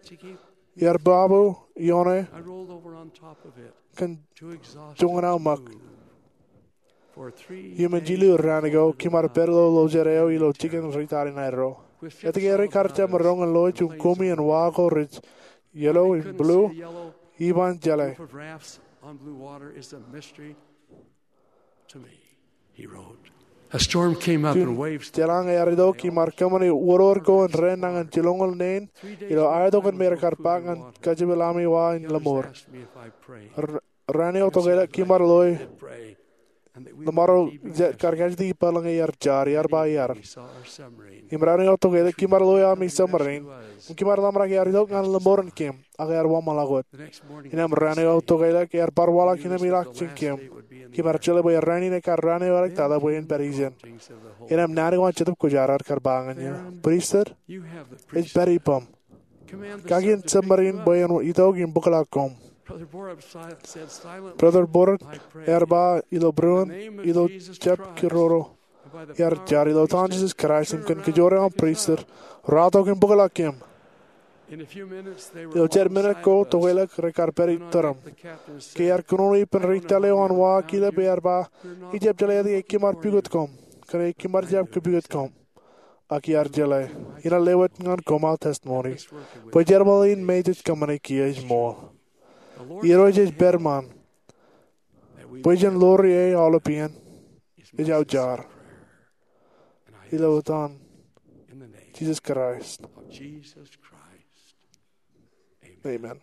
Iar baabu ioone kōn joñan aō ṃōk. Iuṃwin jilu raan ago, kōm ar pād ilo lọjet eo ilo jikin ri tani ṇae ro. Etke ri kar jab maroñ in loe juon kumi in wa ko rej yellow im blue? Iban jeḷā. A storm came up and waves. Jeḷā ñe ear itok, kōm ar kōṃṃane wōnṃaanḷọk ko in raan nañin jilñoul neen ilo aetok in me rekar ba ñan kajepel ami wa in lōṃoor. Raan eo tokālik kōm ar loe lōṃaro jet kar kajjitōk ippān ñe iar jar, iar ba iar. Im raan eo tokālik kōm ar loe ami submarine. Im kōm ar ḷōmṇak ear itok ñan lōṃoor in kōm, ak ear waṃṃanḷọk wōt. Innām raan eo tokālik ear bar waḷọk innām ilọk jān kōm. Kōm ar jeḷā bwe raan in ekar raan eo eḷak tata bwe en pād ijin. Innām naan ko an Jetōb Kwōjarjar kar ba ñan eō, Pristut, ej pād ippaṃ. Kaki in submarine bwe en itok im bōkḷọk koṃ. Brother Borrett ear ba ilo būruon, ilo jab kirodo, ear jar, ilo etan Jisōs Kraist im kōn kōjro aṃ pristut, raar itok im bōkḷọk kōm. Ilo jet minit ko tokālik rekar pād iturin. Ke ear kōnono ippān ri tōl eo an wa kilep, ear ba, ijab jeḷā etke kōm ar pukot koṃ, kōnke kōm ar jab kōpukot koṃ. Ak iar jeḷā, inelōñ lewōj ñan koṃ aō testimony bwe jerbal in me jej kōṃṃane kiiō ej ṃool. Irooj ej pād ṃaan. Bwe jen ḷoor ie aolepān ej aō jar. Ilo etan Jisōs Kraist. Amen.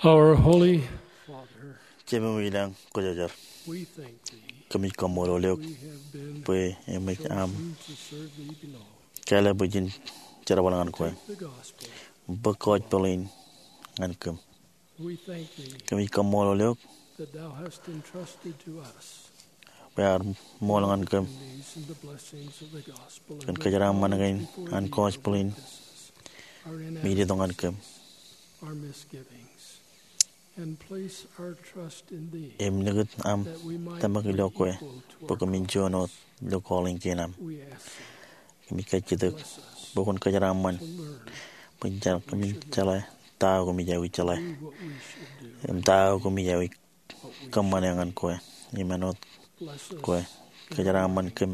Our Holy Father, Jemem ilañ Kwōjarjar, we thank thee. Kōmij kaṃṃoolol eok we have been bwe eṃōj aṃ chosen to serve thee below. Kāālōt bwe jen jerbal ñan kwe. Take the gospel. Bōk gospel in ñan kōm. We thank thee. Kōmij kaṃṃoolol eok that thou hast entrusted to us bwe ear ṃool ñan kōm kōn kōjeraaṃṃan kein an gospel in im itok ñan kōm. Im nikūt aṃ tōmak ilo kwe bwe kōmin juon wōt ilo calling kein aṃ. Kōmij kajjitōk bwe kwōn kōjeraaṃṃan bwe kōmin jeḷā ta eo kōmij aikuj jeḷā im ta eo kōmij aikuj kōṃṃane ñan kwe im āinwōt kwe. Kōjeraaṃṃan kōm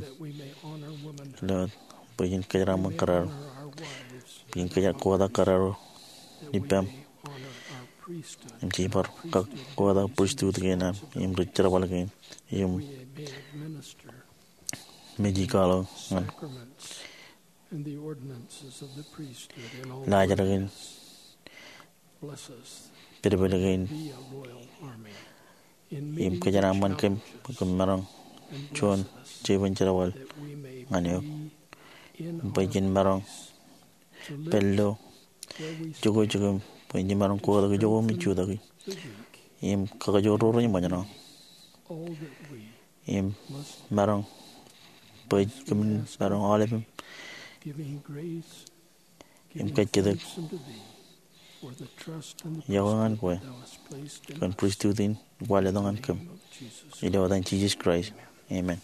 ilo bwe jen kōjeraaṃṃan kōrā ro, bwe jen kōjeraaṃṃan kōrā ro ippaṃ im jej bar kōjeraaṃṃan pristut kein aṃ im ri jerbal kein im mej kwaḷọk ñan laajrak in pedped kein im kōjeraaṃṃan kōm bwe kōm maroñ juon jeiū in jerbal ñan eok bwe jen maroñ pād ilo jokwe jokwe im bwe jen maroñ kotak ijoko im ijutaki im kakajoor ro rej ṃōjṇọ im maroñ bwe kōmin maroñ aolepem im kajjitōk iọkwe ñan kwe kōn pristut in kwaar letok ñan kōm. Ilo etan Jisōs Kraist, amen.